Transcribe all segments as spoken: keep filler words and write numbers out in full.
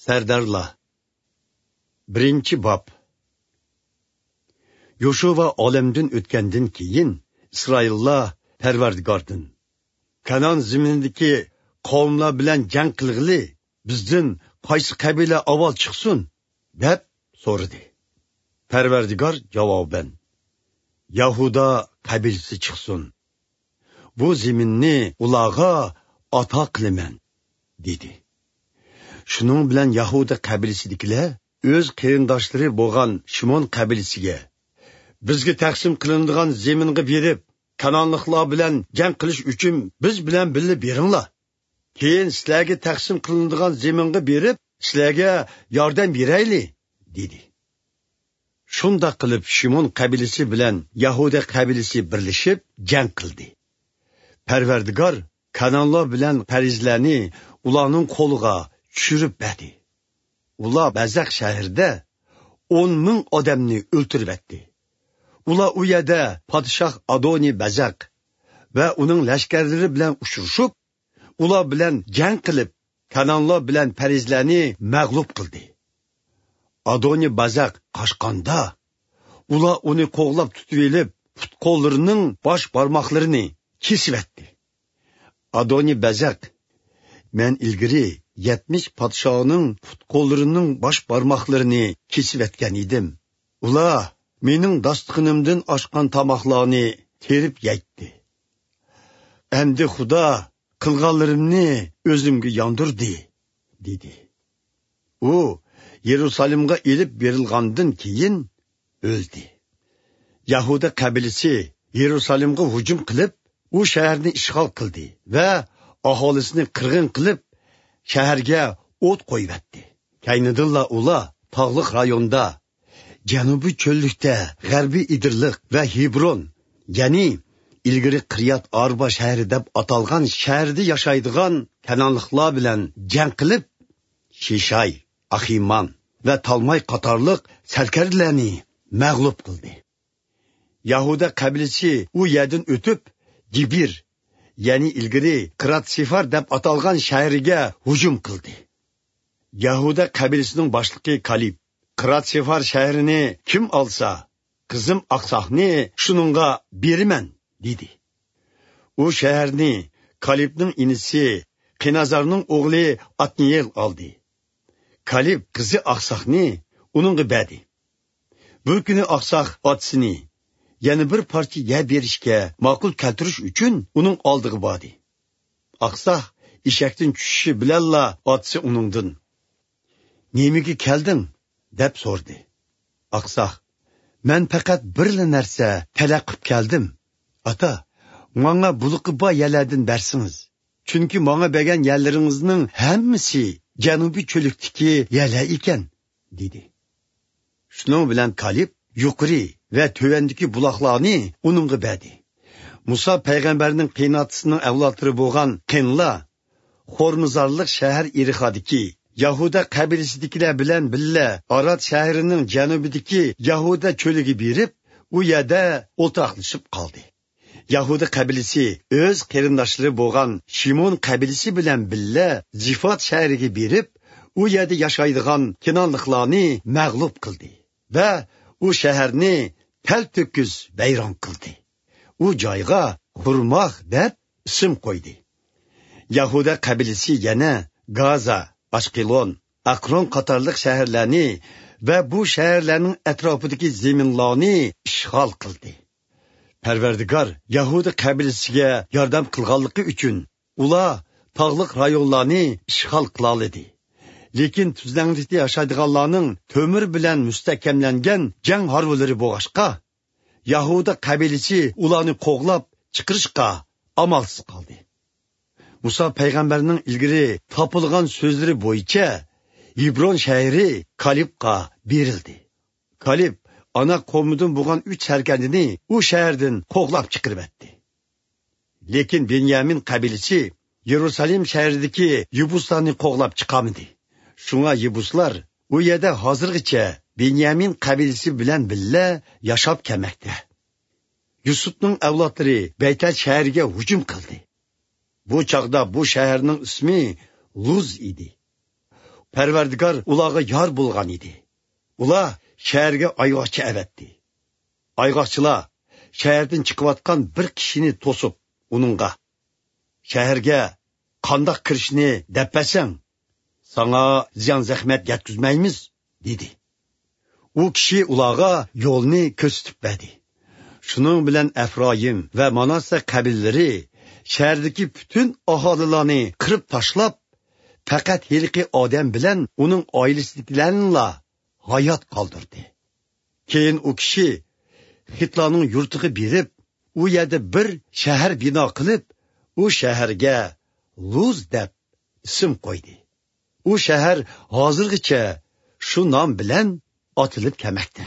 سەردارلار. بىرىنچى باب. يوشۇۋا ئالەمدىن ئۆتكەندىن كېيىن، ئىسرائىللار پەرۋەردىگاردىن، «كانان زېمىنىدىكى قەۋملەر بىلەن جەڭ قىلغىلى بىزدىن قايسى قەبىلە ئاۋۋال چىقسۇن؟» دەپ سورىدى. پەرۋەردىگار جاۋابەن، «يەھۇدا قەبىلىسى چىقسۇن. بۇ زېمىننى ئۇلارغا ئاتا قىلىمەن» دېدى. شۇنىڭ بىلەن يەھۇدا قەبىلىسىدىكىلەر ئۆز قېرىنداشلىرى بولغان شىمون قەبىلىسىگە، «بىزگە تەقسىم قىلىنىدىغان زېمىنغا بېرىپ، كانانلىقلار بىلەن جەڭ قىلىش ئۈچۈن بىز بىلەن بىللە بېرىڭلار. كېيىن سىلەرگە تەقسىم قىلىنىدىغان زېمىنغا بېرىپ، سىلەرگە ياردەم بېرەيلى» دېدى. شۇنداق قىلىپ، شىمون قەبىلىسى بىلەن يەھۇدا قەبىلىسى بىرلىشىپ جەڭ قىلدى. پەرۋەردىگار كانانلار بىلەن پەرىزلەرنى ئۇلارنىڭ قولىغا چۈشۈرۈپ بەردى. ئۇلار بەزەق شەھىرىدە ئون مىڭ ئادەمنى ئۆلتۈرۈۋەتتى. ئۇلار ئۇ يەردە پادىشاھ ئادونى بەزەق ۋە ئۇنىڭ لەشكەرلىرى بىلەن ئۇچرىشىپ، ئۇلار بىلەن جەڭ قىلىپ، كانانلار بىلەن پەرىزلەرنى مەغلۇپ قىلدى. ئادونى بەزەق قاچقاندا، ئۇلار ئۇنى قوغلاپ تۇتۇۋېلىپ، پۇت-قوللىرىنىڭ باش بارماقلىرىنى كېسىۋەتتى. ئادونى بەزەق، «مەن ئىلگىرى يەتمىش پادىشاھنىڭ پۇت-قوللىرىنىڭ باش بارماقلىرىنى كېسىۋەتكەن ئىدىم. ئۇلار مېنىڭ داستىخىنىمدىن ئاشقان تاماقلارنى تېرىپ يەيتتى. ئەمدى خۇدا قىلغانلىرىمنى ئۆزۈمگە ياندۇردى» دېدى. ئۇ يېرۇسالېمغا ئېلىپ بېرىلغاندىن كېيىن ئۆلدى. يەھۇدا قەبىلىسى يېرۇسالېمغا ھۇجۇم قىلىپ، ئۇ شەھەرنى ئىشغال قىلدى ۋە ئاھالىسىنى قىرغىن قىلىپ، شەھەرگە ئوت قويۇۋەتتى. كەينىدىنلا ئۇلار تاغلىق رايوندا، جەنۇبىي چۆللۈكتە غەربىي ئېدىرلىق ۋە ھېبرون، يەنى ئىلگىرى قىرىيات ئاربا شەھىرى دەپ ئاتالغان شەھەردە ياشايدىغان كانانلىقلار بىلەن جەڭ قىلىپ، شىشاي، ئاخىمان ۋە تالماي قاتارلىق سەركەردىلەرنى مەغلۇپ قىلدى. يەھۇدا قەبىلىسى ئۇ يەردىن ئۆتۈپ، گېبىر، يەنى ئىلگىرى قىرات سېفار دەپ ئاتالغان شەھىرىگە ھۇجۇم قىلدى. يەھۇدا قەبىلىسىنىڭ باشلىقى كالىب، «قىرات سېفار شەھىرىنى كىم ئالسا، قىزىم ئاقساقنى شۇنىڭغا بېرىمەن» دېدى. ئۇ شەھەرنى كالىبنىڭ ئىنىسى قېنازارنىڭ ئوغلى ئاتنىيېل ئالدى. كالىب قىزى ئاقساقنى ئۇنىڭغا بەردى. بىر كۈنى ئاقساق ئاتىسىنى يەنە بىر پارچە يەر بېرىشكە ماقۇل كەلتۈرۈش ئۈچۈن ئۇنىڭ ئالدىغا باردى. ئاقساق ئېشەكتىن چۈشۈشى بىلەنلا ئاتىسى ئۇنىڭدىن، «نېمىگە كەلدىڭ؟» دەپ سورىدى. ئاقساق، «مەن پەقەت بىرلا نەرسە تەلەپ قىپ كەلدىم. ئاتا، ماڭا بۇلىقى بار يەرلەردىن بەرسىڭىز. چۈنكى ماڭا بەرگەن يەرلىرىڭىزنىڭ ھەممىسى جەنۇبىي چۆللۈكتىكى يەرلەر ئىكەن» دېدى. شۇنىڭ بىلەن كالىب يۇقىرى ۋە تۆۋەندىكى بۇلاقلارنى ئۇنىڭغا بەردى. مۇسا پەيغەمبەرنىڭ قېيىنئاتىسىنىڭ ئەۋلادلىرى بولغان قېنلار خورمىزارلىق شەھەر ئېرىخادىكى يەھۇدا قەبىلىسىدىكىلەر بىلەن بىللە ئارات شەھىرىنىڭ جەنۇبىدىكى يەھۇدا چۆلىگە بېرىپ، ئۇ يەردە ئولتۇراقلىشىپ قالدى. يەھۇدا قەبىلىسى ئۆز قېرىنداشلىرى بولغان شىمون قەبىلىسى بىلەن بىللە زىفات شەھىرىگە بېرىپ، ئۇ يەردە ياشايدىغان كىنانلىقلارنى مەغلۇپ قىلدى ۋە ئۇ شەھەرنى تەلتۆكۈس ۋەيران قىلدى. ئۇ جايغا خورماخ دەپ ئىسىم قويدى. يەھۇدا قەبىلىسى يەنە گازا، ئاشقېلون، ئەقرون قاتارلىق شەھەرلەرنى ۋە بۇ شەھەرلەرنىڭ ئەتراپىدىكى زېمىنلارنى ئىشغال قىلدى. پەرۋەردىگار يەھۇدا قەبىلىسىگە ياردەم قىلغانلىقى ئۈچۈن، ئۇلار تاغلىق رايونلارنى ئىشغال قىلالىدى. لېكىن تۈزلەڭلىكتە ياشايدىغانلارنىڭ تۆمۈر بىلەن مۇستەھكەملەنگەن جەڭ ھارۋىلىرى بولغاچقا، يەھۇدا قەبىلىسى ئۇلارنى قوغلاپ چىقىرىشقا ئامالسىز قالدى. مۇسا پەيغەمبەرنىڭ ئىلگىرى تاپىلغان سۆزلىرى بويىچە ھېبرون شەھىرى كالىبقا بېرىلدى. كالىب ئاناق قوۋمىدىن بولغان ئۈچ سەركەردىنى ئۇ شەھەردىن قوغلاپ چىقىرىۋەتتى. لېكىن بېنيامىن قەبىلىسى يېرۇسالېم شەھىرىدىكى يېبۇسلارنى قوغلاپ چىقارمىدى. شۇڭا يېبۇسلار ئۇ يەردە ھازىرغىچە بېنيامىن قەبىلىسى بىلەن بىللە ياشاپ كەلمەكتە. يۈسۈپنىڭ ئەۋلادلىرى بەيتەل شەھىرىگە ھۇجۇم قىلدى. بۇ چاغدا بۇ شەھەرنىڭ ئىسمى لۇز ئىدى. پەرۋەردىگار ئۇلارغا يار بولغان ئىدى. ئۇلار شەھەرگە ئايغاقچى ئەۋەتتى. ئايغاقچىلار شەھەردىن چىقىۋاتقان بىر كىشىنى توسۇپ، ئۇنىڭغا، «شەھەرگە قانداق كىرىشنى دەپ بەرسەڭ، ساڭا زىيان-زەخمەت يەتكۈزمەيمىز» دېدى. ئۇ كىشى ئۇلارغا يولنى كۆرسىتىپ بەردى. شۇنىڭ بىلەن ئەفرايىم ۋە ماناسسە قەبىلىلىرى شەھەردىكى پۈتۈن ئاھالىلارنى قىرىپ تاشلاپ، پەقەت ھېلىقى ئادەم بىلەن ئۇنىڭ ئائىلىسىدىكىلەرنىلا ھايات قالدۇردى. كېيىن ئۇ كىشى خىتلارنىڭ يۇرتىغا بېرىپ، ئۇ يەردە بىر شەھەر بىنا قىلىپ، ئۇ شەھەرگە لۇز دەپ ئىسىم قويدى. ئۇ شەھەر ھازىرغىچە شۇ نام بىلەن ئاتىلىپ كەلمەكتە.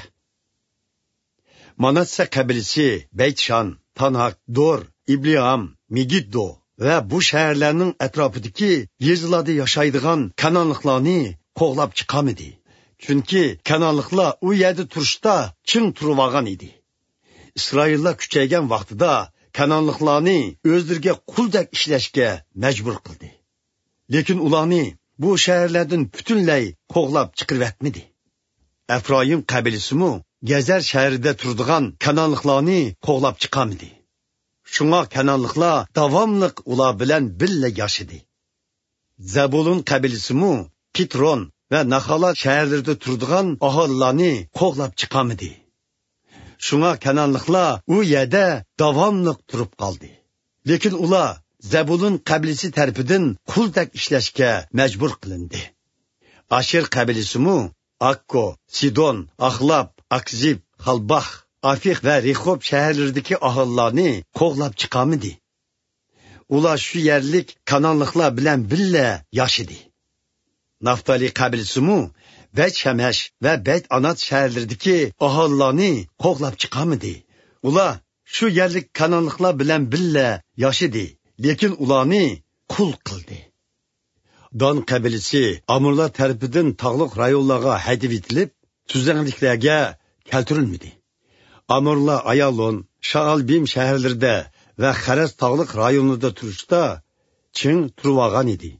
ماناسسە قەبىلىسى بەيتشان، تاناك، دور، ئىبلىئام، مېگىددو ۋە بۇ شەھەرلەرنىڭ ئەتراپىدىكى يېزىلاردا ياشايدىغان كانانلىقلارنى قوغلاپ چىقارمىدى. چۈنكى كانانلىقلار ئۇ يەردە تۇرۇشتا چىڭ تۇرۇۋالغان ئىدى. ئىسرائىللار كۈچەيگەن ۋاقتىدا كانانلىقلارنى ئۆزلىرىگە قۇلدەك ئىشلەشكە مەجبۇر قىلدى. لېكىن ئۇلارنى بۇ شەھەرلەردىن پۈتۈنلەي قوغلاپ چىقىرىۋەتمىدى. ئەفرايىم قەبىلىسىمۇ گەزەر شەھىرىدە تۇرىدىغان كانانلىقلارنى قوغلاپ چىقارمىدى. شۇڭا كانانلىقلار داۋاملىق ئۇلار بىلەن بىللە ياشىدى. زەبۇلۇن قەبىلىسىمۇ قىترون ۋە ناخالا شەھەرلىرىدە تۇرىدىغان ئاھالىلارنى قوغلاپ چىقارمىدى. شۇڭا كانانلىقلار ئۇ يەردە داۋاملىق تۇرۇپ قالدى. لېكىن ئۇلار زەبۇلۇن قەبىلىسى تەرىپىدىن قۇلدەك ئىشلەشكە مەجبۇر قىلىندى. ئاشېر قەبىلىسىمۇ ئاككو، سىدون، ئاخلاپ، ئاكزىب، خالباخ، ئافىق ۋە رېخوب شەھەرلىرىدىكى ئاھالىلارنى قوغلاپ چىقارمىدى. ئۇلار شۇ يەرلىك كانانلىقلار بىلەن بىللە ياشىدى. نافتالىي قەبىلىسىمۇ بەيت شەمەش ۋە بەيت ئانات شەھەرلىرىدىكى ئاھالىلارنى قوغلاپ چىقارمىدى. ئۇلار شۇ يەرلىك كانانلىقلار بىلەن بىللە ياشىدى، لېكىن ئۇلارنى قۇل قىلدى. دان قەبىلىسى ئامۇرلار تەرىپىدىن تاغلىق رايونلارغا ھەيدىۋېتىلىپ، تۈزلەڭلىكلەرگە كەلتۈرۈلمىدى. ئامۇرلار ئايالون، شائالبىم شەھەرلىرىدە ۋە خەرەس تاغلىق رايونىدا تۇرۇشتا چىڭ تۇرۇۋالغان ئىدى.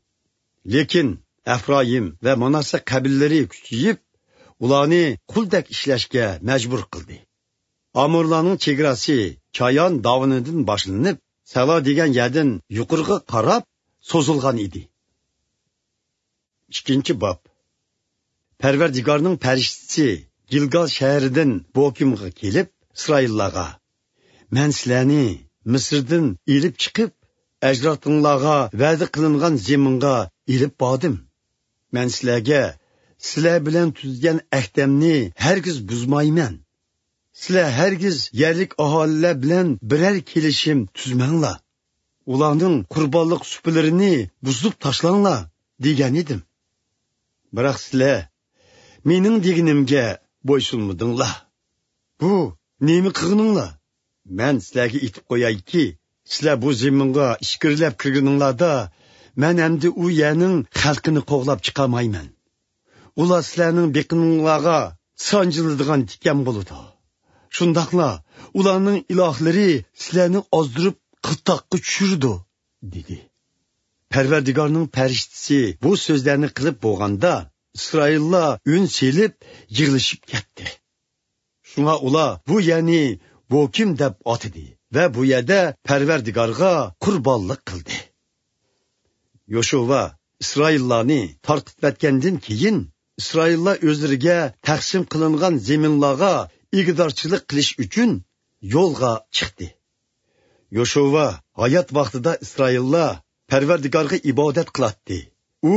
لېكىن ئەفرايىم ۋە ماناسسە قەبىلىلىرى كۈچىيىپ، ئۇلارنى قۇلدەك ئىشلەشكە مەجبۇر قىلدى. ئامورلارنىڭ چېگراسى چايان داۋىنىدىن باشلىنىپ، سەلا دېگەن يەردىن يۇقىرىغا قاراپ سوزۇلغان ئىدى. ئىككىنچى باب. پەرۋەردىگارنىڭ پەرىشتىسى گىلگال شەھىرىدىن بوكىمغا كېلىپ، ئىسرائىللارغا، مەن سىلەرنى مىسىردىن ئېلىپ چىقىپ، ئەجدادىڭلارغا ۋەدە قىلىنغان زېمىنغا ئېلىپ باردىم. مەن سىلەرگە سىلەر بىلەن تۈزگەن ئەھدەمنى ھەرگىز بۇزمايمەن. سىلەر ھەرگىز يەرلىك ئاھالىلەر بىلەن بىرەر كېلىشىم تۈزمەڭلار. ئۇلارنىڭ قۇربانلىق سۇپىلىرىنى بۇزۇپ تاشلاڭلار، دېگەن ئىدىم. بىراق سىلەر مېنىڭ دېگىنىمگە بويسۇنمىدىڭلار. بۇ نېمە قىلغىنىڭلار؟ مەن سىلەرگە ئېيتىپ قويايكى، سىلەر بۇ زېمىنغا ئىچكىرىلەپ كىرگىنىڭلاردا، مەن ئەمدى ئۇ يەرنىڭ خەلقىنى قوغلاپ چىقارمايمەن. ئۇلار سىلەرنىڭ بېقىنىڭلارغا سانجىلىدىغان تىكەن بولىدۇ. شۇنداقلا ئۇلارنىڭ ئىلاھلىرى سىلەرنى ئازدۇرۇپ قىرتاققا چۈشۈرىدۇ، دېدى. پەرۋەردىگارنىڭ پەرىشتىسى بۇ سۆزلەرنى قىلىپ بولغاندا، ئىسرائىللار ئۈن سېلىپ يىغلىشىپ كەتتى. شۇڭا ئۇلار بۇ يەرنى بوكىم دەپ ئاتىدى ۋە بۇ يەردە پەرۋەردىگارغا قۇربانلىق قىلدى. يوشۇۋا ئىسرائىللارنى تارقىتىۋەتكەندىن كېيىن، ئىسرائىللار ئۆزلىرىگە تەقسىم قىلىنغان زېمىنلارغا ئىگىدارچىلىق قىلىش ئۈچۈن يولغا چىقتى. يوشۇۋا ھايات ۋاقتىدا ئىسرائىللار پەرۋەردىگارغا ئىبادەت قىلاتتى. ئۇ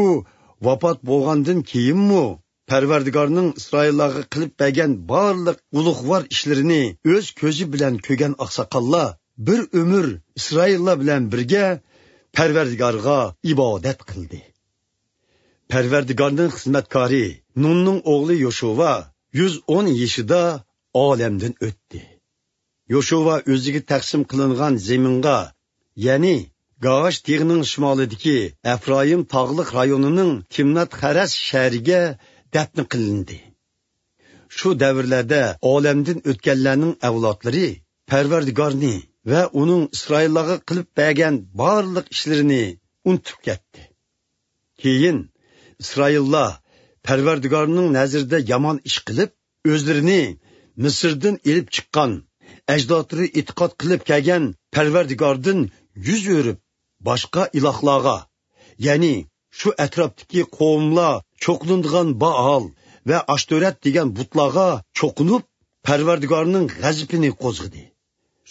ۋاپات بولغاندىن كېيىنمۇ پەرۋەردىگارنىڭ ئىسرائىللارغا قىلىپ بەرگەن بارلىق ئۇلۇغۋار ئىشلىرىنى ئۆز كۆزى بىلەن كۆرگەن ئاقساقاللار بىر ئۆمۈر ئىسرائىللار بىلەن بىرگە پەرۋەردىگارغا ئىبادەت قىلدى. پەرۋەردىگارنىڭ خىزمەتكارى نۇننىڭ ئوغلى يوشۇۋا يۈز ئون يېشىدا ئالەمدىن ئۆتتى. يوشۇۋا ئۆزىگە تەقسىم قىلىنغان زېمىنغا، يەنى گاش تېغىنىڭ شىمالىدىكى ئەپرايىم تاغلىق رايونىنىڭ تىمنات خەرەس شەھىرىگە دەپنە قىلىندى. شۇ دەۋرلەردە ئالەمدىن ئۆتكەنلەرنىڭ ئەۋلادلىرى پەرۋەردىگارنى ۋە ئۇنىڭ ئىسرائىللارغا قىلىپ بەرگەن بارلىق ئىشلىرىنى ئۇنتۇپ كەتتى. كېيىن ئىسرائىللار پەرۋەردىگارنىڭ نەزىرىدە يامان ئىش قىلىپ، ئۆزلىرىنى مىسىردىن ئېلىپ چىققان، ئەجدادلىرى ئېتىقاد قىلىپ كەلگەن پەرۋەردىگاردىن يۈز ئۆرۈپ، باشقا ئىلاھلارغا، يەنى شۇ ئەتراپتىكى قوۋملار چوقۇنىدىغان بائال ۋە ئاشتۆرەت دېگەن بۇتلارغا چوقۇنۇپ، پەرۋەردىگارنىڭ غەزىپىنى قوزغىدى.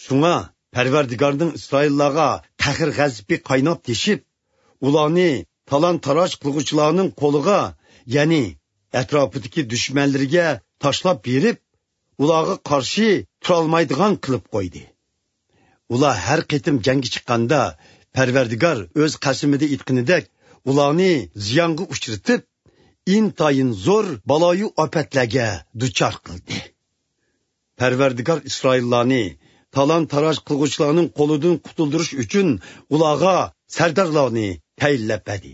شۇڭا پەرۋەردىگارنىڭ ئىسرائىللارغا قەھر-غەزىپى قايناپ تېشىپ، ئۇلارنى تالان-تاراج قىلغۇچىلارنىڭ قولىغا، يەنى ئەتراپىدىكى دۈشمەنلىرىگە تاشلاپ بېرىپ، ئۇلارغا قارشى تۇرالمايدىغان قىلىپ قويدى. ئۇلار ھەر قېتىم جەڭگە چىققاندا، پەرۋەردىگار ئۆز قەسىمىدە ئېيتقىنىدەك، ئۇلارنى زىيانغا ئۇچرىتىپ، ئىنتايىن زور بالايۇ ئاپەتلەرگە دۇچار قىلدى. پەرۋەردىگار ئىسرائىللارنى تالان-تاراج قىلغۇچىلارنىڭ قولىدىن قۇتۇلدۇرۇش ئۈچۈن ئۇلارغا سەردارلارنى تەيىنلەپ بەردى.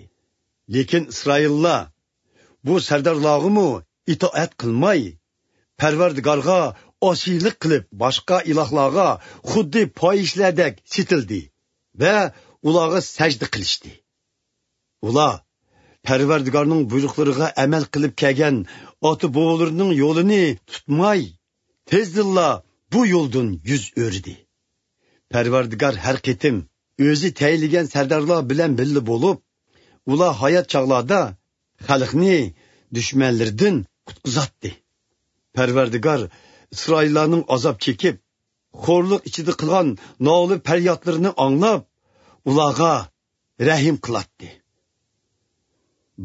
لېكىن ئىسرائىللار بۇ سەردارلارغىمۇ ئىتائەت قىلماي، پەرۋەردىگارغا ئاسىيلىق قىلىپ، باشقا ئىلاھلارغا خۇددى پاھىشىلەردەك سېتىلدى ۋە ئۇلارغا سەجدە قىلىشتى. ئۇلار پەرۋەردىگارنىڭ بۇيرۇقلىرىغا ئەمەل قىلىپ كەلگەن ئاتا-بوۋىلىرىنىڭ يولىنى تۇتماي، تېزدىنلا بۇ يولدىن يۈز ئۆرۈدى. پەرۋەردىگار ھەر قېتىم ئۆزى تەيىنلىگەن سەردارلار بىلەن بىللە بولۇپ، ئۇلار ھايات چاغلاردا خەلقنى دۈشمەنلىرىدىن قۇتقۇزاتتى. پەرۋەردىگار ئىسرائىللارنىڭ ئازاب چېكىپ، خورلۇق ئىچىدە قىلغان نالە-پەريادلىرىنى ئاڭلاپ، ئۇلارغا رەھىم قىلاتتى.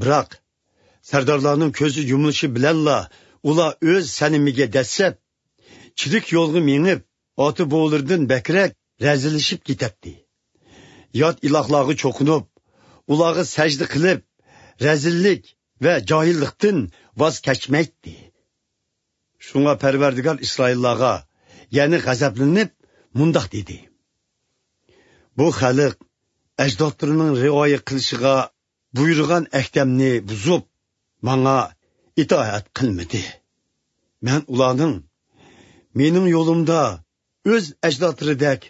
بىراق، سەردارلارنىڭ كۆزى يۇمۇلۇشى بىلەنلا ئۇلار ئۆز سەنىمىگە دەسسەپ، چىرىك يولغا مېڭىپ، ئاتا-بوۋىلىرىدىن بەكرەك رەزىللىشىپ كېتەتتى. يات ئىلاھلارغا چوقۇنۇپ، ئۇلارغا سەجدە قىلىپ، رەزىللىك ۋە جاھىللىقتىن ۋاز كەچمەيتتى. شۇڭا پەرۋەردىگار ئىسرائىللارغا يەنە غەزەپلىنىپ مۇنداق دېدى: بۇ خەلق ئەجدادلىرىنىڭ رىئايە قىلىشىغا بۇيرۇغان ئەھدەمنى بۇزۇپ، ماڭا ئىتائەت قىلمىدى. مەن ئۇلارنىڭ مېنىڭ يولۇمدا ئۆز ئەجدادلىرىدەك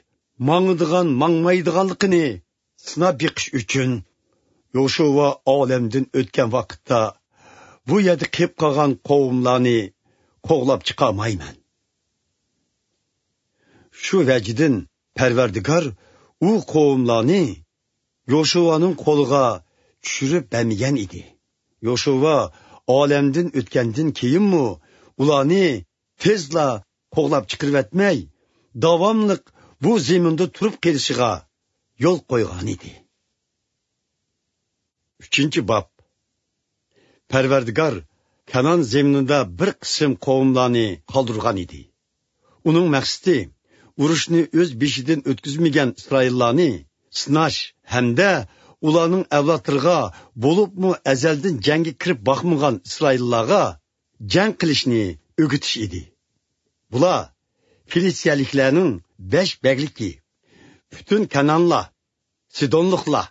ماڭىدىغان-ماڭمايدىغانلىقىنى سىناپ بېقىش ئۈچۈن، يوشۇۋا ئالەمدىن ئۆتكەن ۋاقىتتا بۇ يەردە قېلىپ قالغان قوۋملارنى قوغلاپ چىقارمايمەن. شۇ ۋەجىدىن پەرۋەردىگار ئۇ قوۋملارنى يوشۇۋانىڭ قولىغا چۈشۈرۈپ بەرمىگەن ئىدى. يوشۇۋا ئالەمدىن ئۆتكەندىن كېيىنمۇ ئۇلارنى تېزلا قوغلاپ چىقىرىۋەتمەي، داۋاملىق بۇ زېمىندا تۇرۇپ قېلىشىغا يول قويغانىدى. ئۈچىنچى باب. پەرۋەردىگار كانان زېمىنىدا بىر قىسىم قوۋملارنى قالدۇرغان ئىدى. ئۇنىڭ مەقسىتى ئۇرۇشنى ئۆز بېشىدىن ئۆتكۈزمىگەن ئىسرائىللارنى سىناش ھەمدە ئۇلارنىڭ ئەۋلادلىرىغا، بولۇپمۇ ئەزەلدىن جەڭگە كىرىپ باقمىغان ئىسرائىللارغا جەڭ قىلىشنى ئۆگىتىش ئىدى. بۇلار فىلىستىيەلىكلەرنىڭ بەش بەگلىكى، پۈتۈن كانانلار، سىدونلۇقلار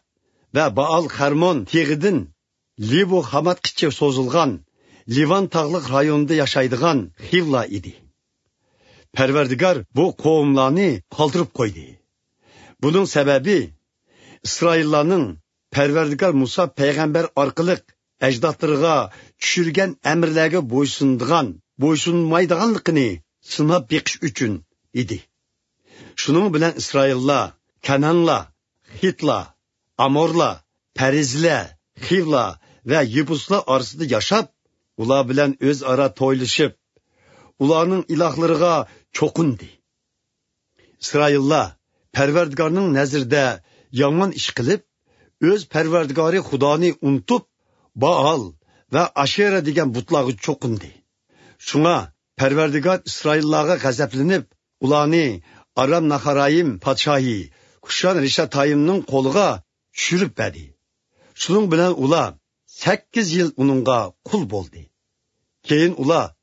ۋە بائال خەرمون تېغىدىن لېبو خاماتقىچە سوزۇلغان لىۋان تاغلىق رايونىدا ياشايدىغان خىۋلار ئىدى. پەرۋەردىگار بۇ قوۋملارنى قالدۇرۇپ قويدى. بۇنىڭ سەۋەبى، ئىسرائىللارنىڭ پەرۋەردىگار مۇسا پەيغەمبەر ئارقىلىق ئەجدادلىرىغا چۈشۈرگەن ئەمىرلەرگە بويسۇنىدىغان، بويسۇنمايدىغانلىقىنى سىناپ بېقىش ئۈچۈن ئىدى. شۇنىڭ بىلەن ئىسرائىللار كانانلار، خىتلار، ئامورلار، پەرىزلەر، خىۋلار ۋە يېبۇسلار ئارىسىدا ياشاپ، ئۇلار بىلەن ئۆزئارا تويلىشىپ، ئۇلارنىڭ ئىلاھلىرىغا چوقۇندى. ئىسرائىللار پەرۋەردىگارنىڭ نەزىرىدە يامان ئىش قىلىپ، ئۆز پەرۋەردىگارى خۇدانى ئۇنتۇپ، بائال ۋە ئاشېرا دېگەن بۇتلارغا چوقۇندى. شۇڭا پەرۋەردىگار ئىسرائىللارغا غەزەپلىنىپ، ئۇلارنى ئارام ناخارايىم پادىشاھى كۇشان رىشاتايىمنىڭ قولىغا چۈشۈرۈپ بەردى. شۇنىڭ بىلەن ئۇلار سەككىز يىل ئۇنىڭغا قۇل بولدى. كېيىن ئۇلار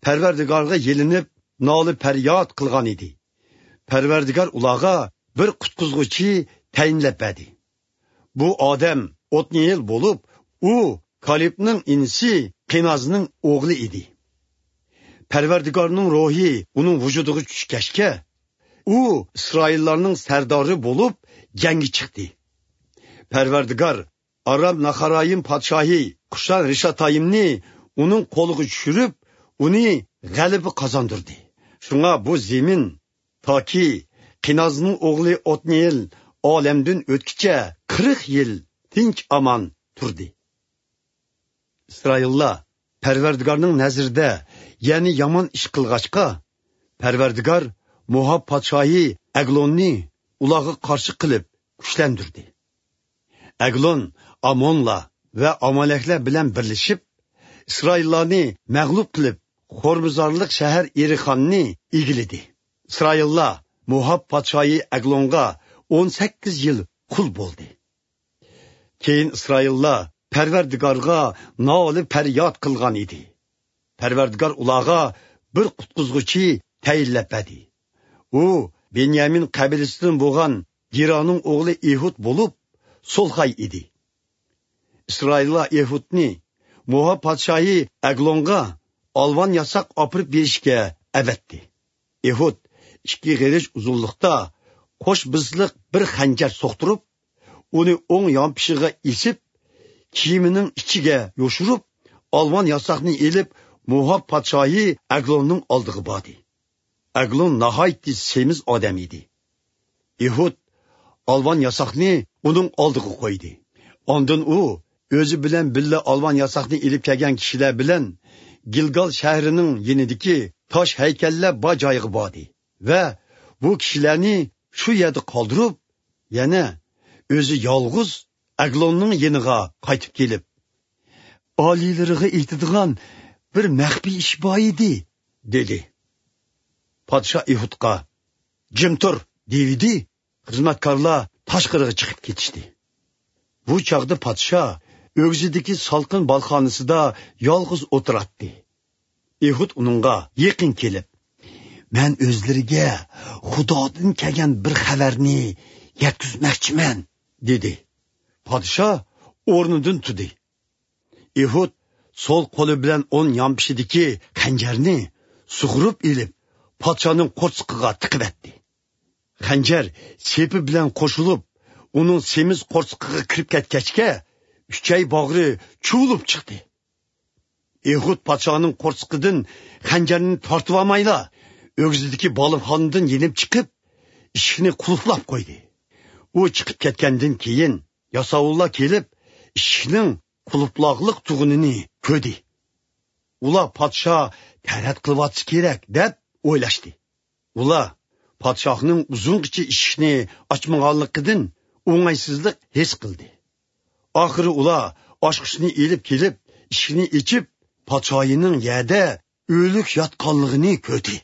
پەرۋەردىگارغا يېلىنىپ، نالە-پەرياد قىلغان ئىدى. پەرۋەردىگار ئۇلارغا بىر قۇتقۇزغۇچى تەيىنلەپ بەردى. بۇ ئادەم ئوتنىيېل بولۇپ، ئۇ كالېبنىڭ ئىنىسى قېنازنىڭ ئوغلى ئىدى. پەرۋەردىگارنىڭ روھى ئۇنىڭ ۋۇجۇدىغا چۈشكەچكە، ئۇ ئىسرائىللارنىڭ سەردارى بولۇپ جەڭگە چىقتى. پەرۋەردىگار ئارام ناخارايىم پادىشاھى قۇشان رىشاتايىمنى ئۇنىڭ قولىغا چۈشۈرۈپ، ئۇنى غەلىبە قازاندۇردى. شۇڭا بۇ زېمىن تاكى قىنازنىڭ ئوغلى ئوتنىئېل ئالەمدىن ئۆتكىچە قىرىق يىل تىنچ ئامان تۇردى. ئىسرائىللار پەرۋەردىگارنىڭ نەزىرىدە يەنە يامان ئىش قىلغاچقا، پەرۋەردىگار موئاب پادىشاھى ئەگلوننى ئۇلارغا قارشى قىلىپ كۈچلەندۈردى. ئەگلون ئامونلار ۋە ئامالەكلەر بىلەن بىرلىشىپ، ئىسرائىللارنى مەغلۇپ قىلىپ، خورمىزارلىق شەھەر ئېرىخاننى ئىگىلىدى. ئىسرائىللار موئاب پادىشاھى ئەگلونغا ئون سەككىز يىل قۇل بولدى. كېيىن ئىسرائىللار پەرۋەردىگارغا نالە پەرياد قىلغان ئىدى. پەرۋەردىگار ئۇلارغا بىر قۇتقۇزغۇچى تەيىنلەپ بەردى. ئۇ بېنيامىن قەبىلىسىدىن بولغان گېرانىڭ ئوغلى ئېھۇد بولۇپ، سولخاي ئىدى. ئىسرائىللار ئېھۇدنى موئاب پادىشاھى ئەگلونغا ئالۋان ياساق ئاپىرىپ بېرىشكە ئەۋەتتى. ئېھۇد ئىككى غېرىچ ئۇزۇنلۇقتا قوش بىزلىق بىر خەنجەر سوقتۇرۇپ، ئۇنى ئوڭ يانپىشىغا ئېسىپ، كىيىمىنىڭ ئىچىگە يوشۇرۇپ، ئالۋان ياساقنى ئېلىپ، موئاب پادىشاھى ئەگلوننىڭ ئالدىغا باردى. ئەگلون ناھايىتى سېمىز ئادەم ئىدى. ئېھۇد ئالۋان ياساقنى ئۇنىڭ ئالدىغا قويدى. ئاندىن ئۇ ئۆزى بىلەن بىللە ئالۋان ياساقنى ئېلىپ كەلگەن كىشىلەر بىلەن گىلگال شەھىرىنىڭ يېنىدىكى تاش ھەيكەللەر بار جايغا باردى ۋە بۇ كىشىلەرنى شۇ يەردە قالدۇرۇپ، يەنە ئۆزى يالغۇز ئەگلوننىڭ يېنىغا قايتىپ كېلىپ، ئالىيلىرىغا ئېيتىدىغان بىر مەخپىي ئىش بار ئىدى، دېدى. پادىشاھ ئېھۇدقا، جىم تۇر، دېيىۋىدى. خىزمەتكارلار تاشقىرىغا چىقىپ كېتىشتى. بۇ چاغدا پادىشاھ ئۆگزىدىكى سالقىن بالخانىسىدا يالغۇز ئولتۇراتتى. ئېھۇد ئۇنىڭغا يېقىن كېلىپ، مەن ئۆزلىرىگە خۇدادىن كەلگەن بىر خەۋەرنى يەتكۈزمەكچىمەن، دېدى. پادىشاھ ئورنىدىن تۇردى. ئېھۇد سول قولى بىلەن ئون يانپىشىدىكى خەنجەرنى سۇغۇرۇپ ئېلىپ، پادىشاھنىڭ قورسىقىغا تىقىۋەتتى. خەنجەر سېپى بىلەن قوشۇلۇپ، ئۇنىڭ سېمىز قورسىقىغا كىرىپ كەتكەچكە، ئۈچەي باغرى چۇۋۇلۇپ چىقتى. ئېھۇد پادىشاھنىڭ قورسىقىدىن خەنجەرنى تارتىۋالمايلا، ئۆگزىدىكى بالىخانىدىن يېنىپ چىقىپ، ئىشىكنى قۇلۇپلاپ قويدى. ئۇ چىقىپ كەتكەندىن كېيىن، ياساۋۇللار كېلىپ، ئىشىكنىڭ قۇلۇپلاغلىق تۇغىنىنى كۆردى. ئۇلار پادىشاھ تەرەت قىلىۋاتسا كېرەك، دەپ ئويلاشتى. ئۇلار پادىشاھنىڭ ئۇزۇنغىچە ئىشىكنى ئاچمىغانلىقىدىن ئوڭايسىزلىق ھېس قىلدى. ئاخىرى ئۇلار ئاچقۇچنى ئېلىپ كېلىپ، ئىشىكنى ئېچىپ، پادىشاھنىڭ يەردە ئۆلۈك ياتقانلىقىنى كۆردى.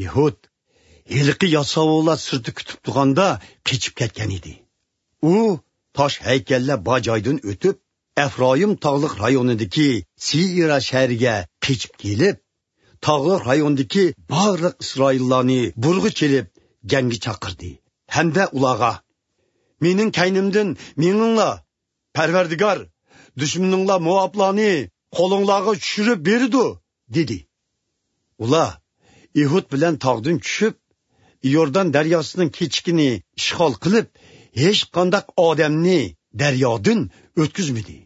يېھۇد ھېلىقى ياساۋۇللار سىرتتا كۈتۈپ تۇرغاندا قېچىپ كەتكەن ئىدى. ئۇ تاش ھەيكەللەر بار جايدىن ئۆتۈپ، ئەفرايىم تاغلىق رايونىدىكى سېئىرا شەھىرىگە قېچىپ كېلىپ، تاغلىق رايوندىكى بارلىق ئىسرائىللارنى بۇرغا چېلىپ جەڭگە چاقىردى ھەمدە ئۇلارغا، مېنىڭ كەينىمدىن مېڭىڭلار، پەرۋەردىگار دۈشمىنىڭلار موئابلارنى قولۇڭلارغا چۈشۈرۈپ بېرىدۇ، دېدى. ئۇلار ئېھۇد بىلەن تاغدىن چۈشۈپ، يوردان دەرياسىنىڭ كېچىكىنى ئىشغال قىلىپ، ھېچقانداق ئادەمنى دەريادىن ئۆتكۈزمىدى.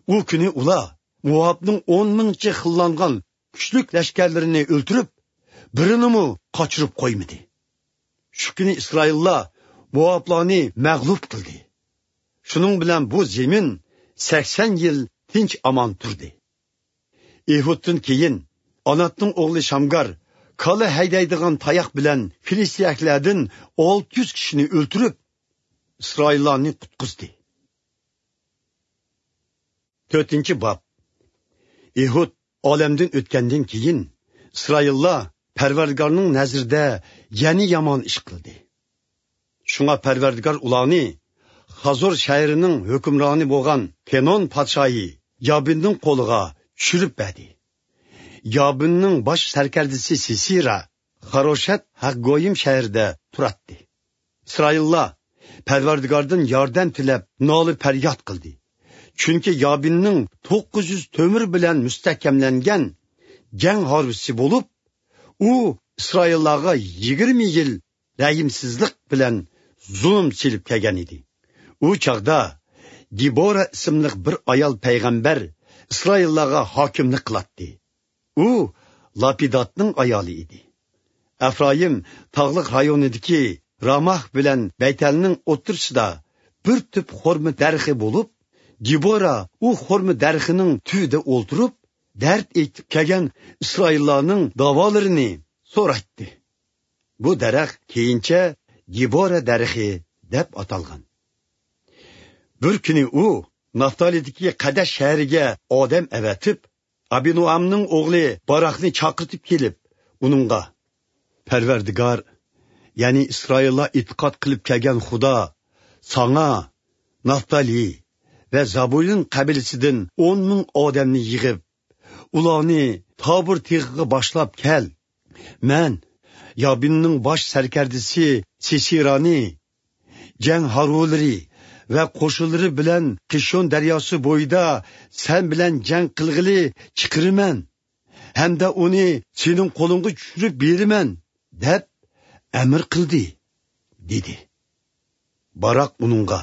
ئۇ كۈنى ئۇلار موئابنىڭ ئون مىڭچە خىللانغان كۈچلۈك لەشكەرلىرىنى ئۆلتۈرۈپ، بىرىنىمۇ قاچۇرۇپ قويمىدى. شۇ كۈنى ئىسرائىللار موئابلارنى مەغلۇپ قىلدى. شۇنىڭ بىلەن بۇ زېمىن سەكسەن يىل تىنچ ئامان تۇردى. ئېھۇدتىن كېيىن ئاناتنىڭ ئوغلى شامگار كالا ھەيدەيدىغان تاياق بىلەن فىلىستىيەلەردىن ئالتە يۈز كىشىنى ئۆلتۈرۈپ، ئىسرائىللارنى قۇتقۇزدى. تۆتىنچى باب. ئېھۇد ئالەمدىن ئۆتكەندىن كېيىن، ئىسرائىللار پەرۋەردىگارنىڭ نەزىرىدە يەنە يامان ئىش قىلدى. شۇڭا پەرۋەردىگار ئۇلارنى خازور شەھىرىنىڭ ھۆكۈمرانى بولغان پېنون پادىشاھى يابىننىڭ قولىغا چۈشۈرۈپ بەردى. يابىننىڭ باش سەركەردىسى سىسىرا خاروشەت ھەقگويىم شەھىرىدە تۇراتتى. ئىسرائىللار پەرۋەردىگاردىن ياردەم تىلەپ نالە پەرياد قىلدى. چۈنكى يابىننىڭ توققۇز يۈز تۆمۈر بىلەن مۇستەھكەملەنگەن جەڭ ھارۋىسى بولۇپ، ئۇ ئىسرائىللارغا يىگىرمە يىل رەھىمسىزلىك بىلەن زۇلۇم سېلىپ كەلگەن ئىدى. ئۇ چاغدا دېبورا ئىسىملىق بىر ئايال پەيغەمبەر ئىسرائىللارغا ھاكىملىك قىلاتتى. ئۇ لاپىداتنىڭ ئايالى ئىدى. ئەفرايىم تاغلىق رايونىدىكى راماھ بىلەن بەيتەلنىڭ ئوتتۇرىسىدا بىر تۈپ خورما دەرىخى بولۇپ، دېبورا ئۇ خورما دەرىخىنىڭ تۈۋىدە ئولتۇرۇپ، دەرد ئېيتىپ كەلگەن ئىسرائىللارنىڭ داۋالىرىنى سورايتتى. بۇ دەرەخ كېيىنچە دېبورا دەرىخى دەپ ئاتالغان. بىر كۈنى ئۇ نافتالىدىكى قەدەش شەھىرىگە ئادەم ئەۋەتىپ، ئابىنوئامنىڭ ئوغلى باراقنى چاقىرتىپ كېلىپ، ئۇنىڭغا: «پەرۋەردىگار، يەنى ئىسرائىللار ئېتىقاد قىلىپ كەلگەن خۇدا ساڭا نافتالى ۋە زابۇلۇن قەبىلىسىدىن ئون مىڭ ئادەمنى يىغىپ، ئۇلارنى تابۇر تېغىغا باشلاپ كەل. مەن يابىننىڭ باش سەركەردىسى سىسىرانى جەڭ ھارۋىلىرى ۋە قوشۇنلىرى بىلەن قىشون دەرياسى بويىدا سەن بىلەن جەڭ قىلغىلى چىقىرىمەن ھەمدە ئۇنى سېنىڭ قولۇڭغا چۈشۈرۈپ بېرىمەن» دەپ ئەمىر قىلدى، دېدى. باراق ئۇنىڭغا: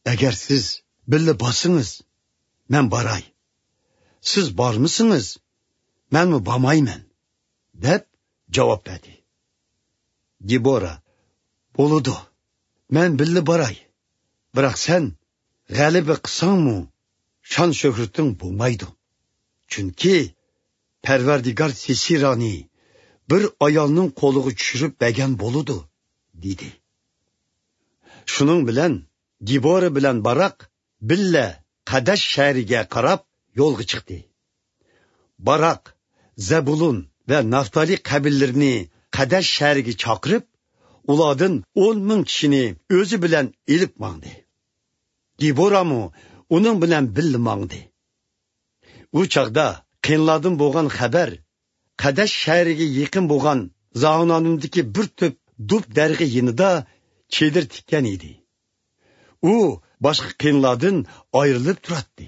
«ئەگەر سىز بىللە بارسىڭىز، مەن باراي. سىز بارمىسىڭىز، مەنمۇ بارمايمەن» دەپ جاۋاب بەردى. دېبورا: «بولىدۇ، مەن بىللە باراي. بىراق سەن غەلىبە قىلساڭمۇ، شان-شۆھرىتىڭ بولمايدۇ. چۈنكى پەرۋەردىگار سىسىرانى بىر ئايالنىڭ قولىغا چۈشۈرۈپ بەرگەن بولىدۇ» دېدى. شۇنىڭ بىلەن دېبورا بىلەن باراق بىللە قەدەش شەھىرىگە قاراپ يولغا چىقتى. باراق زەبۇلۇن ۋە نافتالى قەبىلىلىرىنى قەدەش شەھىرىگە چاقىرىپ، ئۇلاردىن ئون مىڭ كىشىنى ئۆزى بىلەن ئېلىپ ماڭدى. دېبورامۇ ئۇنىڭ بىلەن بىللە ماڭدى. ئۇ چاغدا قېنلاردىن بولغان خەۋەر قەدەش شەھىرىگە يېقىن بولغان زاھۇنانىمدىكى بىر تۈپ دۇب دەرىخى يېنىدا چېدىر تىككەن ئىدى. ئۇ باشقا قېنلاردىن ئايرىلىپ تۇراتتى.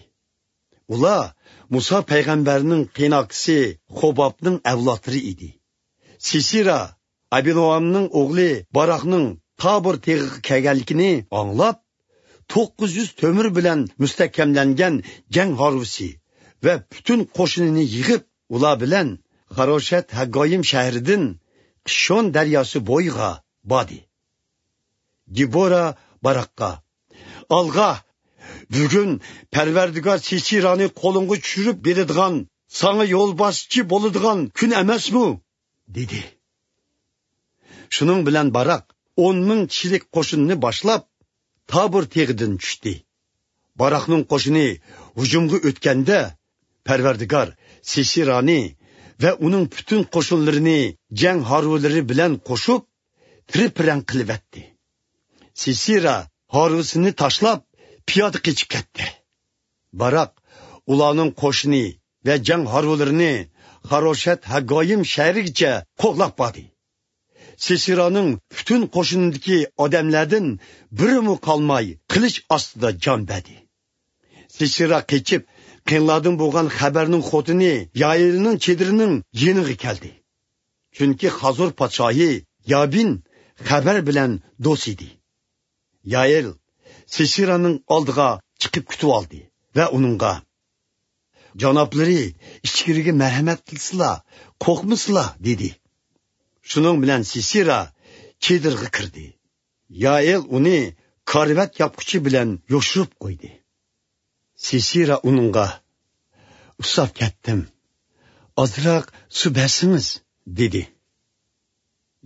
ئۇلار مۇسا پەيغەمبەرنىڭ قېيىنئاكىسى خوبابنىڭ ئەۋلادلىرى ئىدى. سىسىرا ئابىنوئامنىڭ ئوغلى باراقنىڭ تابور تېغىغا كەلگەنلىكىنى ئاڭلاپ، توققۇز يۈز تۆمۈر بىلەن مۇستەھكەملەنگەن جەڭ ھارۋىسى ۋە پۈتۈن قوشۇنىنى يىغىپ، ئۇلار بىلەن خاروشەت ھەگگايىم شەھىرىدىن قىشون دەرياسى بويىغا باردى. دېبورا باراققا: «ئالغا! بۈگۈن پەرۋەردىگار سىسىرانى قولۇڭغا چۈشۈرۈپ بېرىدىغان، ساڭا يولباشچى بولىدىغان كۈن ئەمەسمۇ؟» دېدى. شۇنىڭ بىلەن باراق ئون مىڭ كىشىلىك قوشۇننى باشلاپ، تابور تېغىدىن چۈشتى. باراقنىڭ قوشۇنى ھۇجۇمغا ئۆتكەندە، پەرۋەردىگار سىسىرانى ۋە ئۇنىڭ پۈتۈن قوشۇنلىرىنى جەڭ ھارۋىلىرى بىلەن قوشۇپ، تىرە-پىرەڭ قىلىۋەتتى. سىسىرا ھارۋىسىنى تاشلاپ، پىيادە قېچىپ كەتتى. باراق ئۇلارنىڭ قوشۇنى ۋە جەڭ ھارۋىلىرىنى خاروشەت ھەگگايىم شەھىرىگىچە قوغلاپ باردى. سىسىرانىڭ پۈتۈن قوشۇنىدىكى ئادەملەردىن بىرىمۇ قالماي، قىلىچ ئاستىدا جان بەردى. سىسىرا قېچىپ، قېنلاردىن بولغان خەۋەرنىڭ خوتۇنى يائېلنىڭ چېدىرىنىڭ يېنىغا كەلدى. چۈنكى خازور پادىشاھى يابىن خەۋەر بىلەن دوست ئىدى. يائېل سىسىرانىڭ ئالدىغا چىقىپ كۈتۈۋالدى ۋە ئۇنىڭغا: «جانابلىرى ئىچكىرىگە مەرھەمەت قىلسىلا، قورقمىسىلا» دېدى. شۇنىڭ بىلەن سىسىرا چېدىرغا كىردى. يائېل ئۇنى كارىۋەت ياپقۇچى بىلەن يوشۇرۇپ قويدى. سىسىرا ئۇنىڭغا: «ئۇسساپ كەتتىم، ئازراق سۇ بەرسىڭىز» دېدى.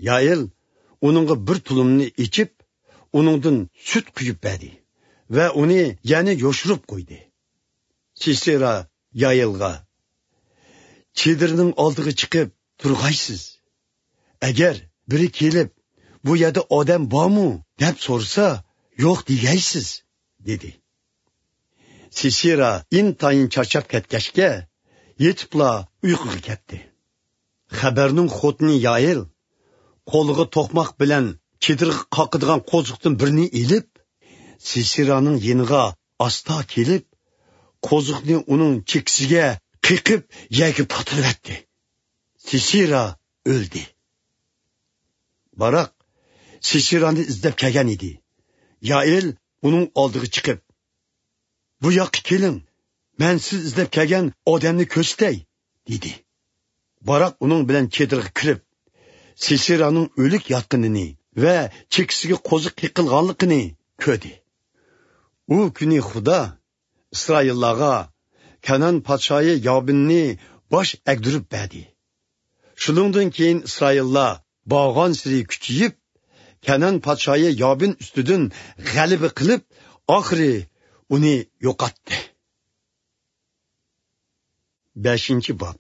يائېل ئۇنىڭغا بىر تۇلۇمنى ئېچىپ، ئۇنىڭدىن سۈت قۇيۇپ بەردى ۋە ئۇنى يەنە يوشۇرۇپ قويدى. سىسىرا يائېلغا: «چېدىرنىڭ ئالدىغا چىقىپ تۇرغايسىز. ئەگەر بىرى كېلىپ، بۇ يەردە ئادەم بارمۇ دەپ سورىسا، يوق دېگەيسىز» دېدى. سىسىرا ئىنتايىن چارچاپ كەتكەچكە، يېتىپلا ئۇيقۇغا كەتتى. خەۋەرنىڭ خوتۇنى يائېل قولىغا توقماق بىلەن چېدىرغا قاقىدىغان قوزۇقتىن بىرنى ئېلىپ، سىسىرانىڭ يېنىغا ئاستا كېلىپ، قوزۇقنى ئۇنىڭ چېكىسىگە قېقىپ، يەرگە پاتۇرۇۋەتتى. سىسىرا ئۆلدى. باراق سىسىرانى ئىزدەپ كەلگەن ئىدى. يائېل ئۇنىڭ ئالدىغا چىقىپ: بۇ ياققا كېلىڭ، مەن سىز ئىزدەپ كەلگەن ئادەمنى كۆرسىتەي» دېدى. باراق ئۇنىڭ بىلەن چېدىرغا كىرىپ، سىسېرانىڭ ئۆلۈك ياتقىنىنى ۋە چېكىسىگە قوزۇق قېقىلغانلىقىنى كۆردى. ئۇ كۈنى خۇدا ئىسرائىللارغا كەنئان پادىشاھى يابىننى باش ئەگدۈرۈپ بەردى. شۇنىڭدىن كېيىن ئىسرائىللار بارغانسېرى كۈچىيىپ، كەنئان پادىشاھى يابىن ئۈستىدىن غەلىبە قىلىپ، ئاخىرى ئۇنى يوقاتتى. بەشىنچى باب.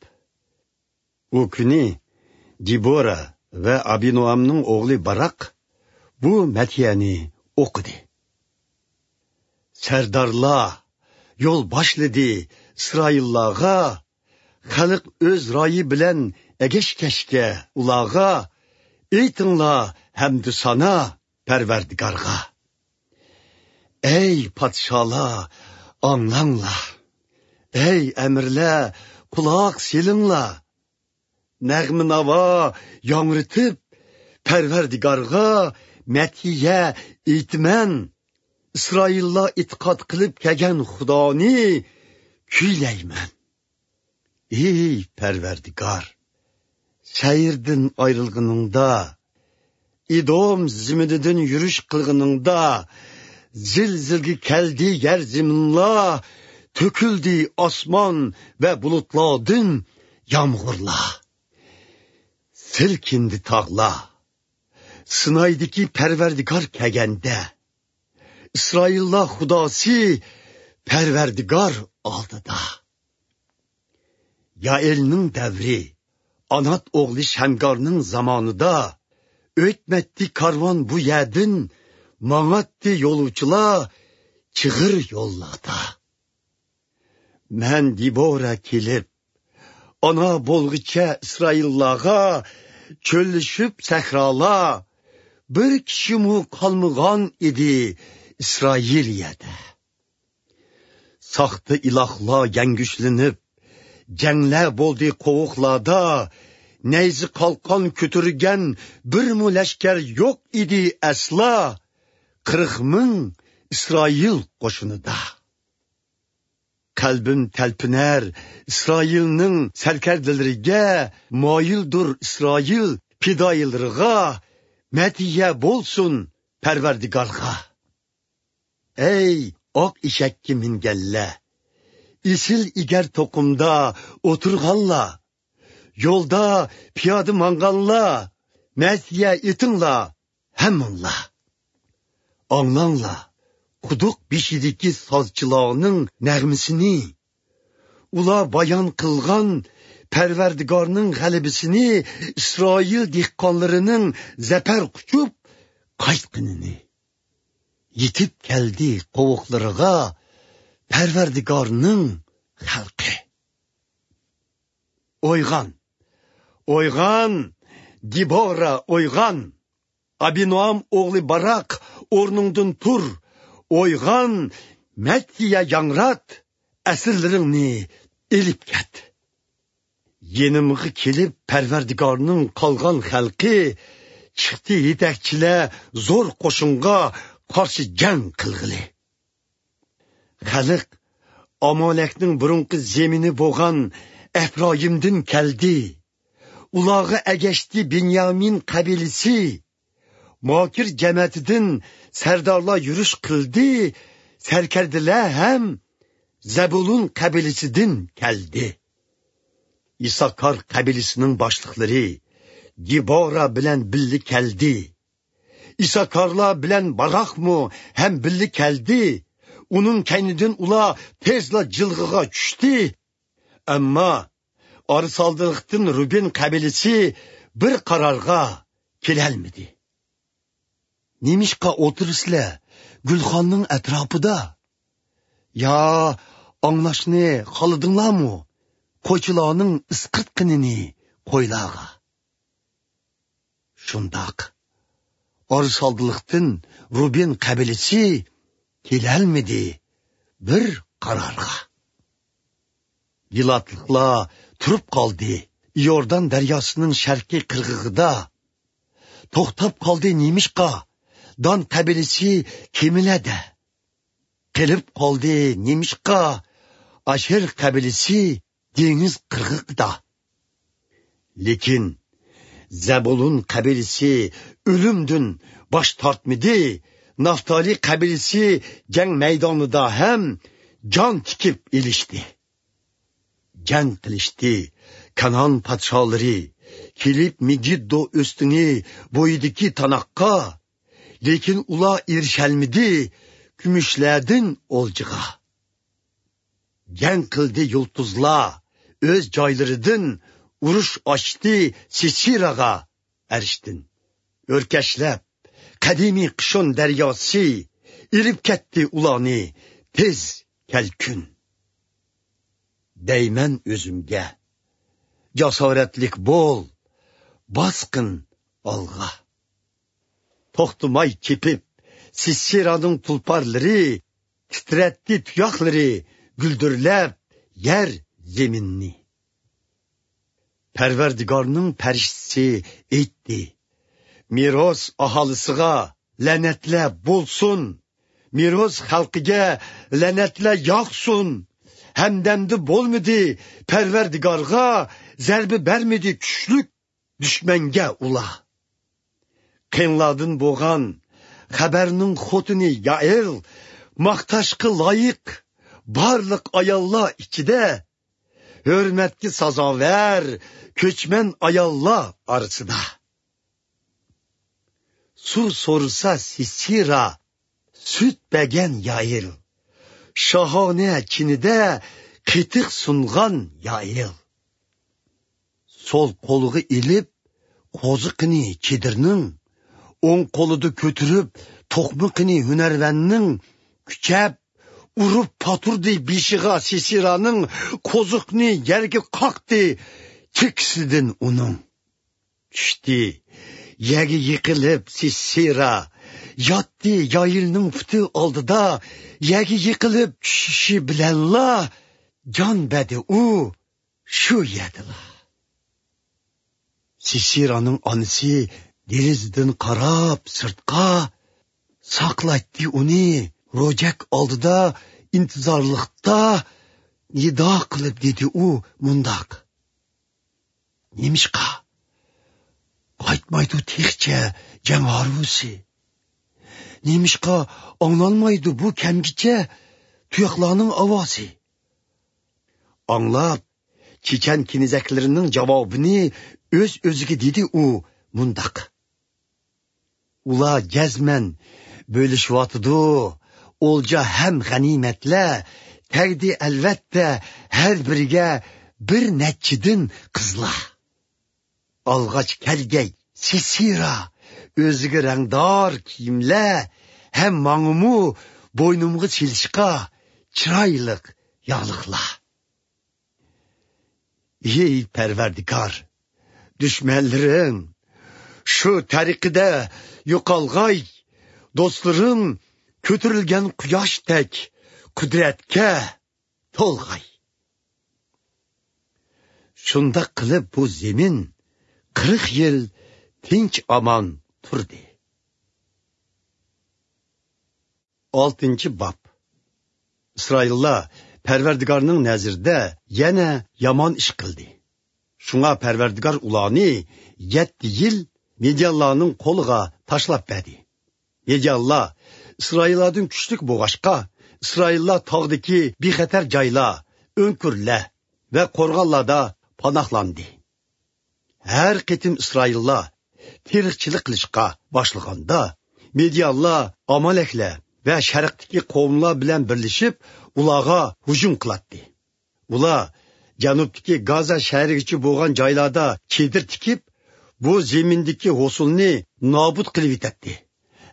ئۇ كۈنى دېبورا ۋە ئابىنوئامنىڭ ئوغلى باراق بۇ مەدھىيەنى ئوقۇدى. سەردارلار يول باشلىدى ئىسرائىللارغا، خەلق ئۆز رايى بىلەن ئەگەشكەچكە ئۇلارغا، ئېيتىڭلار ھەمدۇسانا پەرۋەردىگارغا. ئەي پادىشاھلار، ئاڭلاڭلار! ئەي ئەمىرلەر، قۇلاق سېلىڭلار! نەغمە-ناۋا ياڭرىتىپ، پەرۋەردىگارغا مەدھىيە ئېيتىمەن. ئىسرائىللار ئېتىقاد قىلىپ كەلگەن خۇدانى كۈيلەيمەن. ئى پەرۋەردىگار، سەيىردىن ئايرىلغىنىڭدا، ئىدوم زېمىنىدىن يۈرۈش قىلغىنىڭدا، زىلزىلگە كەلدى يەر زېمىنلار، تۆكۈلدى ئاسمان ۋە بۇلۇتلاردىن يامغۇرلار. سىلكىندى تاغلار. سىنايدىكى پەرۋەردىگار كەلگەندە، ئىسرائىللار خۇداسى پەرۋەردىگار ئالدىدا. يائىلنىڭ دەۋرى، ئانات ئوغلى شەمگارنىڭ زامانىدا، ئۆتمەتتى كارۋان بۇ يەردىن، ماڭاتتى يولۇچىلار چىغىر يوللاردا. مەن دېبورا كېلىپ، ئانا بولغۇچە ئىسرائىللارغا چۆللىشىپ سەھرالار، بىر كىشىمۇ قالمىغان ئىدى ئىسرائىلىيەدە. ساختا ئىلاھلار يەڭگۈشلىنىپ، جەڭلەر بولدى قوۋۇقلاردا، نەيزە قالقان كۆتۈرگەن بىرمۇ لەشكەر يوق ئىدى ئەسلا، قىرىق مىڭ ئىسرائىل قوشۇنىدا. قەلبىم تەلپۈنەر ئىسرائىلنىڭ سەركەردىلىرىگە، مايىلدۇر ئىسرائىل پىدائىيلىرىغا، مەدھىيە بولسۇن پەرۋەردىگارغا. ئەي ئاق ئېشەككە مىنگەنلەر، ئېسىل ئېگەر توقۇمدا ئولتۇرغانلار، يولدا پىيادە ماڭغانلار، مەدھىيە ئېيتىڭلار ھەممىڭلار. ئاڭلاڭلار قۇدۇق بېشىدىكى سازچىلارنىڭ نەغمىسىنى. ئۇلار بايان قىلغان پەرۋەردىگارنىڭ غەلىبىسىنى، ئىسرائىل دېھقانلىرىنىڭ زەپەر قۇچۇپ قايتقىنىنى. يېتىپ كەلدى قوۋۇقلىرىغا پەرۋەردىگارنىڭ خەلقى. ئويغان! ئويغان! دېبورا، ئويغان! ئابىنوئام ئوغلى باراق، ئورنۇڭدىن تۇر! ئويغان! مەدھىيە ياڭرات! ئەسىرلىرىڭنى ئېلىپ كەت! يېنىمغا كېلىپ، پەرۋەردىگارنىڭ قالغان خەلقى چىقتى، يېتەكچىلەر زور قوشۇنغا قارشى جەڭ قىلغىلى. خەلق ئامالەكنىڭ بۇرۇنقى زېمىنى بولغان ئەپرايىمدىن كەلدى. ئۇلارغا ئەگەشتى بېنيامىن قەبىلىسى. ماكىر جەمەتىدىن سەردارلار يۈرۈش قىلدى، سەركەردىلەر ھەم زەبۇلۇن قەبىلىسىدىن كەلدى. ئىساكار قەبىلىسىنىڭ باشلىقلىرى دېبورا بىلەن بىللە كەلدى. ئىساكارلار بىلەن باراقمۇ ھەم بىللە كەلدى. ئۇنىڭ كەينىدىن ئۇلار تېزلا جىلغىغا چۈشتى. ئەمما ئارىسالدىلىقتىن رۇبېن قەبىلىسى بىر قارارغا كېلەلمىدى. نېمىشقا ئولتۇرىسىلەر گۈلخاننىڭ ئەتراپىدا؟ يا ئاڭلاشنى خالىدىڭلارمۇ قويچىلارنىڭ ئىسقىرتقىنىنى قويلارغا؟ شۇنداق، ئارىسالدىلىقتىن رۇبېن قەبىلىسى كېلەلمىدى بىر قارارغا. گىلادلىقلار تۇرۇپ قالدى ئىيوردان دەرياسىنىڭ شەرقىي قىرغىقىدا. توختاپ قالدى نېمىشقا دان قەبىلىسى كېمىلەردە؟ قېلىپ قالدى نېمىشقا؟ ئاشېر قەبىلىسى دېڭىز قىرغىقىدا. لېكىن زەبۇلۇن قەبىلىسى ئۆلۈمدىن باش تارتمىدى، نافتالىي قەبىلىسى جەڭ مەيدانىدا ھەم جان تىكىپ ئېلىشتى. جەڭ قىلىشتى كانان پادىشاھلىرى، كېلىپ مېگىددو ئۆستىڭى بويىدىكى تاناققا، لېكىن ئۇلار ئېرىشەلمىدى كۈمۈشلەردىن ئولجىغا. جەڭ قىلدى يۇلتۇزلار ئۆز جايلىرىدىن، ئۇرۇش ئاچتى سىسىراغا ئەرشتىن. ئۆركەشلەپ قەدىمىي قىشۇن دەرياسى، ئېلىپ كەتتى ئۇلارنى تېز كەلكۈن. دەيمەن ئۆزۈمگە، جاسارەتلىك بول، باسقىن ئالغا. توختىماي چېپىپ سىسىرانىڭ تۇلپارلىرى، تىترەتتى تۇياقلىرى، گۈلدۈرلەپ يەر زېمىننى. پەرۋەردىگارنىڭ پەرىشتىسى ئېيتتى: مىروس ئاھالىسىغا لەنەتلەر بولسۇن، مىروس خەلقىگە لەنەتلەر ياغسۇن. ھەمدەمدە بولمىدى پەرۋەردىگارغا، زەربە بەرمىدى كۈچلۈك دۈشمەنگە ئۇلار. قېنلاردىن بولغان خەبەرنىڭ خوتۇنى يائىل، ماختاشقا لايىق بارلىق ئاياللار ئىچىدە، ھۆرمەتكە سازاۋەر كۆچمەن ئاياللار ئارىسىدا. سۇ سورىسا سىسىرا، سۈت بەرگەن يائىل، شاھانە چىنىدە قېتىق سۇنغان يائىل. سول قولىغا ئېلىپ قوزۇقىنى چېدىرنىڭ، ئوڭ قولىدا كۆتۈرۈپ توقمىقىنى ھۈنەرۋەننىڭ، كۈچەپ ئۇرۇپ پاتۇردى بېشىغا سىسىرانىڭ، قوزۇقنى يەرگە قاقتى چېكىسىدىن ئۇنىڭ. چۈشتى يەرگە يىقىلىپ سىسىرا، ياتتى يائىلنىڭ پۇتى ئالدىدا. يەرگە يىقىلىپ چۈشۈشى بىلەنلا جان بەردى ئۇ شۇ يەردىلا. سىسىرانىڭ ئانىسى دېرىزىدىن قاراپ سىرتقا، ساقلايتتى ئۇنى روجەك ئالدىدا ئىنتىزارلىقتا نىدا قىلىپ دېدى ئۇ مۇنداق: نېمىشقا قايتمايدۇ تېخىچە جەڭ ھارۋىسى؟ نېمىشقا ئاڭلانمايدۇ بۇ كەمگىچە تۇياقلارنىڭ ئاۋازى؟ ئاڭلاپ، چېچەن كېنىزەكلىرىنىڭ جاۋابىنى ئۆز-ئۆزىگە دېدى ئۇ مۇنداق: ئۇلار جەزمەن بۆلۈشۈۋاتىدۇ ئولجا ھەم غەنىيمەتلەر، تەگدى ئەلۋەتتە ھەر بىرىگە بىر نەچچىدىن قىزلار. ئالغاچ كەلگەي سىسىرا، ئۆزىگە رەڭدار كىيىملەر ھەم ماڭىمۇ بوينۇمغا سېلىشقا چىرايلىق ياغلىقلار. ئى پەرۋەردىگار، دۈشمەنلىرىڭ شۇ تەرىقىدە يوقالغاي، دوستلىرىڭ كۆتۈرۈلگەن قۇياشتەك قۇدرەتكە تولغاي. شۇنداق قىلىپ بۇ زېمىن قىرىق يىل تىنچ ئامان تۇردى. ئالتىنچى باب. ئىسرائىللار پەرۋەردىگارنىڭ نەزىرىدە يەنە يامان ئىش قىلدى. شۇڭا پەرۋەردىگار ئۇلارنى يەتتە يىل مىديانلارنىڭ قولىغا تاشلاپ بەردى. مىديانلار ئىسرائىللاردىن كۈچلۈك بولغاچقا، ئىسرائىللار تاغدىكى بىخەتەر جايلار، ئۆڭكۈرلەر ۋە قورغانلاردا پاناھلاندى. ھەر قېتىم ئىسرائىللار تېرىقچىلىق قىلىشقا باشلىغاندا، مىديانلار ئامالەكلەر ۋە شەرقتىكى قوۋملار بىلەن بىرلىشىپ، ئۇلارغا ھۇجۇم قىلاتتى. ئۇلار جەنۇبتىكى گازا شەھىرىگىچە بولغان جايلاردا چېدىر تىكىپ، بۇ زېمىندىكى ھوسۇلنى نابۇت قىلىۋېتەتتى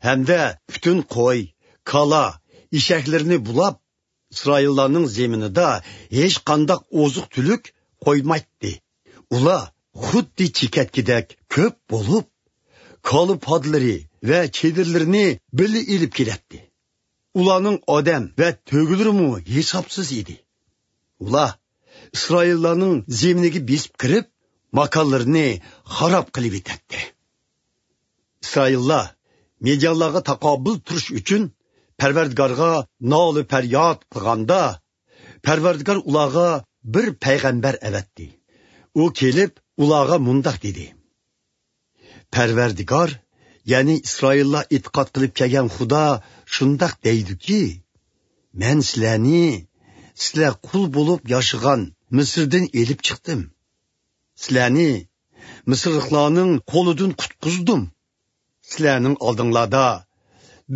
ھەمدە پۈتۈن قوي، كالا، ئېشەكلىرىنى بۇلاپ، ئىسرائىللارنىڭ زېمىنىدا ھېچقانداق ئوزۇق-تۈلۈك قويمايتتى. ئۇلار خۇددى چېكەتكىدەك كۆپ بولۇپ، كالا پادىلىرى ۋە چېدىرلىرىنى بىللە ئېلىپ كېلەتتى. ئۇلارنىڭ ئادەم ۋە تۆگىلىرىمۇ ھېسابسىز ئىدى. ئۇلار ئىسرائىللارنىڭ زېمىنىگە بېسىپ كىرىپ، ماكانلىرىنى خاراب قىلىۋېتەتتى. ئىسرائىللار مىديانلارغا تاقابىل تۇرۇش ئۈچۈن پەرۋەردىگارغا نالە پەرياد قىلغاندا، پەرۋەردىگار ئۇلارغا بىر پەيغەمبەر ئەۋەتتى. ئۇ كېلىپ ئۇلارغا مۇنداق دېدى: پەرۋەردىگار، يەنى ئىسرائىللار ئېتىقاد قىلىپ كەلگەن خۇدا شۇنداق دەيدۇكى، مەن سىلەرنى سىلەر قۇل بولۇپ ياشىغان مىسىردىن ئېلىپ چىقتىم. سىلەرنى مىسىرلىقلارنىڭ قولىدىن قۇتقۇزدۇم. سىلەرنىڭ ئالدىڭلاردا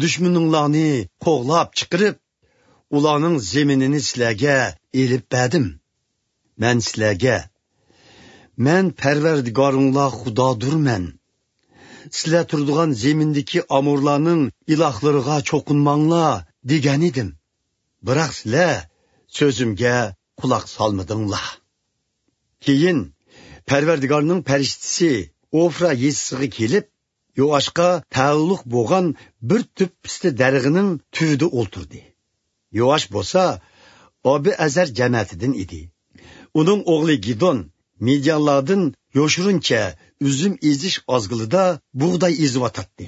دۈشمىنىڭلارنى قوغلاپ چىقىرىپ، ئۇلارنىڭ زېمىنىنى سىلەرگە ئېلىپ بەردىم. مەن سىلەرگە، مەن پەرۋەردىگارىڭلار خۇدادۇرمەن. سىلەر تۇرىدىغان زېمىندىكى ئامورلارنىڭ ئىلاھلىرىغا چوقۇنماڭلار دېگەنىدىم. بىراق سىلەر سۆزۈمگە قۇلاق سالمىدىڭلار. كېيىن پەرۋەردىگارنىڭ پەرىشتىسى ئوفرا يېزىسىغا كېلىپ، يوئاشقا تەئەللۇق بولغان بىر تۈپ پىستە دەرىخىنىڭ تۈۋىدە ئولتۇردى. يوئاش بولسا ئابىئەزەر جەمەتىدىن ئىدى. ئۇنىڭ ئوغلى گىدون مىديانلاردىن يوشۇرۇنچە ئۈزۈم ئېزىش ئازگىلىدا بۇغداي ئېزىۋاتاتتى.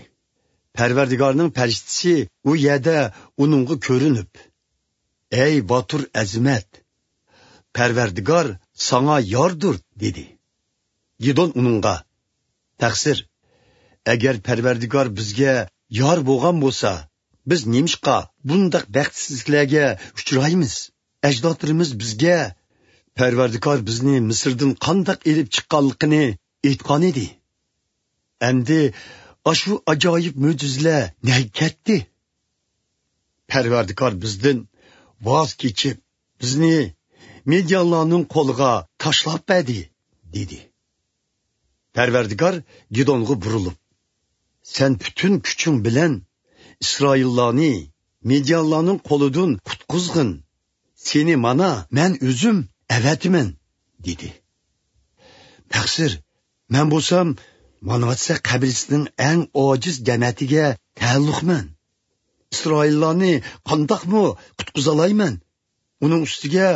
پەرۋەردىگارنىڭ پەرىشتىسى ئۇ يەردە ئۇنىڭغا كۆرۈنۈپ، ئەي باتۇر ئەزىمەت، پەرۋەردىگار ساڭا ياردۇر، دېدى. گىدون ئۇنىڭغا، تەقسىر، ئەگەر پەرۋەردىگار بىزگە يار بولغان بولسا، بىز نېمىشقا بۇنداق بەختسىزلىكلەرگە ئۇچرايمىز؟ ئەجدادلىرىمىز بىزگە پەرۋەردىگار بىزنى مىسىردىن قانداق ئېلىپ چىققانلىقىنى ئېيتقانىدى. ئەمدى ئاشۇ ئاجايىپ مۆجىزىلەر نەگە كەتتى؟ پەرۋەردىگار بىزدىن ۋاز كېچىپ، بىزنى مىديانلارنىڭ قولىغا تاشلاپ بەردى، دېدى. پەرۋەردىگار گىدونغا بۇرۇلۇپ، سەن پۈتۈن كۈچۈڭ بىلەن ئىسرائىللارنى مىديانلارنىڭ قولىدىن قۇتقۇزغىن. سېنى مانا مەن ئۆزۈم ئەۋەتىمەن، دېدى. تەقسىر، مەن بولسام مانۋاتسە قەبىلىسىنىڭ ئەڭ ئاجىز جەمەتىگە تەئەللۇقمەن. ئىسرائىللارنى قانداقمۇ قۇتقۇزالايمەن؟ ئۇنىڭ ئۈستىگە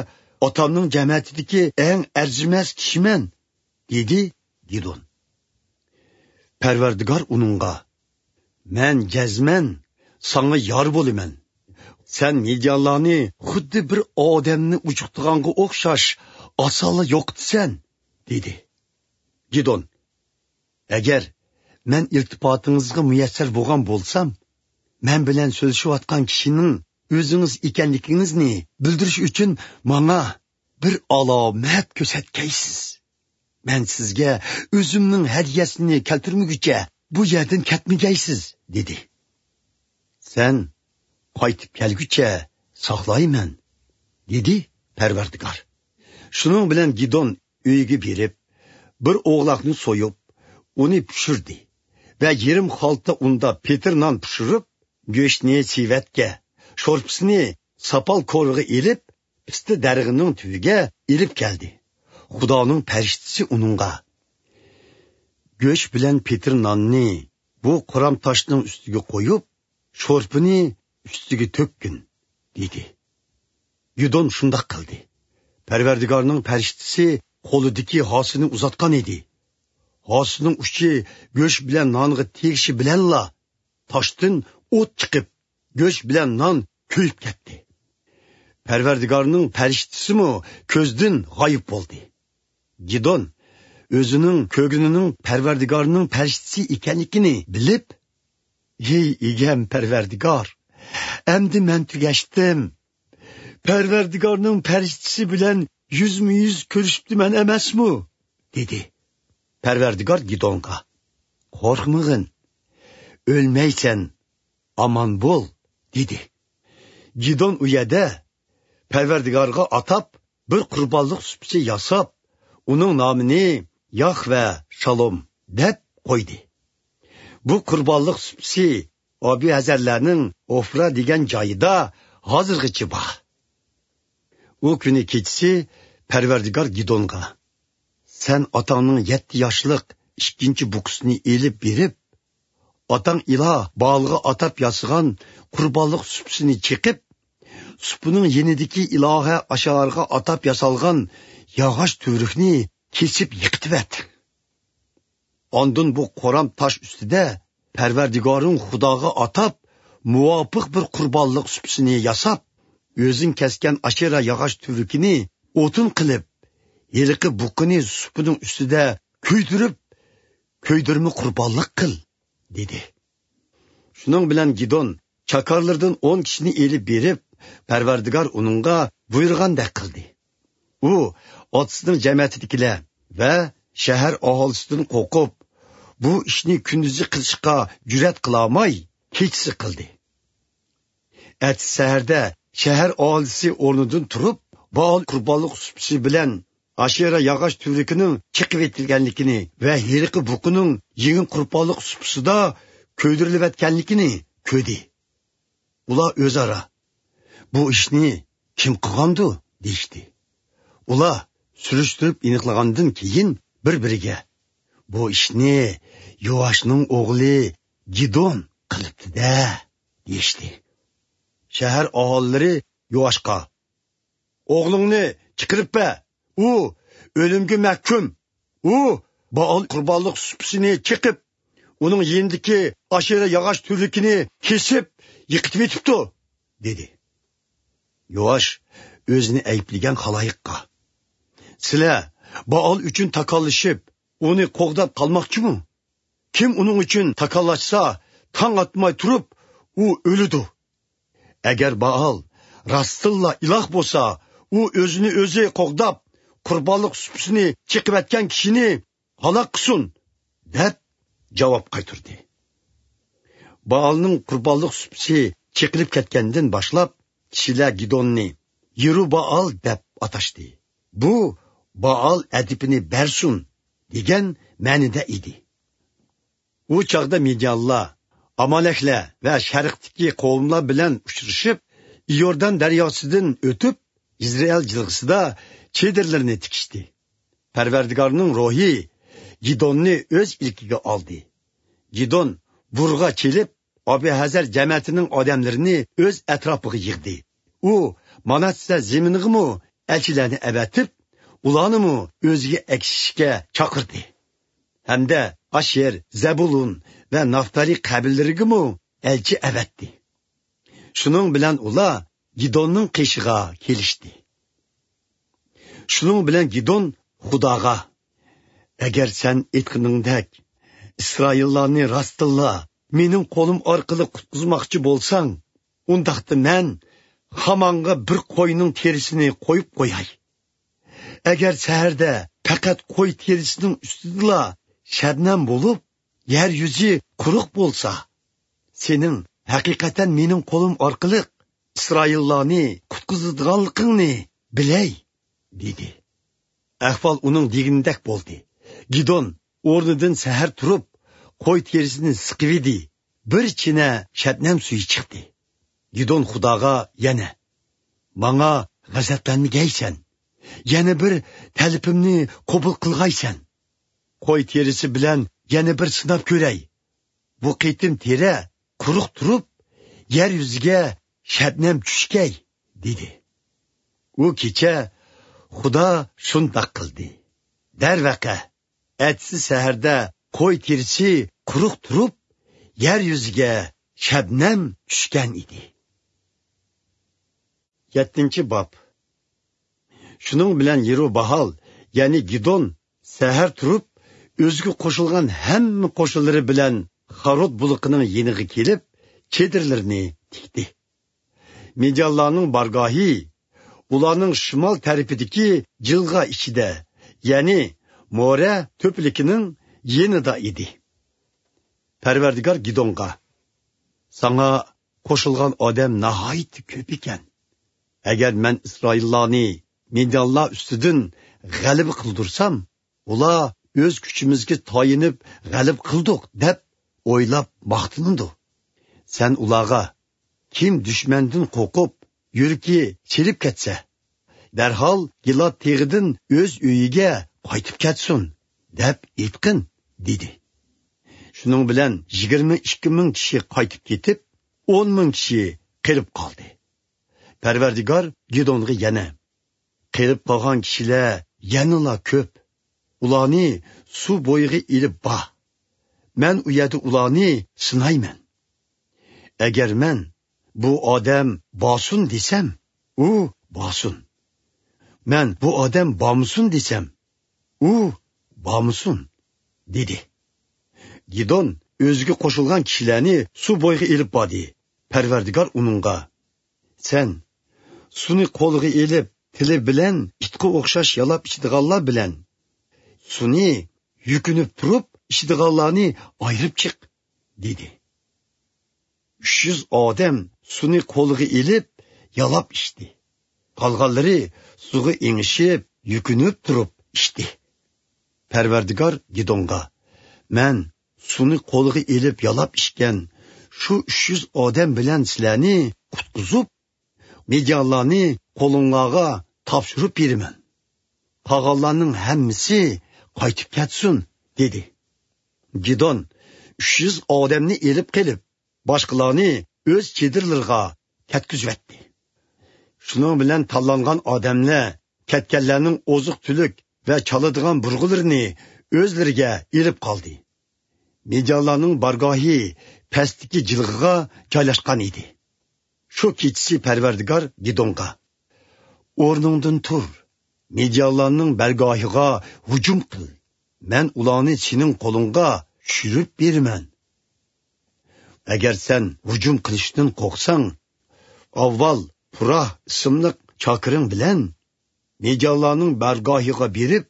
ئاتامنىڭ جەمەتىدىكى ئەڭ ئەرزىمەس كىشىمەن، دېدى گىدون. پەرۋەردىگار ئۇنىڭغا، مەن جەزمەن ساڭا يار بولىمەن. سەن مىديانلارنى خۇددى بىر ئادەمنى ئۇجۇقتىغانغا ئوخشاش ئاسانلا يوقىتىسەن، دېدى. گىدون، ئەگەر مەن ئىلتىپاتىڭىزغا مۇيەسسەر بولغان بولسام، مەن بىلەن سۆزلىشىۋاتقان كىشىنىڭ ئۆزىڭىز ئىكەنلىكىڭىزنى بىلدۈرۈش ئۈچۈن ماڭا بىر ئالامەت كۆرسەتكەيسىز. مەن سىزگە ئۆزۈمنىڭ ھەدىيەسىنى كەلتۈرمىگۈچە بۇ يەردىن كەتمىگەيسىز، دېدى. سەن قايتىپ كەلگۈچە ساقلايمەن، دېدى پەرۋەردىگار. شۇنىڭ بىلەن گىدون ئۆيىگە بېرىپ، بىر ئوغلاقنى سويۇپ، ئۇنى پىشۇردى ۋە يېرىم خالتا ئۇندا پېتىر نان پىشۇرۇپ، گۆشنى سېۋەتكە، شورپىسىنى ساپال كورىغا ئېلىپ، پىستە دەرىخىنىڭ تۈۋىگە ئېلىپ كەلدى. خۇدانىڭ پەرىشتىسى ئۇنىڭغا، گۆش بىلەن پېتىر ناننى بۇ قورام تاشنىڭ ئۈستىگە قويۇپ، شورپىنى ئۈستىگە تۆككىن، دېدى. گىدون شۇنداق قىلدى. پەرۋەردىگارنىڭ پەرىشتىسى قولىدىكى ھاسىنى ئۇزاتقان ئىدى. ھاسىنىڭ ئۇچى گۆش بىلەن نانغا تېگىشى بىلەنلا، تاشتىن ئوت چىقىپ، گۆش بىلەن نان كۆيۈپ كەتتى. پەرۋەردىگارنىڭ پەرىشتىسىمۇ كۆزدىن غايىب بولدى. گىدون ئۆزىنىڭ كۆرگىنىنىڭ پەرۋەردىگارنىڭ پەرىشتىسى ئىكەنلىكىنى بىلىپ، ھەي ئىگەم پەرۋەردىگار، ئەمدى مەن تۈگەشتىم. پەرۋەردىگارنىڭ پەرىشتىسى بىلەن يۈزمۇ يۈز كۆرۈشۈپتىمەن ئەمەسمۇ؟ دېدى. پەرۋەردىگار گىدونغا، قورقمىغىن، ئۆلمەيسەن، ئامان بول، دېدى. گىدون ئۇ يەردە پەرۋەردىگارغا ئاتاپ بىر قۇربانلىق سۇپىسى ياساپ، ئۇنىڭ نامىنى ياھۋە شالوم دەپ قويدى. بۇ قۇربانلىق سۇپىسى ئابىئەزەرلەرنىڭ ئوفرا دېگەن جايىدا ھازىرغىچە بار. ئۇ كۈنى كېچىسى پەرۋەردىگار گىدونغا، سەن ئاتاڭنىڭ يەتتە ياشلىق ئىككىنچى بۇقىسىنى ئېلىپ بېرىپ، ئاتاڭ ئىلاھ بائالغا ئاتاپ ياسىغان قۇربانلىق سۇپىسىنى چېقىپ، سۇپىنىڭ يېنىدىكى ئىلاھە ئاشارغا ئاتاپ ياسالغان ياغاچ تۈۋرۈكنى كېسىپ يىقىتىۋەت. ئاندىن بۇ قورام تاش ئۈستىدە پەرۋەردىگارىڭ خۇداغا ئاتاپ مۇۋاپىق بىر قۇربانلىق سۇپىسىنى ياساپ، ئۆزۈڭ كەسكەن ئاشېرا ياغاچ تۈۋرۈكىنى ئوتۇن قىلىپ، ھېلىقى بۇقىنى سۇپىنىڭ ئۈستىدە كۆيدۈرۈپ، كۆيدۈرمە قۇربانلىق قىل» دېدى. شۇنىڭ بىلەن گىدون چاكارلىرىدىن ئون كىشىنى ئېلىپ بېرىپ، پەرۋەردىگار ئۇنىڭغا بۇيرۇغاندەك قىلدى. ئۇ ئاتىسىنىڭ جەمەتىدىكىلەر ۋە شەھەر ئاھالىسىدىن قورقۇپ، بۇ ئىشنى كۈندۈزى قىلىشقا جۈرئەت قىلالماي، كېچىسى قىلدى. ئەتىسى سەھەردە شەھەر ئاھالىسى ئورنىدىن تۇرۇپ، بائال قۇربانلىق سۇپىسى بىلەن ئاشېرا ياغاچ تۈۋرۈكىنىڭ چېقىۋېتىلگەنلىكىنى ۋە ھېلىقى بۇقىنىڭ يېڭى قۇربانلىق سۇپىسىدا كۆيدۈرۈلۈۋەتكەنلىكىنى كۆردى. ئۇلار ئۆزئارا: «بۇ ئىشنى كىم قىلغاندۇ؟» دېيىشتى. ئۇلار سۈرۈشتۈرۈپ ئېنىقلىغاندىن كېيىن بىر-بىرىگە: «بۇ ئىشنى يوئاشنىڭ ئوغلى گىدون قىلىپتۇ-دە» دېيىشتى. شەھەر ئاھالىلىرى يوئاشقا: «ئوغلۇڭنى چىقىرىپ بەر، ئۇ ئۆلۈمگە مەھكۇم. ئۇ بائال قۇربانلىق سۇپىسىنى چېقىپ، ئۇنىڭ يېنىدىكى ئاشېرا ياغاچ تۈۋرۈكىنى كېسىپ يىقىتىۋېتىپتۇ» دېدى. يوئاش ئۆزىنى ئەيىبلىگەن خالايىققا: «سىلەر بائال ئۈچۈن تاكاللىشىپ، ئۇنى قوغداپ قالماقچىمۇ؟ كىم ئۇنىڭ ئۈچۈن تاكاللاشسا، تاڭ ئاتماي تۇرۇپ، ئۇ ئۆلىدۇ. ئەگەر بائال راستتىنلا ئىلاھ بولسا، ئۇ ئۆزىنى ئۆزى قوغداپ، قۇربانلىق سۇپىسىنى چېقىۋەتكەن كىشىنى ھالاك قىلسۇن» دەپ جاۋاب قايتۇردى. بائالنىڭ قۇربانلىق سۇپىسى چېقىلىپ كەتكەندىن باشلاپ، كىشىلەر گىدوننى يېرۇبائال دەپ ئاتاشتى. بۇ «بائال ئەدىپىنى بەرسۇن» دېگەن مەنىدە ئىدى. ئۇ چاغدا مىديانلار ئامالەكلەر ۋە شەرقتىكى قوۋملار بىلەن ئۇچرىشىپ، ئىيوردان دەرياسىدىن ئۆتۈپ، يىزرېئىل جىلغىسىدا چېدىرلىرىنى تىكىشتى. پەرۋەردىگارنىڭ روھى گىدوننى ئۆز ئىلكىگە ئالدى. گىدون بۇرغا چېلىپ، ئابىھەزەر جەمەتىنىڭ ئادەملىرىنى ئۆز ئەتراپىغا يىغدى. ئۇ ماناسسە زېمىنىغىمۇ ئەلچىلەرنى ئەۋەتىپ، ئۇلارنىمۇ ئۆزىگە ئەگىشىشكە چاقىردى. ھەمدە ئاشېر، زەبۇلۇن ۋە نافتالى قەبىلىلىرىگىمۇ ئەلچى ئەۋەتتى. شۇنىڭ بىلەن ئۇلار گىدوننىڭ قېشىغا كېلىشتى. شۇنىڭ بىلەن گىدون خۇداغا: «ئەگەر سەن ئېيتقىنىڭدەك ئىسرائىللارنى راستتىنلا مېنىڭ قولۇم ئارقىلىق قۇتقۇزماقچى بولساڭ، ئۇنداقتا مەن خامانغا بىر قوينىڭ تېرىسىنى قويۇپ قوياي. ئەگەر سەھەردە پەقەت قوي تېرىسىنىڭ ئۈستىدىلا شەبنەم بولۇپ، يەر يۈزى قۇرۇق بولسا، سېنىڭ ھەقىقەتەن مېنىڭ قولۇم ئارقىلىق ئىسرائىللارنى قۇتقۇزىدىغانلىقىڭنى بىلەي» دېدى. ئەھۋال ئۇنىڭ دېگىنىدەك بولدى. گىدون ئورنىدىن سەھەر تۇرۇپ، قوي تېرىسىنى سىقىۋىدى. بىر چىنە شەبنەم سۈيى چىقتى. گىدون خۇداغا يەنە: «ماڭا غەزەپلەنمىگەيسەن. يەنە بىر تەلىپىمنى قوبۇل قىلغايسەن. قوي تېرىسى بىلەن يەنە بىر سىناپ كۆرەي. بۇ قېتىم تېرە قۇرۇق تۇرۇپ، يەر يۈزىگە شەبنەم چۈشكەي» دېدى. ئۇ كېچە خۇدا شۇنداق قىلدى. دەرۋەقە، ئەتىسى سەھەردە قوي تېرىسى قۇرۇق تۇرۇپ، يەر يۈزىگە شەبنەم چۈشكەن ئىدى. يەتتىنچى باب. شۇنىڭ بىلەن يېرۇباھال، يەنى گىدون، سەھەر تۇرۇپ، ئۆزىگە قوشۇلغان ھەممە قوشۇنلىرى بىلەن خارود بۇلىقىنىڭ يېنىغا كېلىپ، چېدىرلىرىنى تىكتى. مىديانلارنىڭ بارگاھى ئۇلارنىڭ شىمال تەرىپىدىكى جىلغا ئىچىدە، يەنى مورە تۆپىلىكىنىڭ يېنىدا ئىدى. پەرۋەردىگار گىدونغا: «ساڭا قوشۇلغان ئادەم ناھايىتى كۆپ ئىكەن. ئەگەر مەن ئىسرائىللارنى مىديانلار ئۈستىدىن غەلىبە قىلدۇرسام، ئۇلار ئۆز كۈچىمىزگە تايىنىپ غەلىبە قىلدۇق دەپ ئويلاپ ماختىنىدۇ. سەن ئۇلارغا: كىم دۈشمەندىن قورقۇپ، يۈرىكى چىرىپ كەتسە، دەرھال گىلاد تېغىدىن ئۆز ئۆيىگە قايتىپ كەتسۇن دەپ ئېيتقىن» دېدى. شۇنىڭ بىلەن يىگىرمە ئىككى مىڭ كىشى قايتىپ كېتىپ، ئون مىڭ كىشى قېلىپ قالدى. پەرۋەردىگار گىدونغا يەنە: «قېلىپ قالغان كىشىلەر يەنىلا كۆپ. ئۇلارنى سۇ بويىغا ئېلىپ بار. مەن ئۇ يەردە ئۇلارنى سىنايمەن. ئەگەر مەن، بۇ ئادەم بارسۇن دېسەم، ئۇ بارسۇن. مەن، بۇ ئادەم بارمىسۇن دېسەم، ئۇ بارمىسۇن، دېدى. گىدون ئۆزىگە قوشۇلغان كىشىلەرنى سۇ بويىغا ئېلىپ باردى. پەرۋەردىگار ئۇنىڭغا، سەن سۇنى قولغا ئېلىپ، تىلى بىلەن ئىتقا ئوخشاش يالاپ ئىچىدىغانلار بىلەن سۇنى يۈكۈنۈپ تۇرۇپ ئىچىدىغانلارنى ئايرىپ چىق، دېدى. ئۈچ يۈز ئادەم سۇنى قولىغا ئېلىپ، يالاپ ئىچتى. قالغانلىرى سۇغا ئېڭىشىپ، يۈكۈنۈپ تۇرۇپ ئىچتى. پەرۋەردىگار گىدونغا، مەن سۇنى قولىغا ئېلىپ يالاپ ئىچكەن شۇ ئۈچ يۈز ئادەم بىلەن سىلەرنى قۇتقۇزۇپ، مىديانلارنى قولۇڭلارغا تاپشۇرۇپ بېرىمەن. قالغانلارنىڭ ھەممىسى قايتىپ كەتسۇن، دېدى. گىدون ئۈچ يۈز ئادەمنى ئېلىپ قېلىپ، باشقىلارنى ئۆز چېدىرلىرىغا كەتكۈزۈۋەتتى. شۇنىڭ بىلەن تاللانغان ئادەملەر كەتكەنلەرنىڭ ئوزۇق-تۈلۈك ۋە چالىدىغان بۇرغىلىرىنى ئۆزلىرىگە ئېلىپ قالدى. مىديانلارنىڭ بارگاھى پەستىكى جىلغىغا جايلاشقان ئىدى. شۇ كېچىسى پەرۋەردىگار گىدونغا، ئورنۇڭدىن تۇر، مىديانلارنىڭ بارگاھىغا ھۇجۇم قىل، مەن ئۇلارنى سېنىڭ قولۇڭغا چۈشۈرۈپ بېرىمەن. ئەگەر سەن ھۇجۇم قىلىشتىن قورقساڭ، ئاۋۋال پۇراھ ئىسىملىق چاكىرىڭ بىلەن مىديانلارنىڭ بارگاھىغا بېرىپ،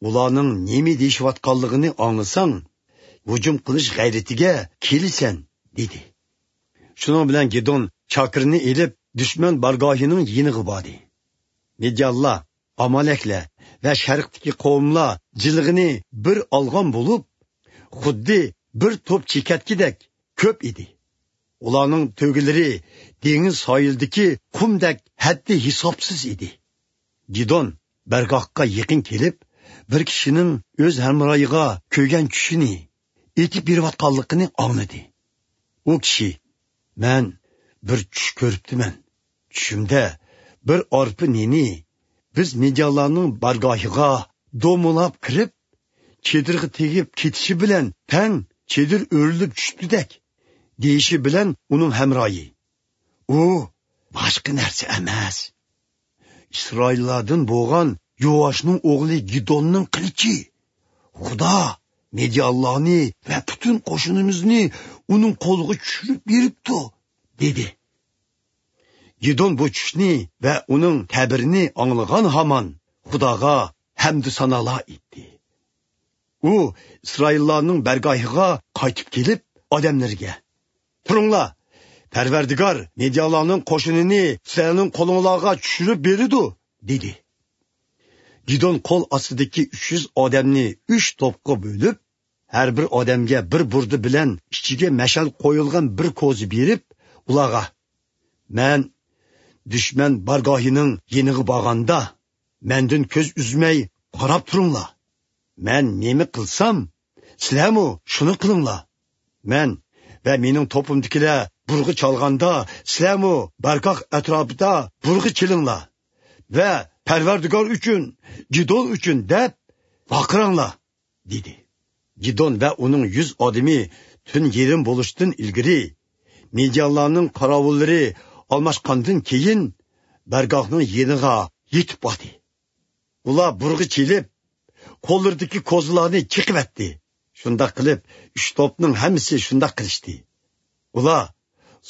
ئۇلارنىڭ نېمە دېيىشىۋاتقانلىقىنى ئاڭلىساڭ، ھۇجۇم قىلىش غەيرىتىگە كېلىسەن، دېدى. شۇنىڭ بىلەن گىدون چاكىرنى ئېلىپ، دۈشمەن بارگاھىنىڭ يېنىغا باردى. مىديانلار، ئامالەكلەر ۋە شەرقتىكى قوۋملار جىلغىنى بىر ئالغان بولۇپ، خۇددى بىر توپ چېكەتكىدەك كۆپ ئىدى. ئۇلارنىڭ تۆگىلىرى دېڭىز ساھىلىدىكى قۇمدەك ھەددى ھېسابسىز ئىدى. گىدون بارگاھقا يېقىن كېلىپ، بىر كىشىنىڭ ئۆز ھەمراھىغا كۆرگەن چۈشىنى ئېيتىپ بېرىۋاتقانلىقىنى ئاڭلىدى. ئۇ كىشى، مەن بىر چۈش كۆرۈپتىمەن. چۈشۈمدە بىر ئارپا نېنى بىز مىديانلارنىڭ بارگاھىغا دومىلاپ كىرىپ، چېدىرغا تېگىپ كېتىشى بىلەن تەڭ چېدىر ئۆرۈلۈپ چۈشۈپتىدەك، دېيىشى بىلەن ئۇنىڭ ھەمراھى، ئۇ باشقا نەرسە ئەمەس، ئىسرائىللاردىن بولغان يوئاشنىڭ ئوغلى گىدوننىڭ قىلىچى. خۇدا مىديانلارنى ۋە پۈتۈن قوشۇنىمىزنى ئۇنىڭ قولىغا چۈشۈرۈپ بېرىپتۇ، دېدى. گىدون بۇ چۈشنى ۋە ئۇنىڭ تەبىرىنى ئاڭلىغان ھامان خۇداغا ھەمدۇ سانالار ئېيتتى. ئۇ ئىسرائىللارنىڭ بارگاھىغا قايتىپ كېلىپ، ئادەملىرىگە، تۇرۇڭلار، پەرۋەردىگار مىديانلارنىڭ قوشۇنىنى سىلەرنىڭ قولۇڭلارغا چۈشۈرۈپ بېرىدۇ، دېدى. گىدون قول ئاستىدىكى ئۈچ يۈز ئادەمنى ئۈچ توپقا بۆلۈپ، ھەر بىر ئادەمگە بىر بۇردا بىلەن ئىچىگە مەشئەل قويۇلغان بىر كوزا بېرىپ، ئۇلارغا، مەن دۈشمەن بارگاھىنىڭ يېنىغا بارغاندا، مەندىن كۆز ئۈزمەي قاراپ تۇرۇڭلار. مەن نېمە قىلسام، سىلەرمۇ شۇنى قىلىڭلار. مەن ۋە مېنىڭ توپۇمدىكىلەر بۇرغا چالغاندا، سىلەرمۇ بارگاھ ئەتراپىدا بۇرغا چېلىڭلار ۋە پەرۋەردىگار ئۈچۈن، گىدون ئۈچۈن دەپ ۋارقىراڭلار، دېدى. گىدون ۋە ئۇنىڭ يۈز ئادىمى تۈن يېرىم بولۇشتىن ئىلگىرى، مىديانلارنىڭ قاراۋۇللىرى ئالماشقاندىن كېيىن، بارگاھنىڭ يېنىغا يېتىپ باردى. ئۇلار بۇرغا چېلىپ، قوللىرىدىكى كوزىلارنى چېقىۋەتتى. شۇنداق قىلىپ، ئۈچ توپنىڭ ھەممىسى شۇنداق قىلىشتى. ئۇلار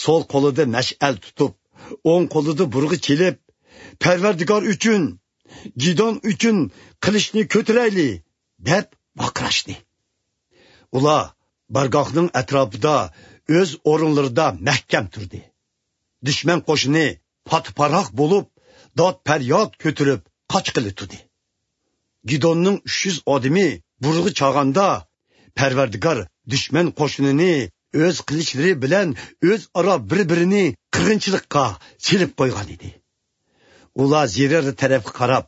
سول قولىدا مەشئەل تۇتۇپ، ئوڭ قولىدا بۇرغا چېلىپ، پەرۋەردىگار ئۈچۈن، گىدون ئۈچۈن قىلىچنى كۆتۈرەيلى، دەپ ۋارقىراشتى. ئۇلار بارگاھنىڭ ئەتراپىدا ئۆز ئورۇنلىرىدا مەھكەم تۇردى. دۈشمەن قوشۇنى پات-پاراق بولۇپ، داد-پەرياد كۆتۈرۈپ قاچقىلى تۇردى. گىدوننىڭ ئۈچ يۈز ئادىمى بۇرغا چالغاندا، پەرۋەردىگار دۈشمەن قوشۇنىنى ئۆز قىلىچلىرى بىلەن ئۆزئارا بىر-بىرىنى قىرغىنچىلىققا سېلىپ قويغان ئىدى. ئۇلار زېرەر تەرەپكە قاراپ،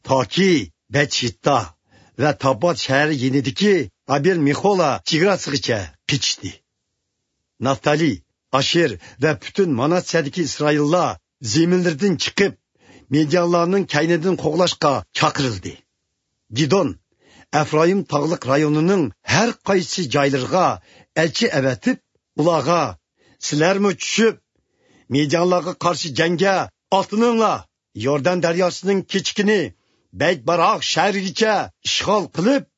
تاكى بەتشىتتا ۋە تابات شەھىرى يېنىدىكى ئابېل مېخولا چېگراسىغىچە قېچىشتى. نافتالى، ئاشېر ۋە پۈتۈن ماناسسەدىكى ئىسرائىللار زېمىنلىرىدىن چىقىپ، مىديانلارنىڭ كەينىدىن قوغلاشقا چاقىرىلدى. گىدون ئەفرايىم تاغلىق رايونىنىڭ ھەر قايسى جايلىرىغا ئەلچى ئەۋەتىپ، ئۇلارغا، سىلەرمۇ چۈشۈپ، مىديانلارغا قارشى جەڭگە ئاتلىنىڭلار. يوردان دەرياسىنىڭ كېچىكىنى بەيتباراق شەھىرىگىچە ئىشغال قىلىپ،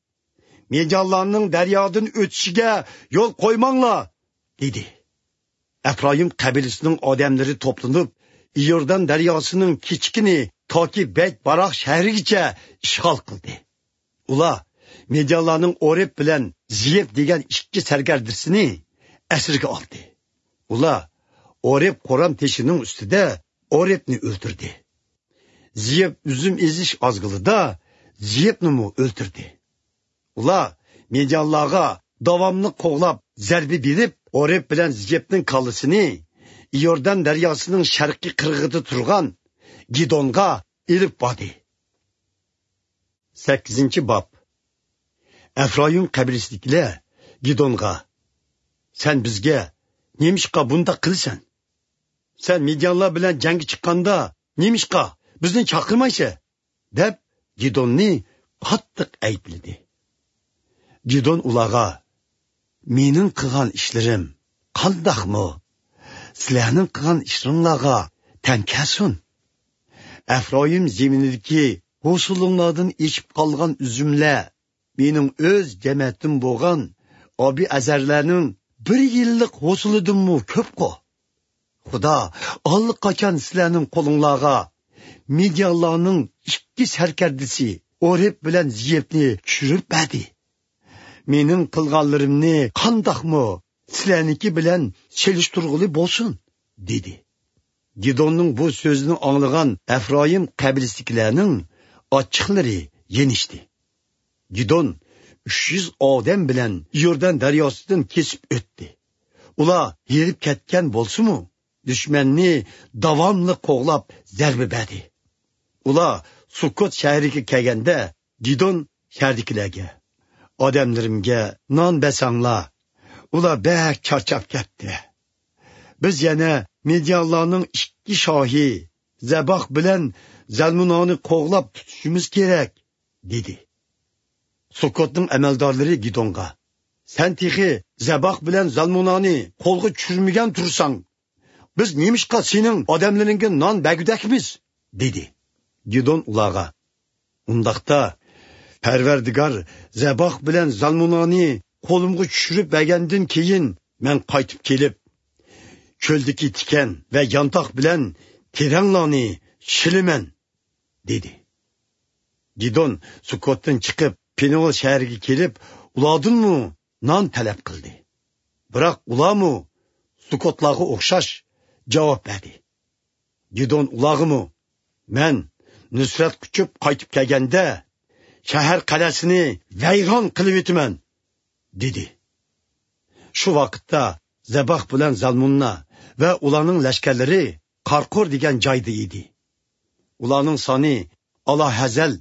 مىديانلارنىڭ دەريادىن ئۆتۈشىگە يول قويماڭلار، دېدى. ئەپرايىم قەبىلىسىنىڭ ئادەملىرى توپلىنىپ، ئىيوردان دەرياسىنىڭ كېچىكىنى تاكى بەيتباراق شەھىرىگىچە ئىشغال قىلدى. ئۇلار مىديانلارنىڭ ئورېپ بىلەن زىيېپ دېگەن ئىككى سەركەردىسىنى ئەسىرگە ئالدى. ئۇلار ئورېپ قورام تېشىنىڭ ئۈستىدە ئورېپنى ئۆلتۈردى. زىيېپ ئۈزۈم ئېزىش ئازغىلىدا زىيېپنىمۇ ئۆلتۈردى. ئۇلار مىديانلارغا داۋاملىق قوغلاپ زەربە بېرىپ، ئورېپ بىلەن زىيېپنىڭ كاللىسىنى ئىيوردان دەرياسىنىڭ شەرقىي قىرغىقىدا تۇرغان گىدونغا ئېلىپ باردى. سەككىزىنچى باب. ئەفرايىم قەبىلىسىدىكىلەر گىدونغا: «سەن بىزگە نېمىشقا بۇنداق قىلىسەن؟ سەن مىديانلار بىلەن جەڭگە چىققاندا نېمىشقا بىزنى چاقىرمايسەن؟» دەپ، گىدوننى قاتتىق ئەيىبلىدى. گىدون ئۇلارغا: «مېنىڭ قىلغان ئىشلىرىم قانداقمۇ سىلەرنىڭ قىلغان ئىشلىرىڭلارغا تەڭ كەلسۇن؟ ئەفرايىم زېمىنىدىكى ھوسۇلۇڭلاردىن ئېشىپ قالغان ئۈزۈملەر مېنىڭ ئۆز جەمەتىم بولغان ئابىئەزەرلەرنىڭ بىر يىللىق ھوسۇلىدىنمۇ كۆپقۇ. خۇدا ئاللىقاچان سىلەرنىڭ قولۇڭلارغا مىديانلارنىڭ ئىككى سەركەردىسى ئورېپ بىلەن زىيېپنى چۈشۈرۈپ بەردى. مېنىڭ قىلغانلىرىمنى قانداقمۇ سىلەرنىڭكى بىلەن سېلىشتۇرغىلى بولسۇن؟» دېدى. گىدوننىڭ بۇ سۆزىنى ئاڭلىغان ئەفرايىم قەبىلىسىدىكىلەرنىڭ ئاچچىقلىرى يېنىشتى. گىدون ئۈچ يۈز ئادەم بىلەن يوردان دەرياسىدىن كېسىپ ئۆتتى. ئۇلار ھېرىپ كەتكەن بولسىمۇ، دۈشمەننى داۋاملىق قوغلاپ زەربە بەردى. ئۇلار سۇكوت شەھىرىگە كەلگەندە، گىدون شەھەردىكىلەرگە: «ئادەملىرىمگە نان بەرسەڭلار، ئۇلار بەك چارچاپ كەتتى. بىز يەنە مىديانلارنىڭ ئىككى شاھى زەباھ بىلەن زەلمۇنانى قوغلاپ تۇتۇشىمىز كېرەك»، دېدى. سۇكوتنىڭ ئەمەلدارلىرى گىدونغا: «سەن تېخى زەباھ بىلەن زەلمۇنانى قولغا چۈشۈرمىگەن تۇرساڭ، بىز نېمىشقا سېنىڭ ئادەملىرىڭگە نان بەرگۈدەكمىز؟» دېدى. گىدون ئۇلارغا: «ئۇنداقتا، پەرۋەردىگار زەباھ بىلەن زەلمۇنانى قولۇمغا چۈشۈرۈپ بەرگەندىن كېيىن، مەن قايتىپ كېلىپ، چۆلدىكى تىكەن ۋە يانتاق بىلەن تېرەڭلارنى شىلىمەن» دېدى. گىدون سۇكوتتىن چىقىپ، پېنۇئېل شەھىرىگە كېلىپ، ئۇلاردىنمۇ نان تەلەپ قىلدى. بىراق ئۇلارمۇ سۇكوتلارغا ئوخشاش جاۋاب بەردى. گىدون ئۇلارغىمۇ: «مەن نۇسرەت قۇچۇپ قايتىپ كەلگەندە، شەھەر قەلئەسىنى ۋەيران قىلىۋېتىمەن» دېدى. شۇ ۋاقىتتا زەباھ بىلەن زالمۇننا ۋە ئۇلارنىڭ لەشكەرلىرى قارقۇر دېگەن جايدا ئىدى. ئۇلارنىڭ سانى ئالاھەزەل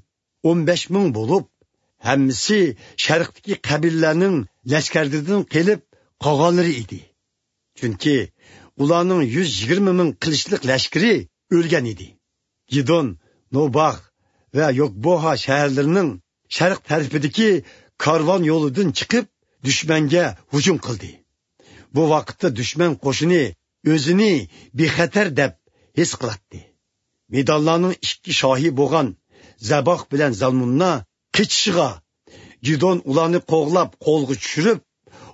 ئون بەش مىڭ بولۇپ، ھەممىسى شەرقتىكى قەبىلىلەرنىڭ لەشكەرلىرىدىن قېلىپ قالغانلىرى ئىدى. چۈنكى ئۇلارنىڭ يۈز يىگىرمە مىڭ قىلىچلىق لەشكىرى ئۆلگەن ئىدى. گىدون نوباغ ۋە يوكبوھا شەھەرلىرىنىڭ شەرق تەرىپىدىكى كارۋان يولىدىن چىقىپ، دۈشمەنگە ھۇجۇم قىلدى. بۇ ۋاقىتتا دۈشمەن قوشۇنى ئۆزىنى بىخەتەر دەپ ھېس قىلاتتى. مىدانلارنىڭ ئىككى شاھى بولغان زەباھ بىلەن زالمۇننا قېچىشىغا، گىدون ئۇلارنى قوغلاپ قولغا چۈشۈرۈپ،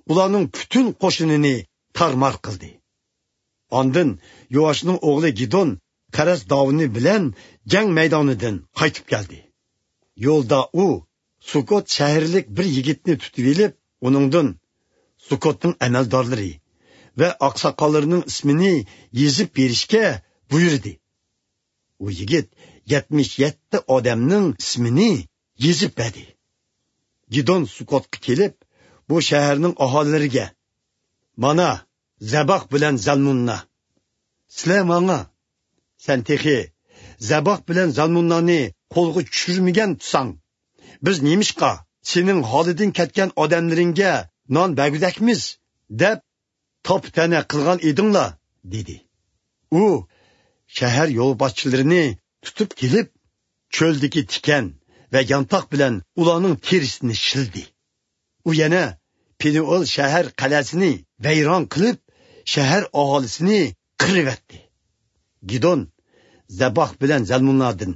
ئۇلارنىڭ پۈتۈن قوشۇنىنى تارمار قىلدى. ئاندىن يوئاشنىڭ ئوغلى گىدون قەرەس داۋۇنى بىلەن جەڭ مەيدانىدىن قايتىپ كەلدى. يولدا ئۇ سۇكوت شەھەرلىك بىر يىگىتنى تۇتۇۋېلىپ، ئۇنىڭدىن سۇكوتنىڭ ئەمەلدارلىرى ۋە ئاقساقاللىرىنىڭ ئىسمىنى يېزىپ بېرىشكە بۇيرۇدى. ئۇ يىگىت يەتمىش يەتتە ئادەمنىڭ ئىسمىنى يېزىپ بەردى. گىدون سۇكوتقا كېلىپ، بۇ شەھەرنىڭ ئاھالىلىرىگە: «مانا، زەباھ بىلەن زالمۇننا. سىلەر ماڭا، سەن تېخى زەباھ بىلەن زالمۇننانى قولغا چۈشۈرمىگەن تۇرساڭ، بىز نېمىشقا سېنىڭ ھالىدىن كەتكەن ئادەملىرىڭگە نان بەرگۈدەكمىز؟» دەپ تاپا-تەنە قىلغان ئىدىڭلار، دېدى. ئۇ شەھەر يولباشچىلىرىنى تۇتۇپ كېلىپ، چۆلدىكى تىكەن ۋە يانتاق بىلەن ئۇلارنىڭ تېرىسىنى شىلدى. ئۇ يەنە پېنۇئېل شەھەر قەلئەسىنى ۋەيران قىلىپ، شەھەر ئاھالىسىنى قىرىۋەتتى. گىدون زەباھ بىلەن زەلمۇننادىن،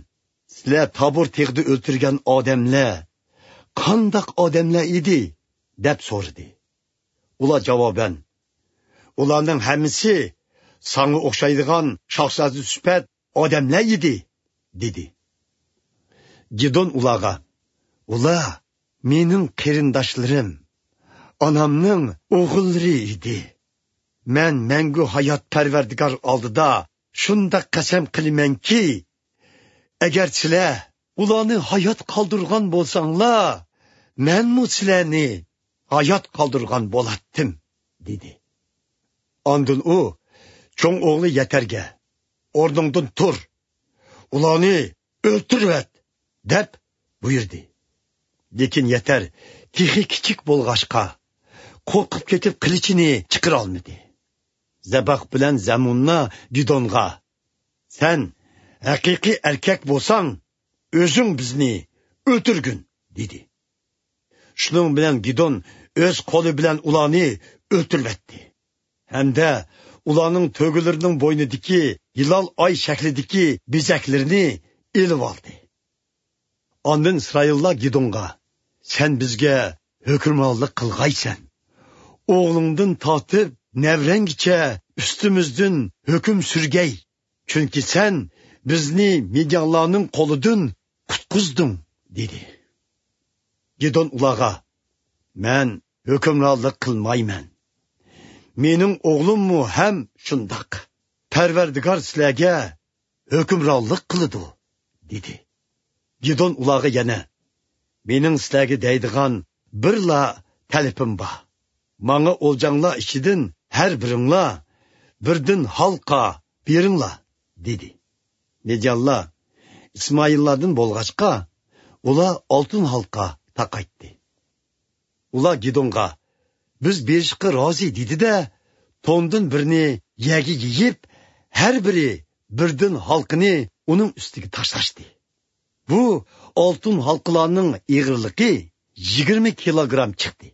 «سىلەر تابور تېغىدا ئۆلتۈرگەن ئادەملەر قانداق ئادەملەر ئىدى؟» دەپ سورىدى. ئۇلار جاۋابەن، «ئۇلارنىڭ ھەممىسى ساڭا ئوخشايدىغان شاھزادە سۈپەت ئادەملەر ئىدى» دېدى. گىدون ئۇلارغا، «ئۇلار مېنىڭ قېرىنداشلىرىم، ئانامنىڭ ئوغۇللىرى ئىدى. مەن مەڭگۈ ھايات پەرۋەردىگار ئالدىدا شۇنداق قەسەم قىلىمەنكى، ئەگەر سىلەر ئۇلارنى ھايات قالدۇرغان بولساڭلار، مەنمۇ سىلەرنى ھايات قالدۇرغان بولاتتىم» دېدى. ئاندىن ئۇ چوڭ ئوغلى يەتەرگە، «ئورنۇڭدىن تۇر، ئۇلارنى ئۆلتۈرۈۋەت» دەپ بۇيرۇدى. لېكىن يەتەر تېخى كىچىك بولغاچقا، قورقۇپ كېتىپ قىلىچىنى چىقىرالمىدى. زەباھ بىلەن زەمۇننا گىدونغا، «سەن ھەقىقىي ئەركەك بولساڭ، ئۆزۈڭ بىزنى ئۆلتۈرگىن» دېدى. شۇنىڭ بىلەن گىدون ئۆز قولى بىلەن ئۇلارنى ئۆلتۈرۈۋەتتى. ھەمدە ئۇلارنىڭ تۆگىلىرىنىڭ بوينىدىكى ھىلال ئاي شەكلىدىكى بېزەكلىرىنى ئېلىۋالدى. ئاندىن ئىسرائىللار گىدونغا، «سەن بىزگە ھۆكۈمرانلىق قىلغايسەن. ئوغلۇڭدىن تارتىپ نەۋرەڭگىچە ئۈستىمىزدىن ھۆكۈم سۈرگەي. چۈنكى سەن بىزنى مىديانلارنىڭ قولىدىن قۇتقۇزدۇڭ» دېدى. گىدون ئۇلارغا، «مەن ھۆكۈمرانلىق قىلمايمەن. مېنىڭ ئوغلۇممۇ ھەم شۇنداق. پەرۋەردىگار سىلەرگە ھۆكۈمرانلىق قىلىدۇ» دېدى. گىدون ئۇلارغا يەنە، «مېنىڭ سىلەرگە دەيدىغان بىرلا تەلىپىم بار. ماڭا ئولجاڭلار ئىچىدىن ھەر بىرىڭلار بىردىن ھالقا بېرىڭلار» دېدى. مىديانلار ئىسمائىللاردىن بولغاچقا، ئۇلار ئالتۇن ھالقا تاقايتتى. ئۇلار گىدونغا، «بىز بېرىشقا رازى» دېدى-دە، توندىن بىرنى يەرگە يېيىپ، ھەر بىرى بىردىن ھالقىنى ئۇنىڭ ئۈستىگە تاشلاشتى. بۇ ئالتۇن ھالقىلارنىڭ ئېغىرلىقى يىگىرمە كىلوگرام چىقتى.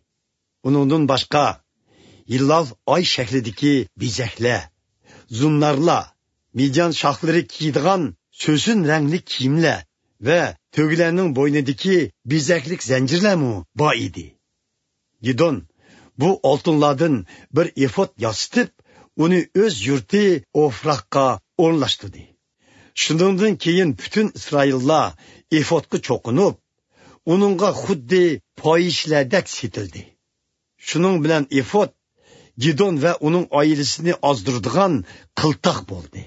ئۇنىڭدىن باشقا، ھىلال ئاي شەكلىدىكى بېزەكلەر، زۇننارلار، مىديان شاھلىرى كىيىدىغان سۆسۈن رەڭلىك كىيىملەر ۋە تۆگىلەرنىڭ بوينىدىكى بېزەكلىك زەنجىرلەرمۇ بار ئىدى. گىدون بۇ ئالتۇنلاردىن بىر ئېفود ياسىتىپ، ئۇنى ئۆز يۇرتى ئوفراققا ئورۇنلاشتۇردى. شۇنىڭدىن كېيىن پۈتۈن ئىسرائىللار ئېفودقا چوقۇنۇپ، ئۇنىڭغا خۇددى پاھىشىلەردەك سېتىلدى. شۇنىڭ بىلەن ئېفود گىدون ۋە ئۇنىڭ ئائىلىسىنى ئازدۇرىدىغان قىلتاق بولدى.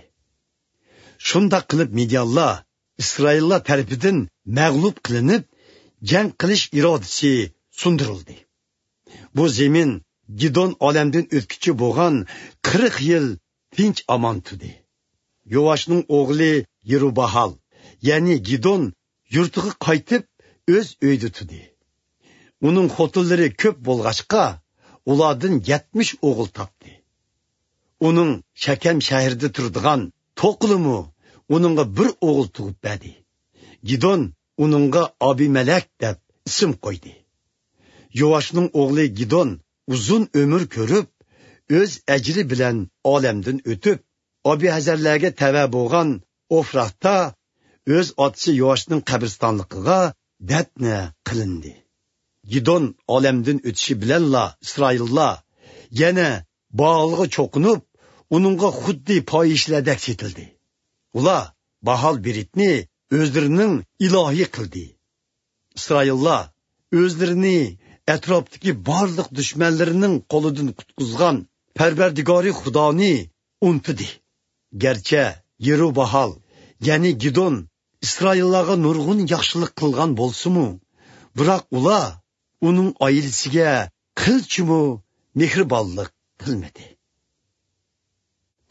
شۇنداق قىلىپ مىديانلار ئىسرائىللار تەرىپىدىن مەغلۇپ قىلىنىپ، جەڭ قىلىش ئىرادىسى سۇندۇرۇلدى. بۇ زېمىن گىدون ئالەمدىن ئۆتكۈچە بولغان قىرىق يىل تىنچ ئامان تۇردى. يوئاشنىڭ ئوغلى يېرۇباھال، يەنى گىدون يۇرتىغا قايتىپ، ئۆز ئۆيىدە تۇردى. ئۇنىڭ خوتۇنلىرى كۆپ بولغاچقا، ئۇلاردىن يەتمىش ئوغۇل تاپتى. ئۇنىڭ شەكەم شەھىرىدە تۇرىدىغان توقىلىمۇ ئۇنىڭغا بىر ئوغۇل تۇغۇپ بەردى. گىدون ئۇنىڭغا ئابىمەلەك دەپ ئىسىم قويدى. يوئاشنىڭ ئوغلى گىدون ئۇزۇن ئۆمۈر كۆرۈپ، ئۆز ئەجرى بىلەن ئالەمدىن ئۆتۈپ، ئابىھەزەرلەرگە تەۋە بولغان ئوفراقتا ئۆز ئاتىسى يوئاشنىڭ قەبرىستانلىقىغا دەپنە قىلىندى. گىدون ئالەمدىن ئۆتۈشى بىلەنلا ئىسرائىللار يەنە بائالغا چوقۇنۇپ، ئۇنىڭغا خۇددى پاھىشىلەردەك سېتىلدى. ئۇلار بائال بېرىتنى ئۆزلىرىنىڭ ئىلاھى قىلدى. ئىسرائىللار ئۆزلىرىنى ئەتراپتىكى بارلىق دۈشمەنلىرىنىڭ قولىدىن قۇتقۇزغان پەرۋەردىگارى خۇدانى ئۇنتۇدى. گەرچە يېرۇباھال، يەنى گىدون ئىسرائىللارغا نۇرغۇن ياخشىلىق قىلغان بولسىمۇ، بىراق ئۇلار ئۇنىڭ ئائىلىسىگە قىلچىمۇ مېھرىبانلىق قىلمىدى.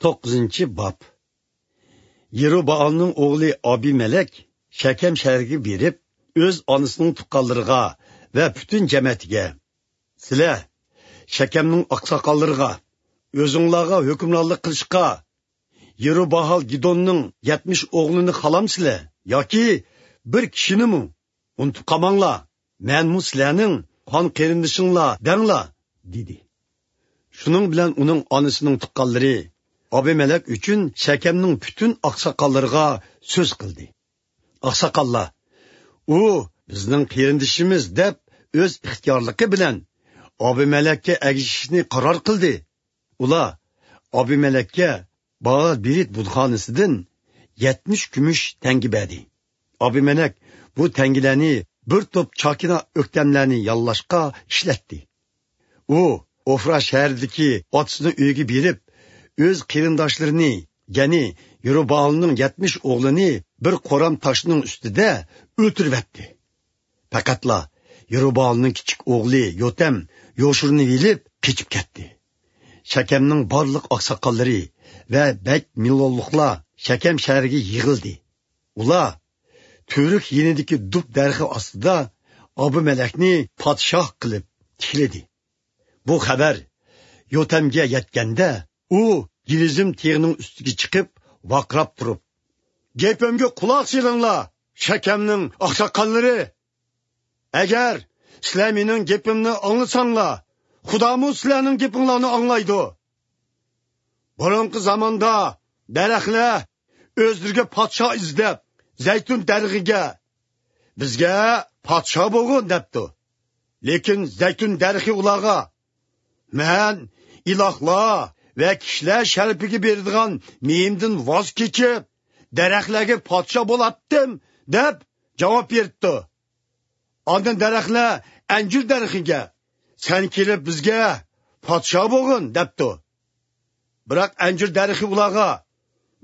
توققۇزىنچى باب. يېرۇبائالنىڭ ئوغلى ئابىمەلەك شەكەم شەھىرىگە بېرىپ، ئۆز ئانىسىنىڭ تۇغقانلىرىغا ۋە پۈتۈن جەمەتىگە، سىلەر شەكەمنىڭ ئاقساقاللىرىغا، ئۆزۈڭلارغا ھۆكۈمرانلىق قىلىشقا يېرۇباھال گىدوننىڭ يەتمىش ئوغلىنى خالامسىلەر ياكى بىر كىشىنىمۇ؟ ئۇنتۇپ قالماڭلار، مەنمۇ سىلەرنىڭ قان قېرىندىشىڭلار دەڭلار، دېدى. شۇنىڭ بىلەن ئۇنىڭ ئانىسىنىڭ تۇغقانلىرى ئابىمەلەك ئۈچۈن شەكەمنىڭ پۈتۈن ئاقساقاللىرىغا سۆز قىلدى. ئاقساقاللار، ئۇ بىزنىڭ قېرىندىشىمىز دەپ ئۆز ئىختىيارلىقى بىلەن ئابىمەلەككە ئەگىشىشنى قارار قىلدى. ئۇلار ئابىمەلەككە بائال بېرىت بۇتخانىسىدىن يەتمىش كۈمۈش تەڭگە بەردى. ئابىمەلەك بۇ تەڭگىلەرنى بىر توپ چاكىنا ئۆكتەملەرنى ياللاشقا ئىشلەتتى. ئۇ ئوفرا شەھىرىدىكى ئاتىسىنىڭ ئۆيىگە بېرىپ، ئۆز قېرىنداشلىرىنى، يەنى يېرۇبائالنىڭ يەتمىش ئوغلىنى بىر قورام تاشنىڭ ئۈستىدە ئۆلتۈرۈۋەتتى. پەقەتلا يېرۇبائالنىڭ كىچىك ئوغلى يوتەم يوشۇرۇنۇۋېلىپ قېچىپ كەتتى. شەكەمنىڭ بارلىق ئاقساقاللىرى ۋە بەگ مىللولۇقلار شەكەم شەھىرىگە يىغىلدى. ئۇلار تۈۋرۈك يېنىدىكى دۇب دەرىخى ئاستىدا ئابىمەلەكنى پادىشاھ قىلىپ تىكلىدى. بۇ خەۋەر يوتەمگە يەتكەندە، ئۇ گېرىزىم تېغىنىڭ ئۈستىگە چىقىپ، ۋارقىراپ تۇرۇپ، «گېپىمگە قۇلاق سېلىڭلار، شەكەمنىڭ ئاقساقاللىرى! ئەگەر سىلەر مېنىڭ گېپىمنى ئاڭلىساڭلار، خۇدامۇ سىلەرنىڭ گېپىڭلارنى ئاڭلايدۇ. بۇرۇنقى زاماندا دەرەخلەر ئۆزلىرىگە پادىشاھ ئىزدەپ، زەيتۇن دەرىخىگە، بىزگە پادىشاھ بولغىن دەپتۇ. لېكىن زەيتۇن دەرىخى ئۇلارغا، مەن ئىلاھلار ۋە كىشىلەر شەرىپىگە بېرىدىغان مېيىمدىن ۋاز كېچىپ، دەرەخلەرگە پادىشاھ بولاتتىم دەپ جاۋاب بېرىپتۇ. ئاندىن دەرەخلەر ئەنجۈر دەرىخىگە، سەن كېلىپ بىزگە پادىشاھ بولغىن دەپتۇ. بىراق ئەنجۈر دەرىخى ئۇلارغا،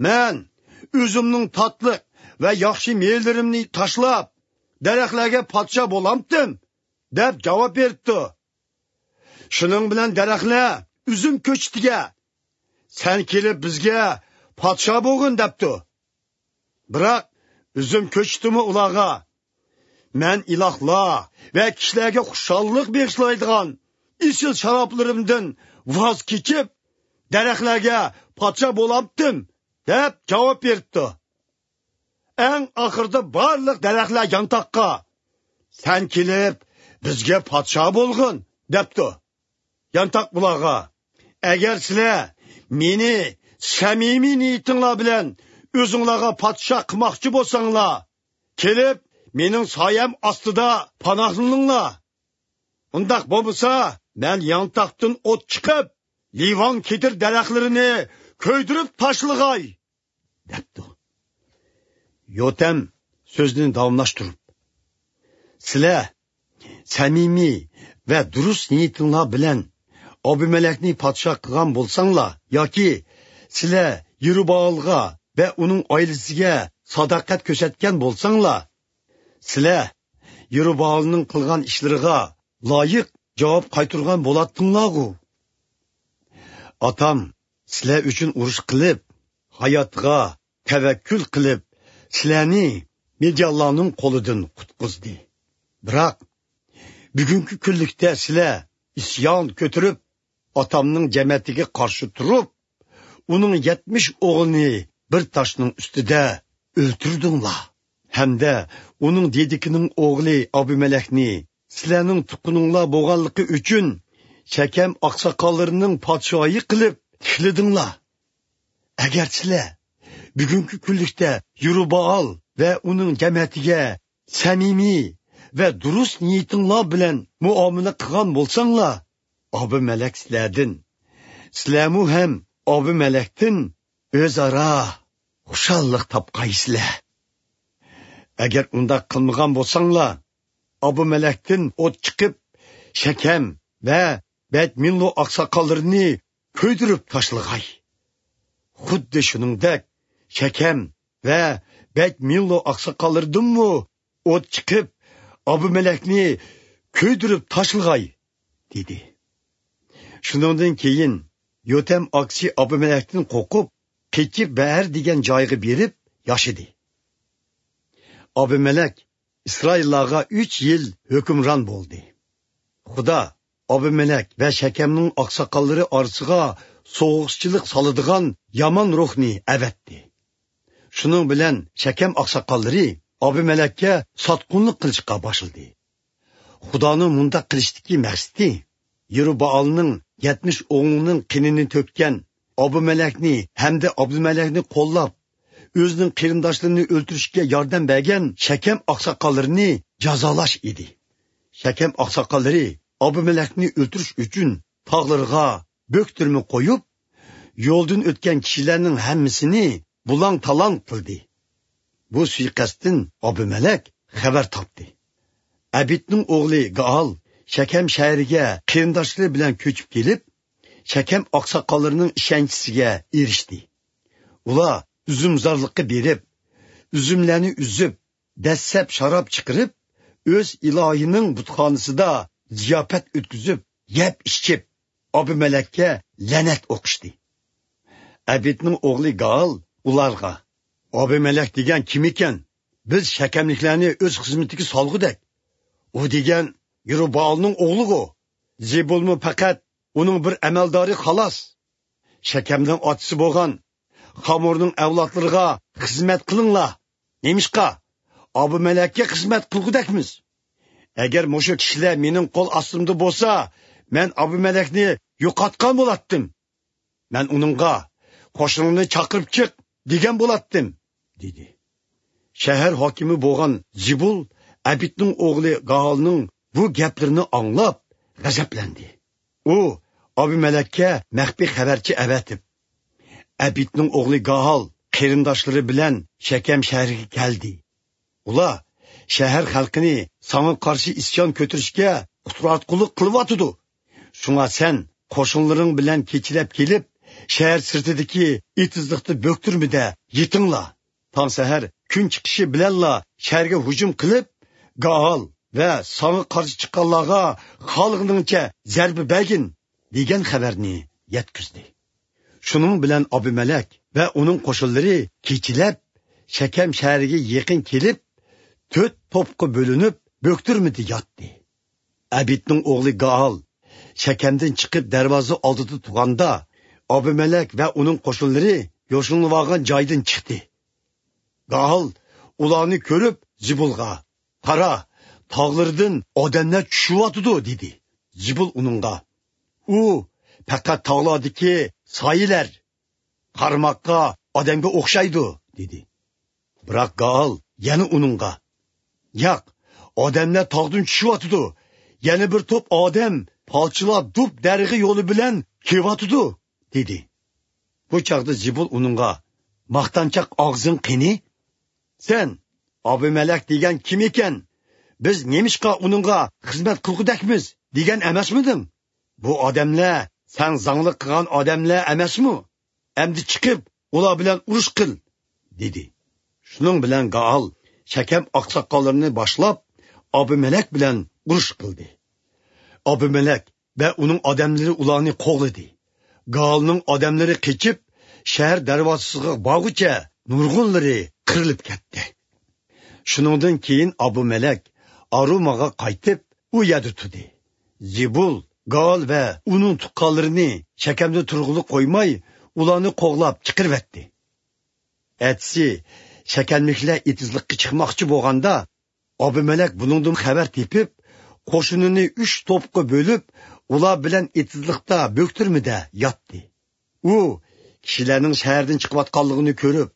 مەن ئۈزۈمنىڭ تاتلىق ۋە ياخشى مېۋىلىرىمنى تاشلاپ، دەرەخلەرگە پادىشاھ بولامتىم دەپ جاۋاب بېرىپتۇ. شۇنىڭ بىلەن دەرەخلەر ئۈزۈم كۆچىتىگە، سەن كېلىپ بىزگە پادىشاھ بولغىن دەپتۇ. بىراق ئۈزۈم كۆچىتىمۇ ئۇلارغا، مەن ئىلاھلار ۋە كىشىلەرگە خۇشاللىق بېغىشلايدىغان ئېسىل شارابلىرىمدىن ۋاز كېچىپ، دەرەخلەرگە پادىشاھ بولامتىم دەپ جاۋاب بېرىپتۇ. ئەڭ ئاخىرىدا بارلىق دەرەخلەر يانتاققا، سەن كېلىپ بىزگە پادىشاھ بولغىن دەپتۇ. يانتاق بۇلارغا، ئەگەر سىلەر مېنى سەمىمىي نىيىتىڭلار بىلەن ئۆزۈڭلارغا پادىشاھ قىلماقچى بولساڭلار، كېلىپ مېنىڭ سايەم ئاستىدا پاناھلىنىڭلار. ئۇنداق بولمىسا، مەن يانتاقتىن ئوت چىقىپ، لىۋان كېدىر دەرەخلىرىنى كۆيدۈرۈپ تاشلىغاي دەپتۇ. يوتەم سۆزىنى داۋاملاشتۇرۇپ، سىلەر سەمىمىي ۋە دۇرۇس نىيىتىڭلار بىلەن ئابىمەلەكنى پادىشاھ قىلغان بولساڭلار ياكى سىلەر يېرۇبائالغا ۋە ئۇنىڭ ئائىلىسىگە ساداقەت كۆرسەتكەن بولساڭلار، سىلەر يېرۇبائالنىڭ قىلغان ئىشلىرىغا لايىق جاۋاب قايتۇرغان بولاتتىڭلارغۇ. ئاتام سىلەر ئۈچۈن ئۇرۇش قىلىپ، ھاياتىغا تەۋەككۈل قىلىپ، سىلەرنى مىديانلارنىڭ قولىدىن قۇتقۇزدى. بىراق بۈگۈنكى كۈنلۈكتە سىلەر ئىسيان كۆتۈرۈپ، ئاتامنىڭ جەمەتىگە قارشى تۇرۇپ، ئۇنىڭ يەتمىش ئوغلىنى بىر تاشنىڭ ئۈستىدە ئۆلتۈردۈڭلار. ھەمدە ئۇنىڭ دېدىكىنىڭ ئوغلى ئابىمەلەكنى سىلەرنىڭ تۇغقىنىڭلار بولغانلىقى ئۈچۈن شەكەم ئاقساقاللىرىنىڭ پادىشاھى قىلىپ تىكلىدىڭلار. ئەگەر سىلەر بۈگۈنكى كۈنلۈكتە يېرۇبائال ۋە ئۇنىڭ جەمەتىگە سەمىمىي ۋە دۇرۇس نىيىتىڭلار بىلەن مۇئامىلە قىلغان بولساڭلار، ئابىمەلەك سىلەردىن، سىلەرمۇ ھەم ئابىمەلەكتىن ئۆزئارا خۇشاللىق تاپقايسىلەر. ئەگەر ئۇنداق قىلمىغان بولساڭلار، ئابىمەلەكتىن ئوت چىقىپ، شەكەم ۋە بەيتمىللو ئاقساقاللىرىنى كۆيدۈرۈپ تاشلىغاي. خۇددى شۇنىڭدەك شەكەم ۋە بەيتمىللو ئاقساقاللىرىدىنمۇ ئوت چىقىپ، ئابىمەلەكنى كۆيدۈرۈپ تاشلىغاي، دېدى. شۇنىڭدىن كېيىن يوتەم ئاكىسى ئابىمەلەكتىن قورقۇپ، قېچىپ بەئەر دېگەن جايغا بېرىپ ياشىدى. ئابىمەلەك ئىسرائىللارغا ئۈچ يىل ھۆكۈمران بولدى. خۇدا ئابىمەلەك ۋە شەكەمنىڭ ئاقساقاللىرى ئارىسىغا سوغۇقچىلىق سالىدىغان يامان روھنى ئەۋەتتى. شۇنىڭ بىلەن شەكەم ئاقساقاللىرى ئابىمەلەككە ساتقۇنلۇق قىلىشقا باشلىدى. خۇدانىڭ مۇنداق قىلىشتىكى مەقسىتى يېرۇبائالنىڭ يەتمىش ئوغلىنىڭ قېنىنى تۆككەن، ئابدۇمەلەكنى ھەمدە ئابدۇمەلەكنى قوللاپ، ئۆزىنىڭ قېرىنداشلىرىنى ئۆلتۈرۈشكە ياردەم بەرگەن شەكەم ئاقساقاللىرىنى جازالاش ئىدى. شەكەم ئاقساقاللىرى ئابدۇمەلەكنى ئۆلتۈرۈش ئۈچۈن تاغلىرىغا بۆكتۈرمە قويۇپ، يولدىن ئۆتكەن كىشىلەرنىڭ ھەممىسىنى بۇلاڭ-تالاڭ قىلدى. بۇ سۇيىقەستتىن ئابدۇمەلەك خەۋەر تاپتى. ئەبىدنىڭ ئوغلى گائال شەكەم شەھىرىگە قېرىنداشلىرى بىلەن كۆچۈپ كېلىپ، شەكەم ئاقساقاللىرىنىڭ ئىشەنچىسىگە ئېرىشتى. ئۇلار ئۈزۈمزارلىققا بېرىپ، ئۈزۈملەرنى ئۈزۈپ، دەسسەپ شاراب چىقىرىپ، ئۆز ئىلاھىنىڭ بۇتخانىسىدا زىياپەت ئۆتكۈزۈپ، يەپ-ئىچىپ، ئابىمەلەككە لەنەت ئوقۇشتى. ئەبىدنىڭ ئوغلى گائال ئۇلارغا: «ئابىمەلەك دېگەن كىم ئىكەن؟ بىز شەكەملىكلەرنى ئۆز خىزمىتىگە سالغۇدەك. ئۇ دېگەن يېرۇبائالنىڭ ئوغلىغۇ. زېبۇلمۇ پەقەت ئۇنىڭ بىر ئەمەلدارى، خالاس. شەكەمنىڭ ئاتىسى بولغان خامۇرنىڭ ئەۋلادلىرىغا خىزمەت قىلىڭلار. نېمىشقا؟ ئابىمەلەككە خىزمەت قىلغۇدەكمىز. ئەگەر مۇشۇ كىشىلەر مېنىڭ قول ئاستىمدا بولسا، مەن ئابىمەلەكنى يوقاتقان بولاتتىم. مەن ئۇنىڭغا: 'قوشۇنۇڭنى چاقىرىپ چىق!' دېگەن بولاتتىم» دېدى. شەھەر ھاكىمى بولغان زىبۇل ئەبىدنىڭ ئوغلى گائالنىڭ بۇ گەپلىرىنى ئاڭلاپ غەزەپلەندى. ئۇ ئابىمەلەككە مەخپىي خەۋەرچى ئەۋەتىپ: «ئەبىدنىڭ ئوغلى گائال قېرىنداشلىرى بىلەن شەكەم شەھىرىگە كەلدى. ئۇلار شەھەر خەلقىنى ساڭا قارشى ئىسيان كۆتۈرۈشكە قۇتراتقۇلۇق قىلىۋاتىدۇ. شۇڭا سەن قوشۇنلىرىڭ بىلەن كېچىلەپ كېلىپ، شەھەر سىرتىدىكى ئېتىزلىقتا بۆكتۈرمىدە يېتىڭلار. تاڭ سەھەر كۈن چىقىشى بىلەنلا شەھەرگە ھۇجۇم قىلىپ، گائال ۋە ساڭا قارشى چىققانلارغا خالىغىنىڭچە زەربە بەرگىن» دېگەن خەۋەرنى يەتكۈزدى. شۇنىڭ بىلەن ئابىمەلەك ۋە ئۇنىڭ قوشۇنلىرى كېچىلەپ شەكەم شەھىرىگە يېقىن كېلىپ، تۆت توپقا بۆلۈنۈپ، بۆكتۈرمىدە ياتتى. ئەبىدنىڭ ئوغلى گائال شەكەمدىن چىقىپ دەرۋازا ئالدىدا تۇرغاندا، ئابىمەلەك ۋە ئۇنىڭ قوشۇنلىرى يوشۇرۇنۇۋالغان جايدىن چىقتى. گائال ئۇلارنى كۆرۈپ زىبۇلغا: «قارا، تاغلىرىدىن ئادەملەر چۈشۈۋاتىدۇ» دېدى. زىبۇل ئۇنىڭغا: «ئۇ پەقەت تاغلاردىكى سايىلەر، قارىماققا ئادەمگە ئوخشايدۇ» دېدى. بىراق گائال يەنە ئۇنىڭغا: «ياق، ئادەملەر تاغدىن چۈشۈۋاتىدۇ، يەنە بىر توپ ئادەم پالچىلار دۇب دەرىخى يولى بىلەن كېلىۋاتىدۇ» دېدى. بۇ چاغدا زىبۇل ئۇنىڭغا: «ماختانچاق ئاغزىڭ قېنى؟ سەن ئابىمەلەك دېگەن كىم ئىكەن؟ بىز نېمىشقا ئۇنىڭغا خىزمەت قىلغۇدەكمىز دېگەن ئەمەسمىدىڭ؟ بۇ ئادەملەر سەن زاڭلىق قىلغان ئادەملەر ئەمەسمۇ؟ ئەمدى چىقىپ ئۇلار بىلەن ئۇرۇش قىل» دېدى. شۇنىڭ بىلەن گائال شەكەم ئاقساقاللىرىنى باشلاپ، ئابىمەلەك بىلەن ئۇرۇش قىلدى. ئابىمەلەك ۋە ئۇنىڭ ئادەملىرى ئۇلارنى قوغلىدى. گائالنىڭ ئادەملىرى قېچىپ، شەھەر دەرۋازىسىغا بارغۇچە نۇرغۇنلىرى قىرىلىپ كەتتى. شۇنىڭدىن كېيىن ئابىمەلەك ئاروماغا قايتىپ، ئۇ يەردە تۇردى. زىبۇل، گائال ۋە ئۇنىڭ تۇغقانلىرىنى شەكەمدە تۇرغىلى قويماي، ئۇلارنى قوغلاپ چىقىرىۋەتتى. ئەتىسى شەكەملىكلەر ئېتىزلىققا چىقماقچى بولغاندا، ئابىمەلەك بۇنىڭدىن خەۋەر تېپىپ، قوشۇنىنى ئۈچ توپقا بۆلۈپ، ئۇلار بىلەن ئېتىزلىقتا بۆكتۈرمىدە ياتتى. ئۇ كىشىلەرنىڭ شەھەردىن چىقىۋاتقانلىقىنى كۆرۈپ،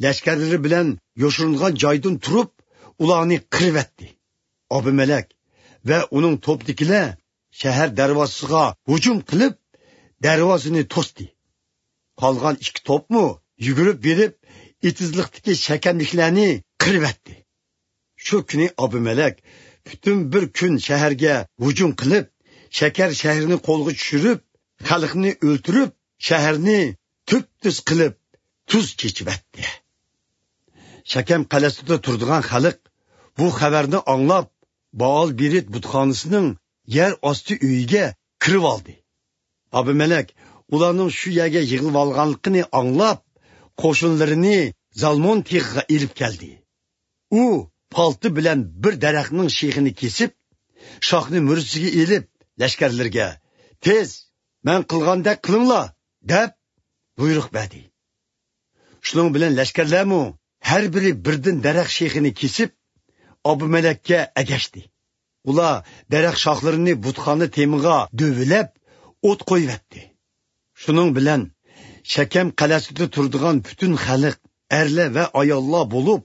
لەشكەرلىرى بىلەن يوشۇرۇنغان جايدىن تۇرۇپ، ئۇلارنى قىرىۋەتتى. ئابىمەلەك ۋە ئۇنىڭ توپىدىكىلەر شەھەر دەرۋازىسىغا ھۇجۇم قىلىپ، دەرۋازىنى توستى. قالغان ئىككى توپمۇ يۈگۈرۈپ بېرىپ، ئېتىزلىقتىكى شەكەملىكلەرنى قىرىۋەتتى. شۇ كۈنى ئابىمەلەك پۈتۈن بىر كۈن شەھەرگە ھۇجۇم قىلىپ، شەكەر شەھىرىنى قولغا چۈشۈرۈپ، خەلقنى ئۆلتۈرۈپ، شەھەرنى تۈپتۈز قىلىپ، تۇز چېچىۋەتتى. شەكەم قەلئەسىدە تۇرىدىغان خەلق بۇ خەۋەرنى ئاڭلاپ، بائال بېرىت بۇتخانىسىنىڭ يەر ئاستى ئۆيىگە كىرىۋالدى. ئابىمەلەك ئۇلارنىڭ شۇ يەرگە يىغىلىۋالغانلىقىنى ئاڭلاپ، قوشۇنلىرىنى زالمون تېغىغا ئېلىپ كەلدى. ئۇ پالتا بىلەن بىر دەرەخنىڭ شېخىنى كېسىپ، شاخنى مۈرىسىگە ئېلىپ، لەشكەرلىرىگە: «تېز، مەن قىلغاندەك قىلىڭلار!» دەپ بۇيرۇق بەردى. شۇنىڭ بىلەن لەشكەرلەرمۇ ھەر بىرى بىردىن دەرەخ شېخىنى كېسىپ، ئابىمەلەككە ئەگەشتى. ئۇلار دەرەخ شاخلىرىنى بۇتخانا تېمىغا دۆۋىلەپ، ئوت قويۇۋەتتى. شۇنىڭ بىلەن شەكەم قەلئەسىدە تۇرىدىغان پۈتۈن خەلق، ئەرلەر ۋە ئاياللار بولۇپ،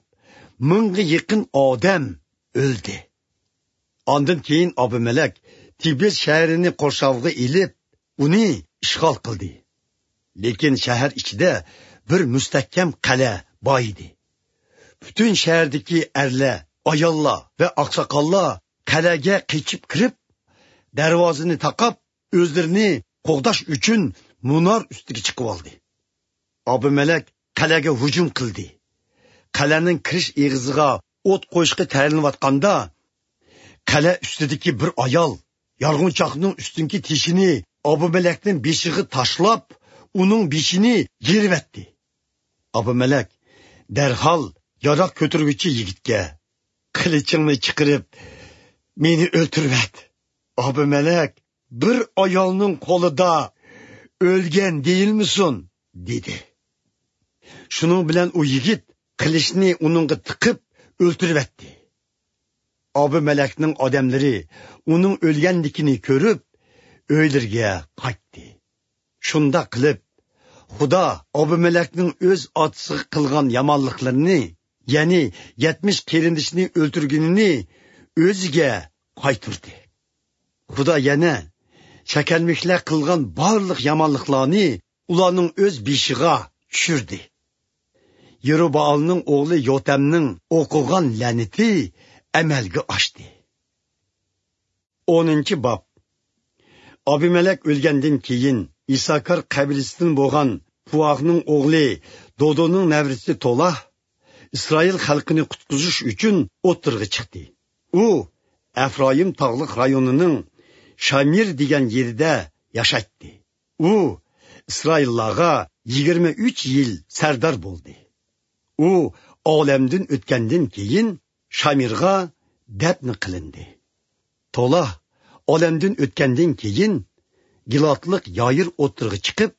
مىڭغا يېقىن ئادەم ئۆلدى. ئاندىن كېيىن ئابىمەلەك تىبىس شەھىرىنى قورشاۋغا ئېلىپ، ئۇنى ئىشغال قىلدى. لېكىن شەھەر ئىچىدە بىر مۇستەھكەم قەلئە بار ئىدى. پۈتۈن شەھەردىكى ئەرلەر، ئاياللار ۋە ئاقساقاللار قەلئەگە قېچىپ كىرىپ، دەرۋازىنى تاقاپ، ئۆزلىرىنى قوغداش ئۈچۈن مۇنار ئۈستىگە چىقىۋالدى. ئابىمەلەك قەلئەگە ھۇجۇم قىلدى. قەلئەنىڭ كىرىش ئېغىزىغا ئوت قويۇشقا تەييارلىنىۋاتقاندا، قەلئە ئۈستىدىكى بىر ئايال يارغۇنچاقنىڭ ئۈستۈنكى تېشىنى ئابىمەلەكنىڭ بېشىغا تاشلاپ، ئۇنىڭ بېشىنى يېرىۋەتتى. ئابىمەلەك دەرھال ياراغ كۆتۈرگۈچى يىگىتكە: «قىلىچىڭنى چىقىرىپ، مېنى ئۆلتۈرۈۋەت. ئابىمەلەك بىر ئايالنىڭ قولىدا ئۆلگەن دېيىلمىسۇن» دېدى. شۇنىڭ بىلەن ئۇ يىگىت قىلىچنى ئۇنىڭغا تىقىپ ئۆلتۈرۈۋەتتى. ئابىمەلەكنىڭ ئادەملىرى ئۇنىڭ ئۆلگەنلىكىنى كۆرۈپ، ئۆيلىرىگە قايتتى. شۇنداق قىلىپ، خۇدا ئابىمەلەكنىڭ ئۆز ئاتىسىغا قىلغان يامانلىقلىرىنى، يەنى يەتمىش قېرىندىشىنى ئۆلتۈرگىنىنى ئۆزىگە قايتۇردى. خۇدا يەنە شەكەنلىكلەر قىلغان بارلىق يامانلىقلارنى ئۇلارنىڭ ئۆز بېشىغا چۈشۈردى. يېرۇبائالنىڭ ئوغلى يوتەمنىڭ ئوقۇغان لەنىتى ئەمەلگە ئاشتى. ئونىنچى باب. ئابىمەلەك ئۆلگەندىن كېيىن، ئىساكار قەبىلىسىدىن بولغان پۇئاھنىڭ ئوغلى دودونىڭ نەۋرىسى تولا ئىسرائىل خەلقىنى قۇتقۇزۇش ئۈچۈن ئوتتۇرىغا چىقتى. ئۇ ئەفرايىم تاغلىق رايونىنىڭ شامىر دېگەن يېرىدە ياشايتتى. ئۇ ئىسرائىللارغا يىگىرمە ئۈچ يىل سەردار بولدى. ئۇ ئالەمدىن ئۆتكەندىن كېيىن، شامىرغا دەپنە قىلىندى. تولا ئالەمدىن ئۆتكەندىن كېيىن، گىلادلىق يايىر ئوتتۇرىغا چىقىپ،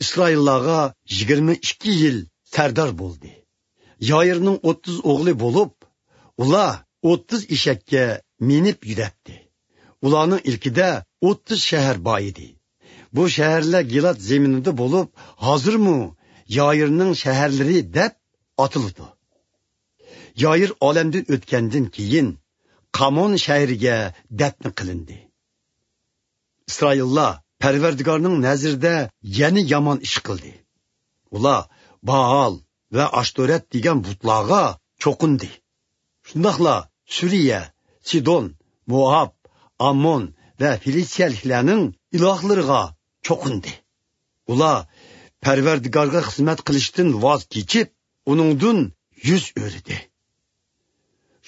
ئىسرائىللارغا يىگىرمە ئىككى يىل سەردار بولدى. يايىرنىڭ ئوتتۇز ئوغلى بولۇپ، ئۇلار ئوتتۇز ئېشەككە مىنىپ يۈرەتتى. ئۇلارنىڭ ئىلكىدە ئوتتۇز شەھەر بار ئىدى. بۇ شەھەرلەر گىلاد زېمىنىدا بولۇپ، ھازىرمۇ يايىرنىڭ شەھەرلىرى دەپ ئاتىلىدۇ. يايىر ئالەمدىن ئۆتكەندىن كېيىن، قامون شەھىرىگە دەپنە قىلىندى. ئىسرائىللار پەرۋەردىگارنىڭ نەزىرىدە يەنە يامان ئىش قىلدى. ئۇلار بائال ۋە ئاشتورەت دېگەن بۇتلارغا چوقۇندى. شۇنداقلا سۈرىيە، سىدون، موئاب، ئاممون ۋە فىلىستىيەلىكلەرنىڭ ئىلاھلىرىغا چوقۇندى. ئۇلار پەرۋەردىگارغا خىزمەت قىلىشتىن ۋاز كېچىپ، ئۇنىڭدىن يۈز ئۆرۈدى.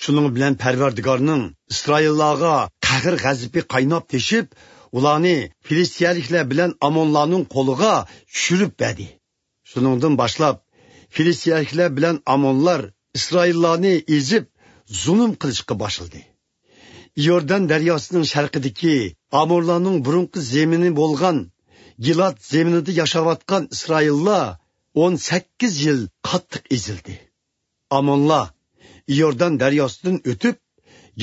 شۇنىڭ بىلەن پەرۋەردىگارنىڭ ئىسرائىللارغا قەھر-غەزىپى قايناپ تېشىپ، ئۇلارنى فىلىستىيەلىكلەر بىلەن ئامونلارنىڭ قولىغا چۈشۈرۈپ بەردى. شۇنىڭدىن باشلاپ، فىلىستىيەلىكلەر بىلەن ئامونلار ئىسرائىللارنى ئېزىپ، زۇلۇم قىلىشقا باشلىدى. ئىيوردان دەرياسىنىڭ شەرقىدىكى ئامورلارنىڭ بۇرۇنقى زېمىنى بولغان گىلاد زېمىنىدا ياشاۋاتقان ئىسرائىللار ئون سەككىز يىل قاتتىق ئېزىلدى. ئامونلار ئىيوردان دەرياسىدىن ئۆتۈپ،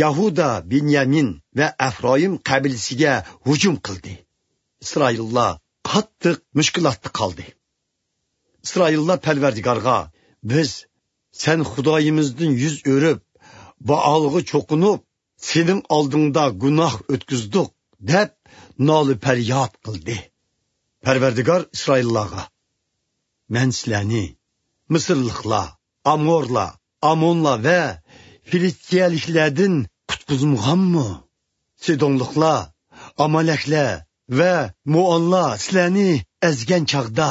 يەھۇدا، بېنيامىن ۋە ئەفرايىم قەبىلىسىگە ھۇجۇم قىلدى. ئىسرائىللار قاتتىق مۈشكۈلاتتا قالدى. ئىسرائىللار پەرۋەردىگارغا: «بىز سەن خۇدايىمىزدىن يۈز ئۆرۈپ، بائالغا چوقۇنۇپ، سېنىڭ ئالدىڭدا گۇناھ ئۆتكۈزدۇق» دەپ نالە-پەرياد قىلدى. پەرۋەردىگار ئىسرائىللارغا: «مەن سىلەرنى مىسىرلىقلار، ئامورلار، ئامونلار ۋە فىلىستىيەلىكلەردىن قۇتقۇزمىغانمۇ؟ سىدونلۇقلار، ئامالەكلەر ۋە مۇئانلار سىلەرنى ئەزگەن چاغدا،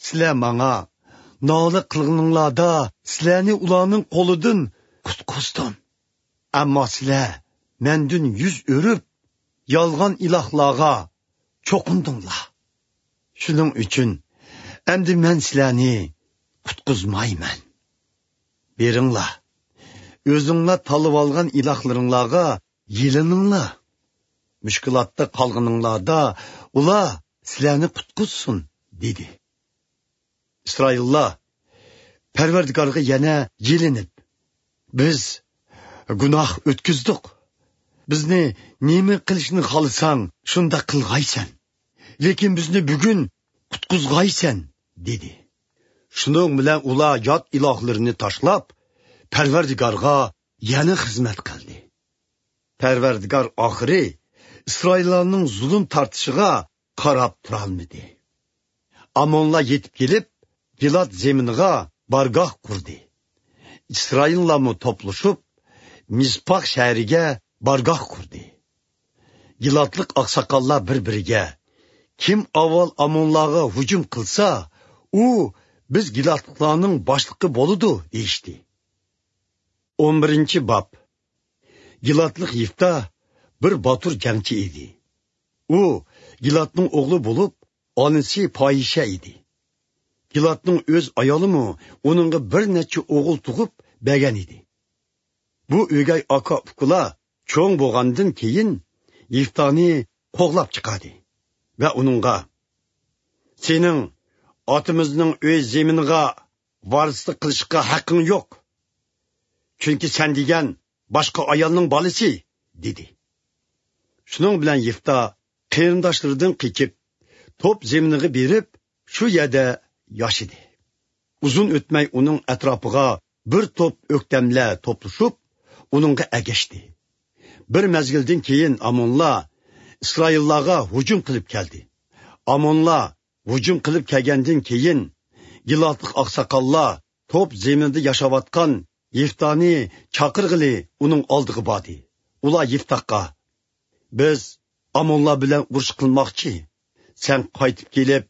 سىلەر ماڭا نالە قىلغىنىڭلاردا سىلەرنى ئۇلارنىڭ قولىدىن قۇتقۇزدۇم. ئەمما سىلەر مەندىن يۈز ئۆرۈپ، يالغان ئىلاھلارغا چوقۇندۇڭلار. شۇنىڭ ئۈچۈن ئەمدى مەن سىلەرنى قۇتقۇزمايمەن. بېرىڭلار، ئۆزۈڭلار تاللىۋالغان ئىلاھلىرىڭلارغا يېلىنىڭلار. مۈشكۈلاتتا قالغىنىڭلاردا ئۇلار سىلەرنى قۇتقۇزسۇن» دېدى. ئىسرائىللار پەرۋەردىگارغا يەنە يېلىنىپ: «بىز گۇناھ ئۆتكۈزدۇق. بىزنى نېمە قىلىشنى خالىساڭ، شۇنداق قىلغايسەن. لېكىن بىزنى بۈگۈن قۇتقۇزغايسەن» دېدى. شۇنىڭ بىلەن ئۇلار يات ئىلاھلىرىنى تاشلاپ، پەرۋەردىگارغا يەنە خىزمەت قىلدى. پەرۋەردىگار ئاخىرى ئىسرائىللارنىڭ زۇلۇم تارتىشىغا قاراپ تۇرالمىدى. ئامونلار يېتىپ كېلىپ، گىلاد زېمىنىغا بارگاھ قۇردى. ئىسرائىللارمۇ توپلىشىپ، مىسپاھ شەھىرىگە بارگاھ قۇردى. گىلادلىق ئاقساقاللار بىر-بىرىگە: «كىم ئاۋۋال ئامونلارغا ھۇجۇم قىلسا، ئۇ بىز گىلادلىقلارنىڭ باشلىقى بولىدۇ» دېيىشتى. ئون بىرىنچى باب. گىلادلىق يىفتا بىر باتۇر جەڭچى ئىدى. ئۇ گىلادنىڭ ئوغلى بولۇپ، ئانىسى پاھىشە ئىدى. گىلادنىڭ ئۆز ئايالىمۇ ئۇنىڭغا بىر نەچچە ئوغۇل تۇغۇپ بەرگەن ئىدى. بۇ ئۆگەي ئاكا-ئۇكىلار چوڭ بولغاندىن كېيىن، يىفتانى قوغلاپ چىقاردى ۋە ئۇنىڭغا: «سېنىڭ ئاتىمىزنىڭ ئۆي زېمىنىغا ۋارىسلىق قىلىشقا ھەققىڭ يوق، چۈنكى سەن دېگەن باشقا ئايالنىڭ بالىسى» دېدى. شۇنىڭ بىلەن يىفتا قېرىنداشلىرىدىن قېچىپ، توپ زېمىنىغا بېرىپ، شۇ يەردە ياشىدى. ئۇزۇن ئۆتمەي ئۇنىڭ ئەتراپىغا بىر توپ ئۆكتەملەر توپلىشىپ، ئۇنىڭغا ئەگەشتى. بىر مەزگىلدىن كېيىن ئامونلار ئىسرائىللارغا ھۇجۇم قىلىپ كەلدى. ئامونلار ھۇجۇم قىلىپ كەلگەندىن كېيىن، گىلادلىق ئاقساقاللار توپ زېمىنىدا ياشاۋاتقان يىفتانى چاقىرغىلى ئۇنىڭ ئالدىغا باردى. ئۇلار يىفتاغا: «بىز ئامونلار بىلەن ئۇرۇش قىلماقچى. سەن قايتىپ كېلىپ،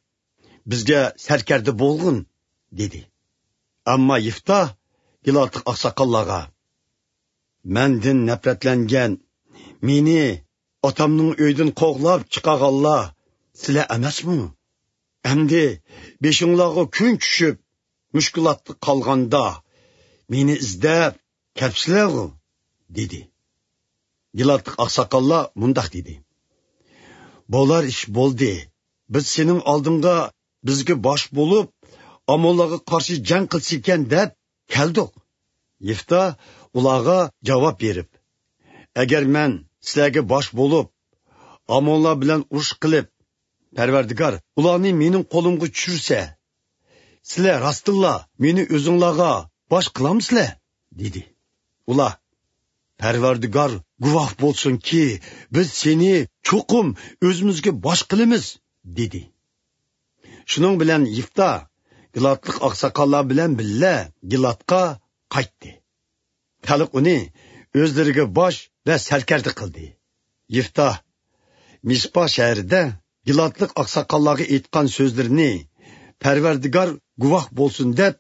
بىزگە سەركەردە بولغىن» دېدى. ئەمما يىفتا گىلادلىق ئاقساقاللارغا: «مەندىن نەپرەتلەنگەن، مېنى ئاتامنىڭ ئۆيىدىن قوغلاپ چىقارغانلار سىلەر ئەمەسمۇ؟ ئەمدى بېشىڭلارغا كۈن چۈشۈپ، مۈشكۈلاتتا قالغاندا، مېنى ئىزدەپ كەپسىلەرغۇ؟» دېدى. گىلادلىق ئاقساقاللار مۇنداق دېدى: «بولار ئىش بولدى. بىز سېنىڭ ئالدىڭغا بىزگە باش بولۇپ، ئامونلارغا قارشى جەڭ قىلسىكەن دەپ كەلدۇق.» يىفتا ئۇلارغا جاۋاب بېرىپ: «ئەگەر مەن سىلەرگە باش بولۇپ، ئامونلار بىلەن ئۇرۇش قىلىپ، پەرۋەردىگار ئۇلارنى مېنىڭ قولۇمغا چۈشۈرسە، سىلەر راستتىنلا مېنى ئۆزۈڭلارغا باش قىلامسىلەر؟» دېدى. ئۇلار: «پەرۋەردىگار گۇۋاھ بولسۇنكى، بىز سېنى چوقۇم ئۆزىمىزگە باش قىلىمىز» دېدى. شۇنىڭ بىلەن يىفتا گىلادلىق ئاقساقاللار بىلەن بىللە گىلادقا قايتتى. خەلق ئۇنى ئۆزلىرىگە باش ۋە سەركەردە قىلدى. يىفتا مىسپا شەھىرىدە گىلادلىق ئاقساقاللارغا ئېيتقان سۆزلىرىنى پەرۋەردىگار گۇۋاھ بولسۇن دەپ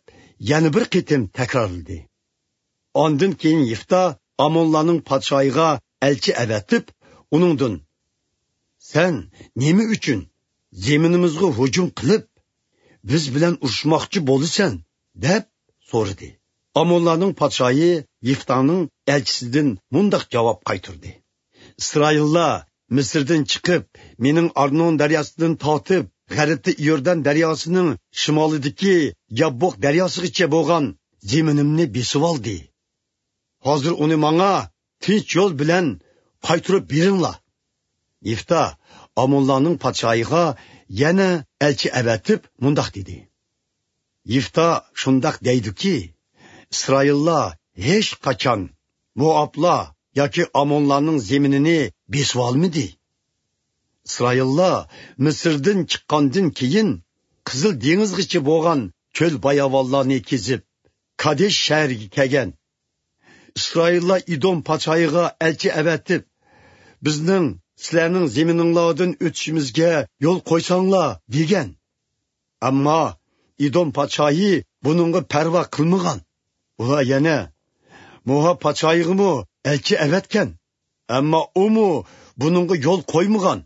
يەنە بىر قېتىم تەكرارلىدى. ئاندىن كېيىن يىفتا ئامونلارنىڭ پادىشاھىغا ئەلچى ئەۋەتىپ، ئۇنىڭدىن: «سەن نېمە ئۈچۈن زېمىنىمىزغا ھۇجۇم قىلىپ، بىز بىلەن ئۇرۇشماقچى بولىسەن؟» دەپ سورىدى. ئامونلارنىڭ پادىشاھى يىفتانىڭ ئەلچىسىدىن مۇنداق جاۋاب قايتۇردى: «ئىسرائىللار مىسىردىن چىقىپ، مېنىڭ ئارنون دەرياسىدىن تارتىپ، غەربتە ئىيوردان دەرياسىنىڭ شىمالىدىكى ياببوق دەرياسىغىچە بولغان زېمىنىمنى بېسىۋالدى. ھازىر ئۇنى ماڭا تىنچ يول بىلەن قايتۇرۇپ بېرىڭلار.» يىفتا ئامونلارنىڭ پادىشاھىغا يەنە ئەلچى ئەۋەتىپ مۇنداق دېدى: «يىفتا شۇنداق دەيدۇكى، ئىسرائىللار ھېچقاچان موئابلار ياكى ئامونلارنىڭ زېمىنىنى بېسىۋالمىدى. ئىسرائىللار مىسىردىن چىققاندىن كېيىن، قىزىل دېڭىزغىچە بولغان چۆل باياۋانلارنى كېزىپ، كادېش شەھىرىگە كەلگەن. ئىسرائىللار ئىدوم پادىشاھىغا ئەلچى ئەۋەتىپ، بىزنىڭ سىلەرنىڭ زېمىنىڭلاردىن ئۆتۈشىمىزگە يول قويساڭلار دېگەن. ئەمما ئىدوم پادىشاھى بۇنىڭغا پەرۋا قىلمىغان. ئۇلار يەنە موئاب پادىشاھىغىمۇ ئەلچى ئەۋەتكەن. ئەمما ئۇمۇ بۇنىڭغا يول قويمىغان.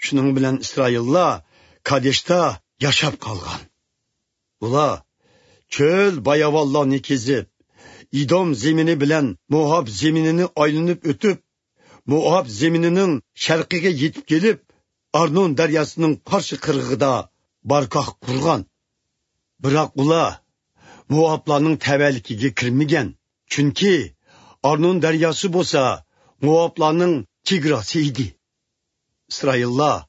شۇنىڭ بىلەن ئىسرائىللار كادېشتا ياشاپ قالغان. ئۇلار چۆل باياۋانلارنى كېزىپ، ئىدوم زېمىنى بىلەن موئاب زېمىنىنى ئايلىنىپ ئۆتۈپ، موئاب زېمىنىنىڭ شەرقىگە يېتىپ كېلىپ، ئارنون دەرياسىنىڭ قارشى قىرغىقىدا بارگاھ قۇرغان. بىراق ئۇلار موئابلارنىڭ تەۋەلىكىگە كىرمىگەن، چۈنكى ئارنون دەرياسى بولسا موئابلارنىڭ چېگراسى ئىدى. ئىسرائىللار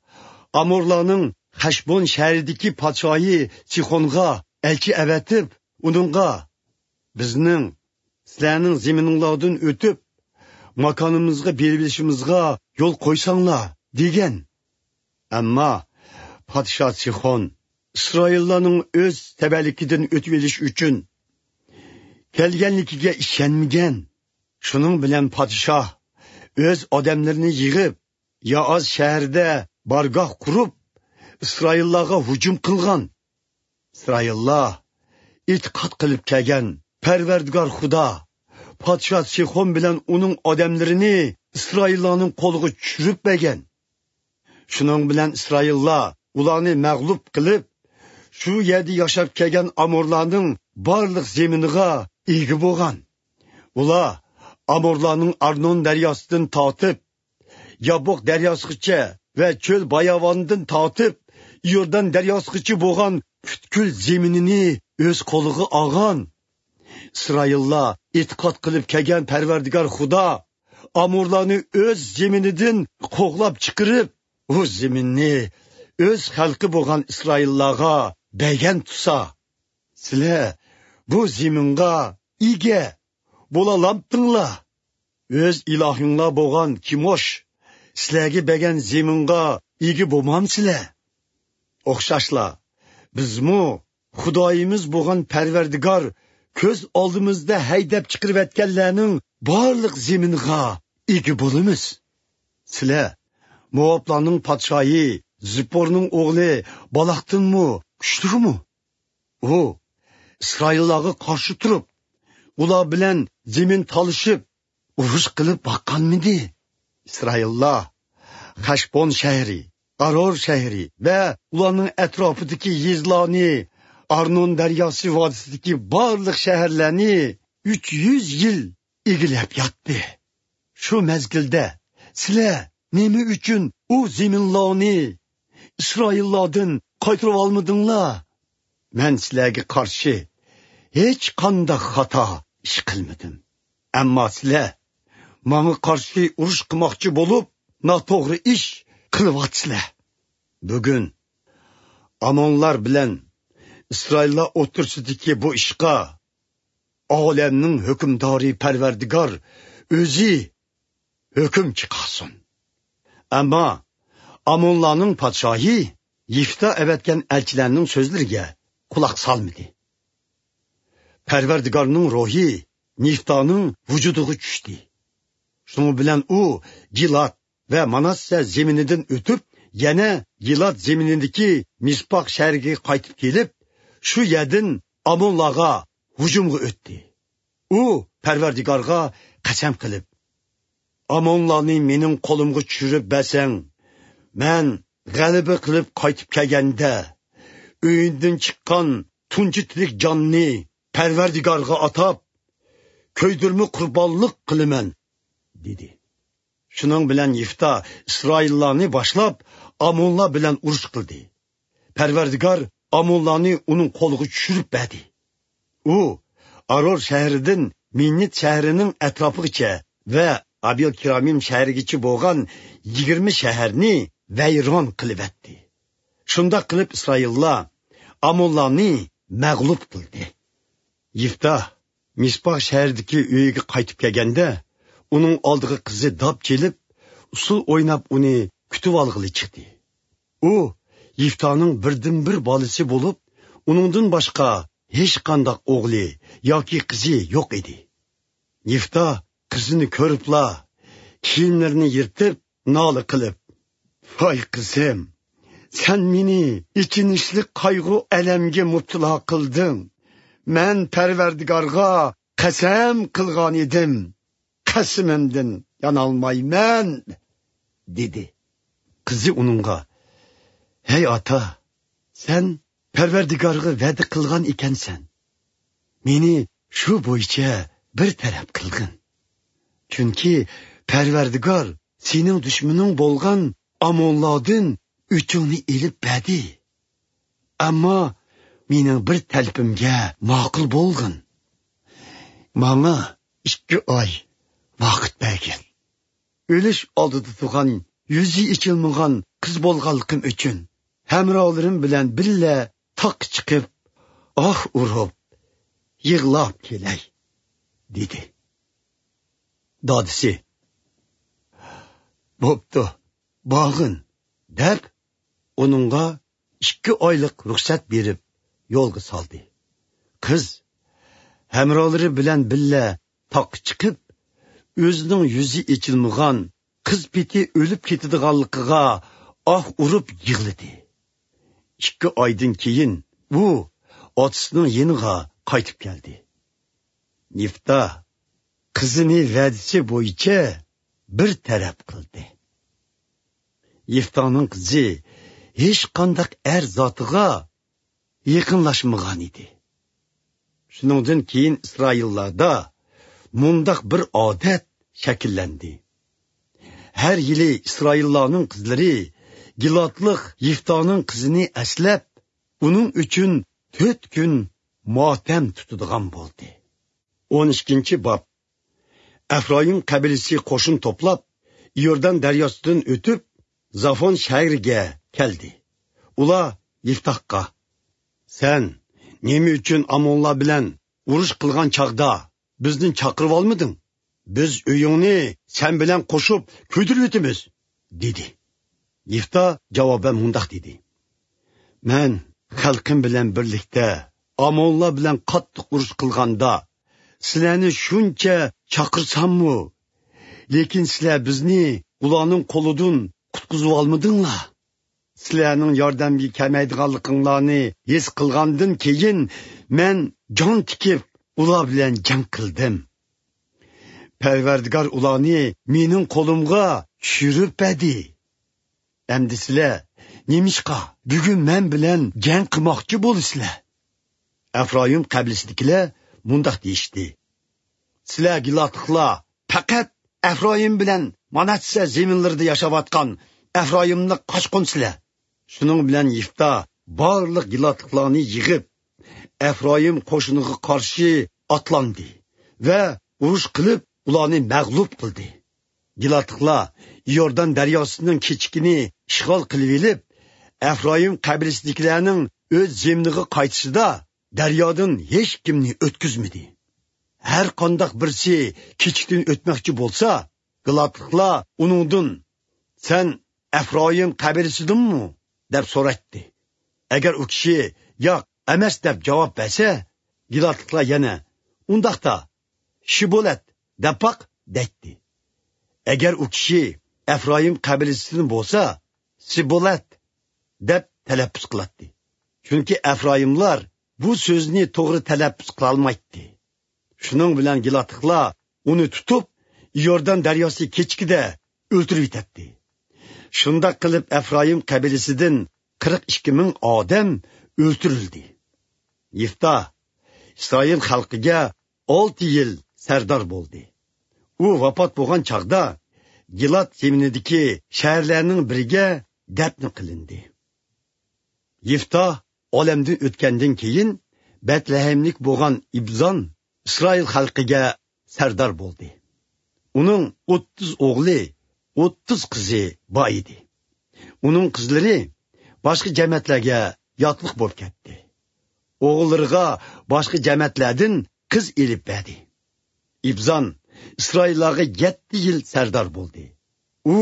ئامورلارنىڭ خەشبون شەھىرىدىكى پادىشاھى سىخونغا ئەلچى ئەۋەتىپ، ئۇنىڭغا، «بىزنىڭ سىلەرنىڭ زېمىنىڭلاردىن ئۆتۈپ، ماكانىمىزغا بېرىۋېلىشىمىزغا يول قويساڭلار» دېگەن. ئەمما پادىشاھ سىخون ئىسرائىللارنىڭ ئۆز تەۋەلىكىدىن ئۆتۈۋېلىش ئۈچۈن كەلگەنلىكىگە ئىشەنمىگەن. شۇنىڭ بىلەن پادىشاھ ئۆز ئادەملىرىنى يىغىپ، يائاز شەھىرىدە بارگاھ قۇرۇپ، ئىسرائىللارغا ھۇجۇم قىلغان. ئىسرائىللار ئېتىقاد قىلىپ كەلگەن پەرۋەردىگار خۇدا پادىشاھ سىخون بىلەن ئۇنىڭ ئادەملىرىنى ئىسرائىللارنىڭ قولىغا چۈشۈرۈپ بەرگەن. شۇنىڭ بىلەن ئىسرائىللار ئۇلارنى مەغلۇپ قىلىپ، شۇ يەردە ياشاپ كەلگەن ئامورلارنىڭ بارلىق زېمىنىغا ئىگە بولغان. ئۇلار ئامورلارنىڭ ئارنون دەرياسىدىن تارتىپ يابوق دەرياسىغىچە ۋە چۆل باياۋانىدىن تارتىپ ئىيوردان دەرياسىغىچە بولغان پۈتكۈل زېمىنىنى ئۆز قولىغا ئالغان. ئىسرائىللار ئېتىقاد قىلىپ كەلگەن پەرۋەردىگار خۇدا ئامورلارنى ئۆز زېمىنىدىن قوغلاپ چىقىرىپ، ئۇ زېمىننى ئۆز خەلقى بولغان ئىسرائىللارغا بەرگەن تۇرسا، سىلەر بۇ زېمىنغا ئىگە بولالامتىڭلار؟ ئۆز ئىلاھىڭلار بولغان كىموش سىلەرگە بەرگەن زېمىنغا ئىگە بولمامسىلەر؟ ئوخشاشلا، بىزمۇ خۇدايىمىز بولغان پەرۋەردىگار كۆز ئالدىمىزدا ھەيدەپ چىقىرىۋەتكەنلەرنىڭ بارلىق زېمىنىغا ئىگە بولىمىز. سىلەر موۋابلارنىڭ پادىشاھى زىپپورنىڭ ئوغلى بالاقتىنمۇ كۈچلۈكمۇ؟ ئۇ ئىسرائىللارغا قارشى تۇرۇپ، ئۇلار بىلەن زېمىن تالىشىپ، ئۇرۇش قىلىپ باققانمىدى؟ ئىسرائىللار خەشبون شەھىرى، ئارور شەھىرى ۋە ئۇلارنىڭ ئەتراپىدىكى يېزىلارنى، ئارنون دەرياسى ۋادىسىدىكى بارلىق شەھەرلەرنى ئۈچ يۈز يىل ئىگىلەپ ياتتى. شۇ مەزگىلدە سىلەر نېمە ئۈچۈن ئۇ زېمىنلارنى ئىسرائىللاردىن قايتۇرۇۋالمىدىڭلار؟ مەن سىلەرگە قارشى ھېچقانداق خاتا ئىش قىلمىدىم. ئەمما سىلەر ماڭا قارشى ئۇرۇش قىلماقچى بولۇپ، ناتوغرا ئىش قىلىۋاتىسىلەر. بۈگۈن ئامونلار بىلەن ئىسرائىللار ئوتتۇرىسىدىكى بۇ ئىشقا ئالەمنىڭ ھۆكۈمدارى پەرۋەردىگار ئۆزى ھۆكۈم چىقارسۇن. ئەمما ئامونلارنىڭ پادىشاھى يىفتا ئەۋەتكەن ئەلچىلەرنىڭ سۆزلىرىگە قۇلاق سالمىدى. پەرۋەردىگارنىڭ روھى يىفتانىڭ ۋۇجۇدىغا چۈشتى. شۇنىڭ بىلەن ئۇ گىلاد ۋە ماناسسە زېمىنىدىن ئۆتۈپ، يەنە گىلاد زېمىنىدىكى مىسپاق شەھىرىگە قايتىپ كېلىپ، شۇ يەردىن ئامونلارغا ھۇجۇمغا ئۆتتى. ئۇ پەرۋەردىگارغا قەسەم قىلىپ، «ئامونلارنى مېنىڭ قولۇمغا چۈشۈرۈپ بەرسەڭ، مەن غەلىبە قىلىپ قايتىپ كەلگەندە، ئۆيۈمدىن چىققان تۇنجى تىرىك جاننى پەرۋەردىگارغا ئاتاپ، كۆيدۈرمە قۇربانلىق قىلىمەن» دېدى. شۇنىڭ بىلەن يىفتا ئىسرائىللارنى باشلاپ، ئامونلار بىلەن ئۇرۇش قىلدى. پەرۋەردىگار ئامونلارنى ئۇنىڭ قولىغا چۈشۈرۈپ بەردى. ئۇ ئارور شەھىرىدىن مىننىت شەھىرىنىڭ ئەتراپىغىچە ۋە ئابىل كىرامىم شەھىرىگىچە بولغان يىگىرمە شەھەرنى ۋەيران قىلىۋەتتى. شۇنداق قىلىپ ئىسرائىللار ئامونلارنى مەغلۇپ قىلدى. يىفتا مىسپاھ شەھىرىدىكى ئۆيىگە قايتىپ كەلگەندە، ئۇنىڭ ئالدىغا قىزى داپ چېلىپ، ئۇسسۇل ئويناپ ئۇنى كۈتۈۋالغىلى چىقتى. ئۇ يىفتانىڭ بىردىنبىر بالىسى بولۇپ، ئۇنىڭدىن باشقا ھېچقانداق ئوغلى ياكى قىزى يوق ئىدى. يىفتا قىزىنى كۆرۈپلا، كىيىملىرىنى يىرتىپ، نالە قىلىپ، «ۋاي قىزىم، سەن مېنى ئېچىنىشلىق قايغۇ-ئەلەمگە مۇپتىلا قىلدىڭ. مەن پەرۋەردىگارغا قەسەم قىلغان ئىدىم، قەسىمىمدىن يانالمايمەن» دېدى. قىزى ئۇنىڭغا، «ھەي ئاتا، سەن پەرۋەردىگارغا ۋەدە قىلغان ئىكەنسەن، مېنى شۇ بويىچە بىر تەرەپ قىلغىن. چۈنكى پەرۋەردىگار سېنىڭ دۈشمىنىڭ بولغان ئامونلاردىن ئۆچۈڭنى ئېلىپ بەردى. ئەمما مېنىڭ بىر تەلىپىمگە ماقۇل بولغىن. ماڭا ئىككى ئاي ۋاقىت بەرگىن. ئۆلۈش ئالدىدا تۇرغان يۈزى ئېچىلمىغان قىز بولغانلىقىم ئۈچۈن، ھەمراھلىرىم بىلەن بىللە تاغقا چىقىپ، ئاھ ئۇرۇپ، يىغلاپ كېلەي، دېدى. دادىسى، بوپتۇ، بارغىن، دەپ، ئۇنىڭغا ئىككى ئايلىق رۇخسەت بېرىپ، يولغا سالدى. قىز ھەمراھلىرى بىلەن بىللە تاغقا چىقىپ، ئۆزىنىڭ يۈزى ئېچىلمىغان قىز پېتى ئۆلۈپ كېتىدىغانلىقىغا ئاھ ئۇرۇپ يىغلىدى. ئىككى ئايدىن كېيىن ئۇ ئاتىسىنىڭ يېنىغا قايتىپ كەلدى. يىفتا قىزىنى ۋەدىسى بويىچە بىر تەرەپ قىلدى. يىفتانىڭ قىزى ھېچقانداق ئەر زاتىغا يېقىنلاشمىغان ئىدى. شۇنىڭدىن كېيىن ئىسرائىللاردا مۇنداق بىر ئادەت شەكىللەندى. ھەر يىلى ئىسرائىللارنىڭ قىزلىرى گىلادلىق يىفتانىڭ قىزىنى ئەسلەپ، ئۇنىڭ ئۈچۈن تۆت كۈن ماتەم تۇتىدىغان بولدى. ئون ئىككىنچى باب. ئەفرايىم قەبىلىسى قوشۇن توپلاپ، ئىيوردان دەرياسىدىن ئۆتۈپ، زافون شەھىرىگە كەلدى. ئۇلار يىفتاھقا، سەن نېمە ئۈچۈن ئامونلار بىلەن ئۇرۇش قىلغان چاغدا بىزنى چاقىرىۋالمىدىڭ؟ بىز ئۆيۈڭنى سەن بىلەن قوشۇپ كۆيدۈرۈۋېتىمىز، دېدى. يىفتا جاۋابەن مۇنداق دېدى: مەن خەلقىم بىلەن بىرلىكتە ئامونلار بىلەن قاتتىق ئۇرۇش قىلغاندا، سىلەرنى شۇنچە چاقىرساممۇ، لېكىن سىلەر بىزنى ئۇلارنىڭ قولىدىن قۇتقۇزۇۋالمىدىڭلار. سىلەرنىڭ ياردەمگە كەلمەيدىغانلىقىڭلارنى ھېس قىلغاندىن كېيىن، مەن جان تىكىپ، ئۇلار بىلەن جەڭ قىلدىم. پەرۋەردىگار ئۇلارنى مېنىڭ قولۇمغا چۈشۈرۈپ بەردى. ئەمدى سىلەر نېمىشقا بۈگۈن مەن بىلەن جەڭ قىلماقچى بولىسىلەر؟ ئەفرايىم قەبىلىسىدىكىلەر مۇنداق دېيىشتى: سىلەر گىلادلىقلار پەقەت ئەفرايىم بىلەن ماناسسە زېمىنلىرىدا ياشاۋاتقان ئەفرايىملىق قاچقۇنسىلەر. شۇنىڭ بىلەن يىفتا بارلىق گىلادلىقلارنى يىغىپ، ئەفرايىم قوشۇنىغا قارشى ئاتلاندى ۋە ئۇرۇش قىلىپ، ئۇلارنى مەغلۇپ قىلدى. گىلادلىقلار يوردان دەرياسىنىڭ كېچىكىنى ئىشغال قىلىۋېلىپ، ئەفرايىم قەبىلىسىدىكىلەرنىڭ ئۆز زېمىنىغا قايتىشىدا دەريادىن ھېچكىمنى ئۆتكۈزمىدى. ھەر قانداق بىرسى كېچىكتىن ئۆتمەكچى بولسا، گىلادلىقلار ئۇنىڭدىن: سەن ئەفرايىم قەبىلىسىدىنمۇ؟ دەپ سورايتتى. ئەگەر ئۇ كىشى ياق، ئەمەس دەپ جاۋاب بەرسە، گىلادلىقلار يەنە: ئۇنداقتا شىبولەت دەپ باق، دەيتتى. ئەگەر ئۇ كىشى ئەفرايىم قەبىلىسىدىن بولسا، سىبولەت دەپ تەلەپپۇز قىلاتتى. چۈنكى ئەفرايىملار بۇ سۆزنى توغرا تەلەپپۇز قىلالمايتتى. شۇنىڭ بىلەن گىلادلىقلار ئۇنى تۇتۇپ، يوردان دەرياسى كېچىكىدە ئۆلتۈرۈۋېتەتتى. شۇنداق قىلىپ، ئەفرايىم قەبىلىسىدىن قىرىق ئىككى مىڭ ئادەم ئۆلتۈرۈلدى. يىفتا ئىسرائىل خەلقىگە ئالتە يىل سەردار بولدى. ئۇ ۋاپات بولغان چاغدا گىلاد زېمىنىدىكى شەھەرلەرنىڭ بىرىگە دەپنە قىلىندى. يىفتا ئالەمدىن ئۆتكەندىن كېيىن، بەتلەھەملىك بولغان ئىبزان ئىسرائىل خەلقىگە سەردار بولدى. ئۇنىڭ ئوتتۇز ئوغلى، ئوتتۇز قىزى بار ئىدى. ئۇنىڭ قىزلىرى باشقا جەمەتلەرگە ياتلىق بولۇپ كەتتى. ئوغۇللىرىغا باشقا جەمەتلەردىن قىز ئېلىپ بەردى. ئىبزان ئىسرائىللارغا يەتتە يىل سەردار بولدى. ئۇ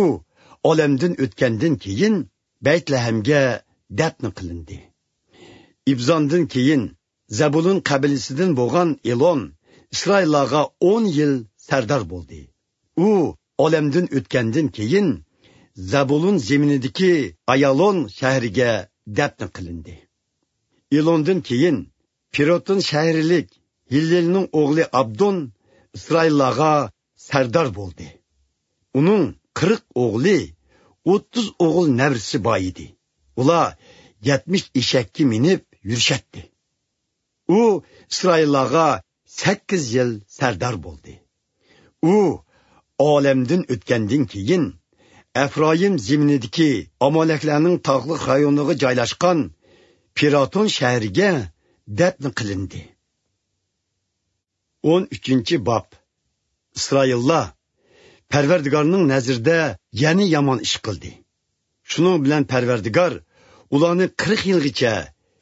ئالەمدىن ئۆتكەندىن كېيىن، بەيتلەھەمگە دەپنە قىلىندى. ئىبزاندىن كېيىن زەبۇلۇن قەبىلىسىدىن بولغان ئېلون ئىسرائىللارغا ئون يىل سەردار بولدى. ئۇ ئالەمدىن ئۆتكەندىن كېيىن، زەبۇلۇن زېمىنىدىكى ئايالون شەھىرىگە دەپنە قىلىندى. ئېلوندىن كېيىن، پىروتون شەھىرلىك ھىللېلنىڭ ئوغلى ئابدون ئىسرائىللارغا سەردار بولدى. ئۇنىڭ قىرىق ئوغلى، ئوتتۇز ئوغۇل نەۋرىسى بار ئىدى. ئۇلار يەتمىش ئېشەككە مىنىپ يۈرۈشەتتى. ئۇ ئىسرائىللارغا سەككىز يىل سەردار بولدى. ئۇ ئالەمدىن ئۆتكەندىن كېيىن، ئەفرايىم زېمىنىدىكى ئامالەكلەرنىڭ تاغلىق رايونىغا جايلاشقان پىراتون شەھىرىگە دەپنە قىلىندى. ئون ئۈچىنچى باب. ئىسرائىللار پەرۋەردىگارنىڭ نەزىرىدە يەنە يامان ئىش قىلدى. شۇنىڭ بىلەن پەرۋەردىگار ئۇلارنى قىرىق يىلغىچە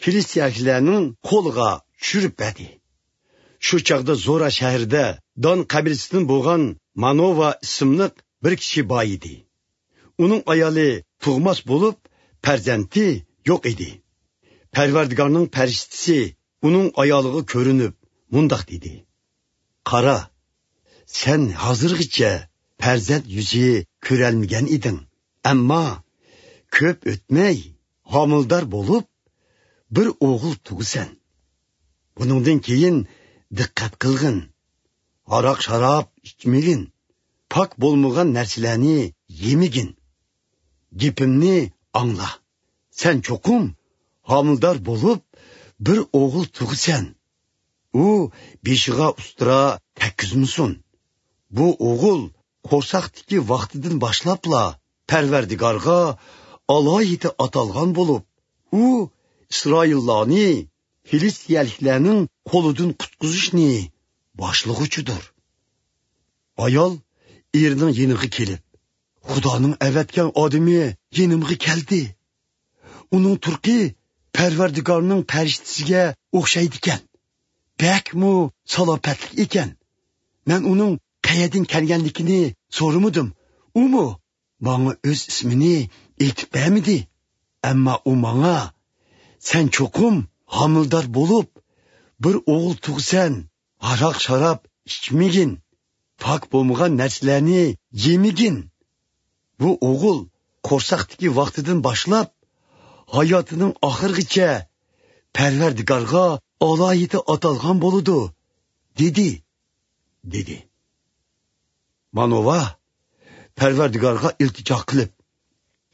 فىلىستىيەلىكلەرنىڭ قولىغا چۈشۈرۈپ بەردى. شۇ چاغدا زورا شەھىرىدە دان قەبىلىسىدىن بولغان مانوۋا ئىسىملىق بىر كىشى بار ئىدى. ئۇنىڭ ئايالى تۇغماس بولۇپ، پەرزەنتى يوق ئىدى. پەرۋەردىگارنىڭ پەرىشتىسى ئۇنىڭ ئايالىغا كۆرۈنۈپ، مۇنداق دېدى: «قارا، سەن ھازىرغىچە پەرزەنت يۈزى كۆرەلمىگەن ئىدىڭ. ئەمما كۆپ ئۆتمەي، ھامىلىدار بولۇپ، بىر ئوغۇل تۇغىسەن. بۇنىڭدىن كېيىن دىققەت قىلغىن. ھاراق-شاراب ئىچمىگىن. پاك بولمىغان نەرسىلەرنى يېمىگىن. گېپىمنى ئاڭلا. سەن چوقۇم ھامىلىدار بولۇپ، بىر ئوغۇل تۇغىسەن. ئۇ بېشىغا ئۇستىرا تەگكۈزمىسۇن. بۇ ئوغۇل قورساقتىكى ۋاقتىدىن باشلاپلا پەرۋەردىگارغا ئالاھىدە ئاتالغان بولۇپ، ئۇ ئىسرائىللارنى فىلىستىيەلىكلەرنىڭ قولىدىن قۇتقۇزۇشنى باشلىغۇچىدۇر.» ئايال ئېرىنىڭ يېنىغا كېلىپ: «خۇدانىڭ ئەۋەتكەن ئادىمى يېنىمغا كەلدى. ئۇنىڭ تۇرقى پەرۋەردىگارنىڭ پەرىشتىسىگە ئوخشايدىكەن. بەكمۇ سالاپەتلىك ئىكەن. مەن ئۇنىڭ قەيەردىن كەلگەنلىكىنى سورىمىدىم. ئۇمۇ ماڭا ئۆز ئىسمىنى ئېيتىپ بەرمىدى. ئەمما ئۇ ماڭا: سەن چوقۇم ھامىلىدار بولۇپ، بىر ئوغۇل تۇغىسەن. ھاراق-شاراب ئىچمىگىن. پاك بولمىغان نەرسىلەرنى يېمىگىن. بۇ ئوغۇل قورساقتىكى ۋاقتىدىن باشلاپ، ھاياتىنىڭ ئاخىرىغىچە پەرۋەردىگارغا ئالاھىدە ئاتالغان بولىدۇ، دېدى» دېدى. مانوۋا پەرۋەردىگارغا ئىلتىجا قىلىپ: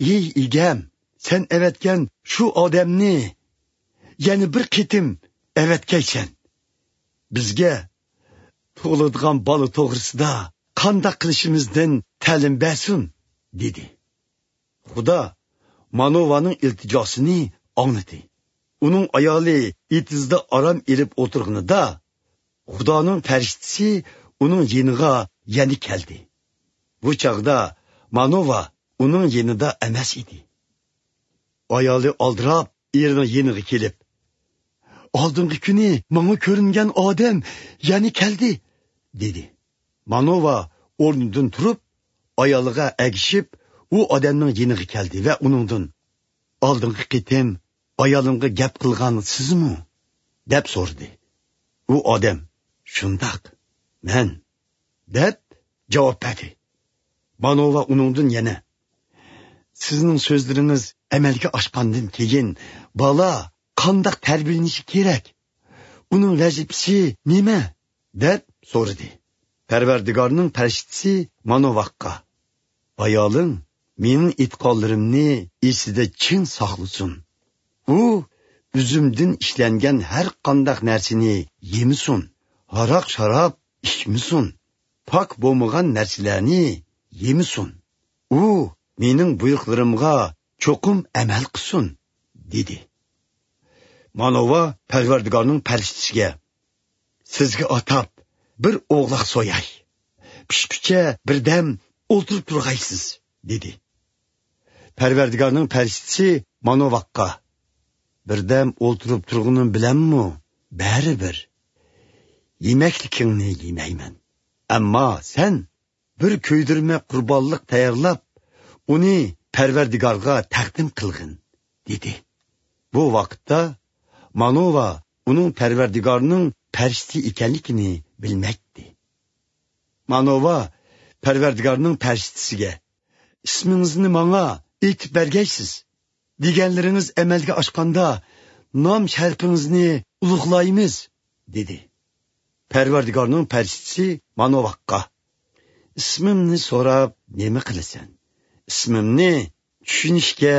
«ئى ئىگەم، سەن ئەۋەتكەن شۇ ئادەمنى يەنە بىر قېتىم ئەۋەتكەيسەن. بىزگە تۇغۇلىدىغان بالا توغرىسىدا قانداق قىلىشىمىزدىن تەلىم بەرسۇن» دېدى. خۇدا مانوۋانىڭ ئىلتىجاسىنى ئاڭلىدى. ئۇنىڭ ئايالى ئېتىزدا ئارام ئېلىپ ئولتۇرغىنىدا، خۇدانىڭ پەرىشتىسى ئۇنىڭ يېنىغا يەنە كەلدى. بۇ چاغدا مانوۋا ئۇنىڭ يېنىدا ئەمەس ئىدى. ئايالى ئالدىراپ ئېرىنىڭ يېنىغا كېلىپ: «ئالدىنقى كۈنى ماڭا كۆرۈنگەن ئادەم يەنە كەلدى» دېدى. مانوۋا ئورنىدىن تۇرۇپ، ئايالىغا ئەگىشىپ، ئۇ ئادەمنىڭ يېنىغا كەلدى ۋە ئۇنىڭدىن: «ئالدىنقى قېتىم ئايالىمغا گەپ قىلغان سىزمۇ؟» دەپ سورىدى. ئۇ ئادەم: «شۇنداق، مەن» دەپ جاۋاب بەردى. مانوۋا ئۇنىڭدىن يەنە: «سىزنىڭ سۆزلىرىڭىز ئەمەلگە ئاشقاندىن كېيىن بالا قانداق تەربىيەلىنىشى كېرەك؟ ئۇنىڭ ۋەزىپىسى نېمە؟» دەپ سورىدى. پەرۋەردىگارنىڭ پەرىشتىسى مانوۋاغا: «ئايالىڭ مېنىڭ ئېيتقانلىرىمنى ئېسىدە چىڭ ساقلىسۇن. ئۇ ئۈزۈمدىن ئىشلەنگەن ھەر قانداق نەرسىنى يېمىسۇن، ھاراق-شاراب ئىچمىسۇن، پاك بولمىغان نەرسىلەرنى يېمىسۇن. ئۇ مېنىڭ بۇيرۇقلىرىمغا چوقۇم ئەمەل قىلسۇن» دېدى. مانوۋا پەرۋەردىگارنىڭ پەرىشتىسىگە: «سىزگە ئاتاپ بىر ئوغلاق سوياي. پىشقۇچە بىردەم ئولتۇرۇپ تۇرغايسىز» دېدى. پەرۋەردىگارنىڭ پەرىشتىسى مانوۋاغا: «بىردەم ئولتۇرۇپ تۇرغىنىم بىلەنمۇ بەرىبىر يېمەكلىكىڭنى يېمەيمەن. ئەمما سەن بىر كۆيدۈرمە قۇربانلىق تەييارلاپ، ئۇنى پەرۋەردىگارغا تەقدىم قىلغىن» دېدى. بۇ ۋاقىتتا مانوۋا ئۇنىڭ پەرۋەردىگارنىڭ پەرىشتىسى ئىكەنلىكىنى بىلمەيتتى. مانوۋا پەرۋەردىگارنىڭ پەرىشتىسىگە: «ئىسمىڭىزنى ماڭا ئېيتىپ بەرگەيسىز. دېگەنلىرىڭىز ئەمەلگە ئاشقاندا، نام شەرىپىڭىزنى ئۇلۇغلايمىز» دېدى. پەرۋەردىگارنىڭ پەرىشتىسى مانوۋاغا: «ئىسمىمنى سوراپ نېمە قىلىسەن؟ ئىسمىمنى چۈشىنىشكە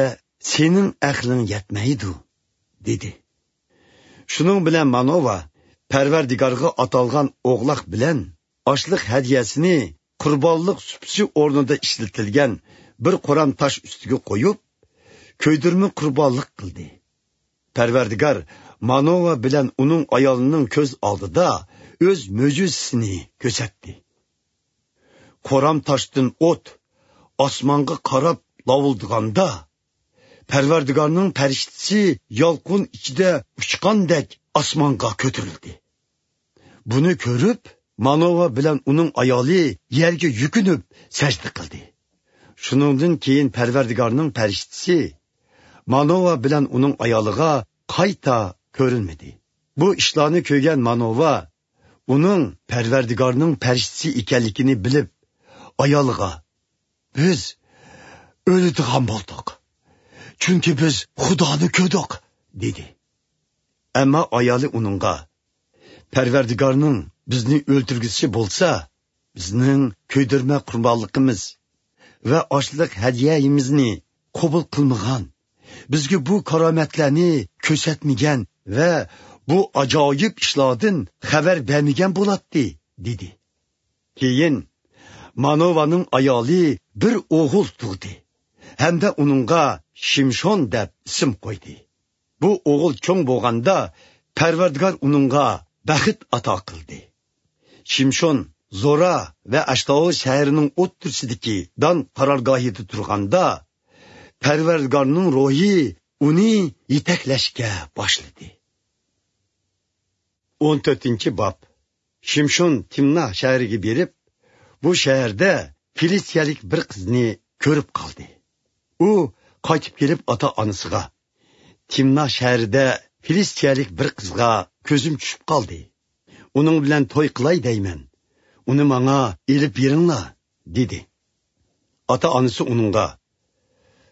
سېنىڭ ئەقلىڭ يەتمەيدۇ» دېدى. شۇنىڭ بىلەن مانوۋا پەرۋەردىگارغا ئاتالغان ئوغلاق بىلەن ئاشلىق ھەدىيەسىنى قۇربانلىق سۇپىسى ئورنىدا ئىشلىتىلگەن بىر قورام تاش ئۈستىگە قويۇپ، كۆيدۈرمە قۇربانلىق قىلدى. پەرۋەردىگار مانوۋا بىلەن ئۇنىڭ ئايالىنىڭ كۆز ئالدىدا ئۆز مۆجىزىسىنى كۆرسەتتى. قورام تاشتىن ئوت ئاسمانغا قاراپ لاۋۇلدىغاندا، پەرۋەردىگارنىڭ پەرىشتىسى يالقۇن ئىچىدە ئۇچقاندەك ئاسمانغا كۆتۈرۈلدى. بۇنى كۆرۈپ، مانوۋا بىلەن ئۇنىڭ ئايالى يەرگە يۈكۈنۈپ سەجدە قىلدى. شۇنىڭدىن كېيىن پەرۋەردىگارنىڭ پەرىشتىسى مانوۋا بىلەن ئۇنىڭ ئايالىغا قايتا كۆرۈنمىدى. بۇ ئىشلارنى كۆرگەن مانوۋا ئۇنىڭ پەرۋەردىگارنىڭ پەرىشتىسى ئىكەنلىكىنى بىلىپ، ئايالىغا، «بىز ئۆلىدىغان بولدۇق، چۈنكى بىز خۇدانى كۆردۇق» دېدى. ئەمما ئايالى ئۇنىڭغا، «پەرۋەردىگارنىڭ بىزنى ئۆلتۈرگۈسى بولسا، بىزنىڭ كۆيدۈرمە قۇربانلىقىمىز ۋە ئاشلىق ھەدىيەيىمىزنى قوبۇل قىلمىغان، بىزگە بۇ كارامەتلەرنى كۆرسەتمىگەن ۋە بۇ ئاجايىپ ئىشلاردىن خەۋەر بەرمىگەن بولاتتى» دېدى. كېيىن مانوۋانىڭ ئايالى بىر ئوغۇل تۇغدى ھەمدە ئۇنىڭغا شىمشون دەپ ئىسىم قويدى. بۇ ئوغۇل چوڭ بولغاندا، پەرۋەردىگار ئۇنىڭغا بەخت ئاتا قىلدى. شىمشون زورا ۋە ئەشتاۋول شەھىرىنىڭ ئوتتۇرىسىدىكى دان قارارگاھىدا تۇرغاندا، پەرۋەردىگارنىڭ روھى ئۇنى يېتەكلەشكە باشلىدى. ئون تۆتىنچى باب. شىمشون تىمنا شەھىرىگە بېرىپ، بۇ شەھەردە فىلىستىيەلىك بىر قىزنى كۆرۈپ قالدى. ئۇ قايتىپ كېلىپ ئاتا-ئانىسىغا، «تىمنا شەھىرىدە فىلىستىيەلىك بىر قىزغا كۆزۈم چۈشۈپ قالدى. ئۇنىڭ بىلەن توي قىلاي دەيمەن. ئۇنى ماڭا ئېلىپ بېرىڭلار» دېدى. ئاتا-ئانىسى ئۇنىڭغا،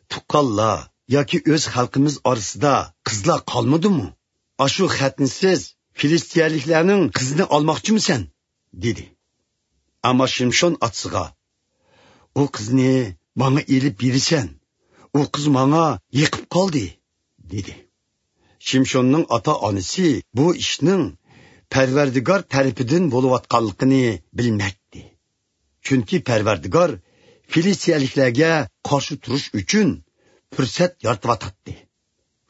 «تۇغقانلار ياكى ئۆز خەلقىمىز ئارىسىدا قىزلار قالمىدىمۇ؟ ئاشۇ خەتنىسىز فىلىستىيەلىكلەرنىڭ قىزىنى ئالماقچىمۇسەن؟» دېدى. ئەمما شىمشون ئاتىسىغا، «ئۇ قىزنى ماڭا ئېلىپ بېرىسەن، ئۇ قىز ماڭا يېقىپ قالدى» دېدى. شىمشوننىڭ ئاتا-ئانىسى بۇ ئىشنىڭ پەرۋەردىگار تەرىپىدىن بولۇۋاتقانلىقىنى بىلمەيتتى. چۈنكى پەرۋەردىگار فىلىستىيەلىكلەرگە قارشى تۇرۇش ئۈچۈن پۇرسەت يارىتىۋاتاتتى.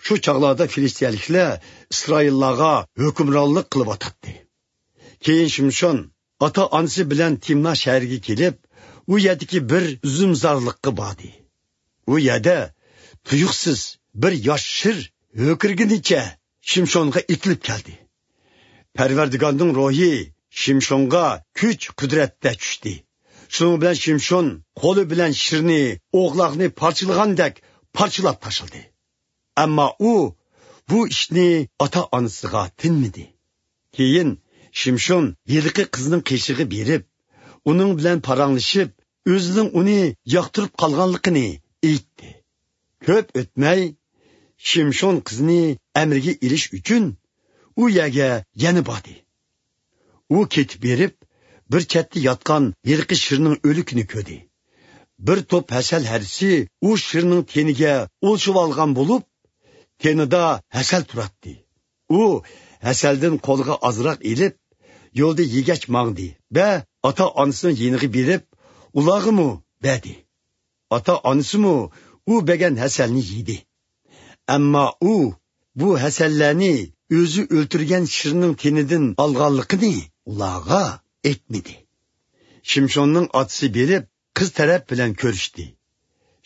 شۇ چاغلاردا فىلىستىيەلىكلەر ئىسرائىللارغا ھۆكۈمرانلىق قىلىۋاتاتتى. كېيىن شىمشون ئاتا-ئانىسى بىلەن تىمنا شەھىرىگە كېلىپ، ئۇ يەردىكى بىر ئۈزۈمزارلىققا باردى. ئۇ يەردە تۇيۇقسىز بىر ياش شىر ھۆكۈرگىنىچە شىمشونغا ئېتىلىپ كەلدى. پەرۋەردىگارنىڭ روھى شىمشونغا كۈچ-قۇدرەتتە چۈشتى. شۇنىڭ بىلەن شىمشون قولى بىلەن شىرنى، ئوغلاقنى پارچىلىغاندەك پارچىلاپ تاشلىدى. ئەمما ئۇ بۇ ئىشنى ئاتا-ئانىسىغا تىنمىدى. كېيىن شىمشون ھېلىقى قىزنىڭ قېشىغا بېرىپ، ئۇنىڭ بىلەن پاراڭلىشىپ، ئۆزىنىڭ ئۇنى ياقتۇرۇپ قالغانلىقىنى ئېيتتى. كۆپ ئۆتمەي، شىمشون قىزنى ئەمرىگە ئېلىش ئۈچۈن ئۇ يەرگە يەنە باردى. ئۇ كېتىپ بېرىپ، بىر چەتتە ياتقان ھېلىقى شىرنىڭ ئۆلۈكىنى كۆردى. بىر توپ ھەسەل ھەرىسى ئۇ شىرنىڭ تېنىگە ئولىشىۋالغان بولۇپ، تېنىدا ھەسەل تۇراتتى. ئۇ ھەسەلدىن قولىغا ئازراق ئېلىپ، يولدا يېگەچ ماڭدى ۋە ئاتا-ئانىسىنىڭ يېنىغا بېرىپ، ئۇلارغىمۇ بەردى. ئاتا-ئانىسىمۇ ئۇ بەرگەن ھەسەلنى يېدى. ئەمما ئۇ بۇ ھەسەللەرنى ئۆزى ئۆلتۈرگەن شىرنىڭ تېنىدىن ئالغانلىقىنى ئۇلارغا ئېيتمىدى. شىمشوننىڭ ئاتىسى بېرىپ، قىز تەرەپ بىلەن كۆرۈشتى.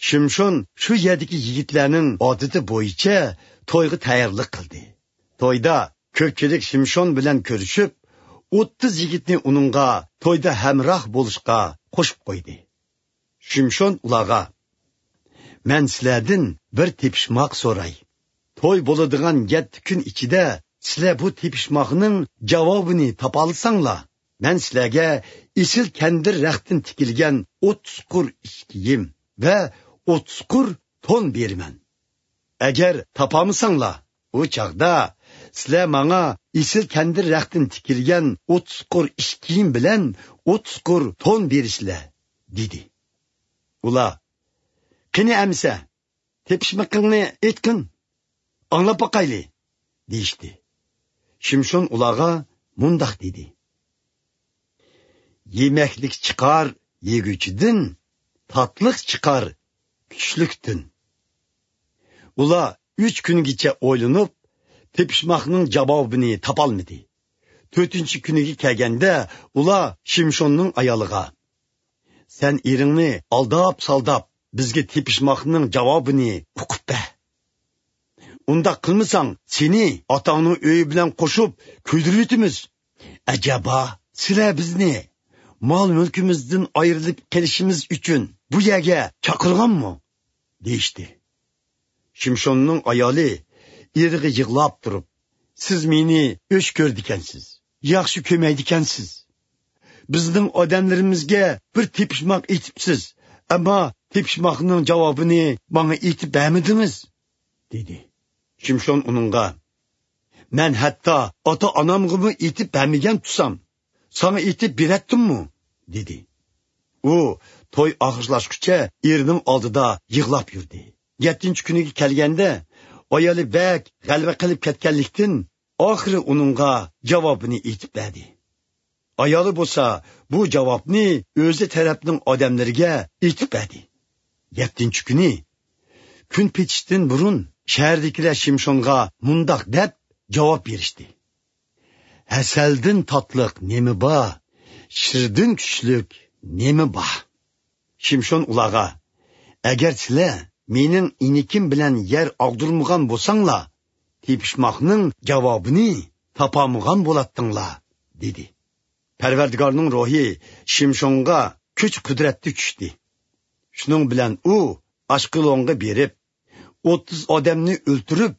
شىمشون شۇ يەردىكى يىگىتلەرنىڭ ئادىتى بويىچە تويغا تەييارلىق قىلدى. تويدا كۆپچىلىك شىمشون بىلەن كۆرۈشۈپ، ئوتتۇز يىگىتنى ئۇنىڭغا تويدا ھەمراھ بولۇشقا قوشۇپ قويدى. شىمشون ئۇلارغا، «مەن سىلەردىن بىر تېپىشماق سوراي. توي بولىدىغان يەتتە كۈن ئىچىدە سىلەر بۇ تېپىشماقنىڭ جاۋابىنى تاپالىساڭلار، مەن سىلەرگە ئېسىل كەندىر رەختتىن تىكىلگەن ئوتتۇز قۇر ئىش كىيىم ۋە ئوتتۇز قۇر تون بېرىمەن. ئەگەر تاپالمىساڭلار، ئۇ چاغدا سىلەر ماڭا ئېسىل كەندىر رەختتىن تىكىلگەن ئوتتۇز قۇر ئىش كىيىم بىلەن ئوتتۇز قۇر تون بېرىسىلەر» دېدى. ئۇلار، «قېنى ئەمىسە، تېپىشمىقىڭنى ئېيتقىن، ئاڭلاپ باقايلى» دېيىشتى. شىمشون ئۇلارغا مۇنداق دېدى: «يېمەكلىك چىقار يېگۈچىدىن، تاتلىق چىقار كۈچلۈكتىن.» ئۇلار ئۈچ كۈنگىچە ئويلىنىپ، تېپىشماقنىڭ جاۋابىنى تاپالمىدى. تۆتىنچى كۈنىگە كەلگەندە، ئۇلار شىمشوننىڭ ئايالىغا، سەن ئېرىڭنى ئالداپ-سالداپ، بىزگە تېپىشماقنىڭ جاۋابىنى ئۇقۇپ بەر. ئۇنداق قىلمىساڭ، سېنى ئاتاڭنىڭ ئۆيى بىلەن قوشۇپ كۆيدۈرۈۋېتىمىز. ئەجەبا، سىلەر بىزنى مال-مۈلكىمىزدىن ئايرىلىپ قېلىشىمىز ئۈچۈن بۇ يەرگە چاقىرغانمۇ؟ دېيىشتى. شىمشوننىڭ ئايالى ئېرىگە يىغلاپ تۇرۇپ، سىز مېنى ئۆچ كۆرىدىكەنسىز، ياخشى كۆرمەيدىكەنسىز. بىزنىڭ ئادەملىرىمىزگە بىر تېپىشماق ئېيتىپسىز، ئەمما تېپىشماقنىڭ جاۋابىنى ماڭا ئېيتىپ بەرمىدىڭىز، دېدى. شىمشون ئۇنىڭغا، مەن ھەتتا ئاتا-ئانامغىمۇ ئېيتىپ بەرمىگەن تۇرسام، ساڭا ئېيتىپ بېرەتتىممۇ؟ دېدى. ئۇ توي ئاخىرلاشقۇچە ئېرىنىڭ ئالدىدا يىغلاپ يۈردى. يەتتىنچى كۈنىگە كەلگەندە، ئايالى بەك غەلۋە قىلىپ كەتكەنلىكتىن، ئاخىرى ئۇنىڭغا جاۋابىنى ئېيتىپ بەردى. ئايالى بولسا بۇ جاۋابنى ئۆزى تەرەپنىڭ ئادەملىرىگە ئېيتىپ بەردى. يەتتىنچى كۈنى كۈن پېتىشتىن بۇرۇن شەھەردىكىلەر شىمشونغا مۇنداق دەپ جاۋاب بېرىشتى: ھەسەلدىن تاتلىق نېمە بار؟ شىردىن كۈچلۈك نېمە بار؟ شىمشون ئۇلارغا، ئەگەر سىلەر مېنىڭ ئىنىكىم بىلەن يەر ئاغدۇرمىغان بولساڭلار، تېپىشماقنىڭ جاۋابىنى تاپالمىغان بولاتتىڭلار، دېدى. پەرۋەردىگارنىڭ روھى شىمشونغا كۈچ قۇدرەتتە چۈشتى. شۇنىڭ بىلەن ئۇ ئاشقېلونغا بېرىپ، ئوتتۇز ئادەمنى ئۆلتۈرۈپ،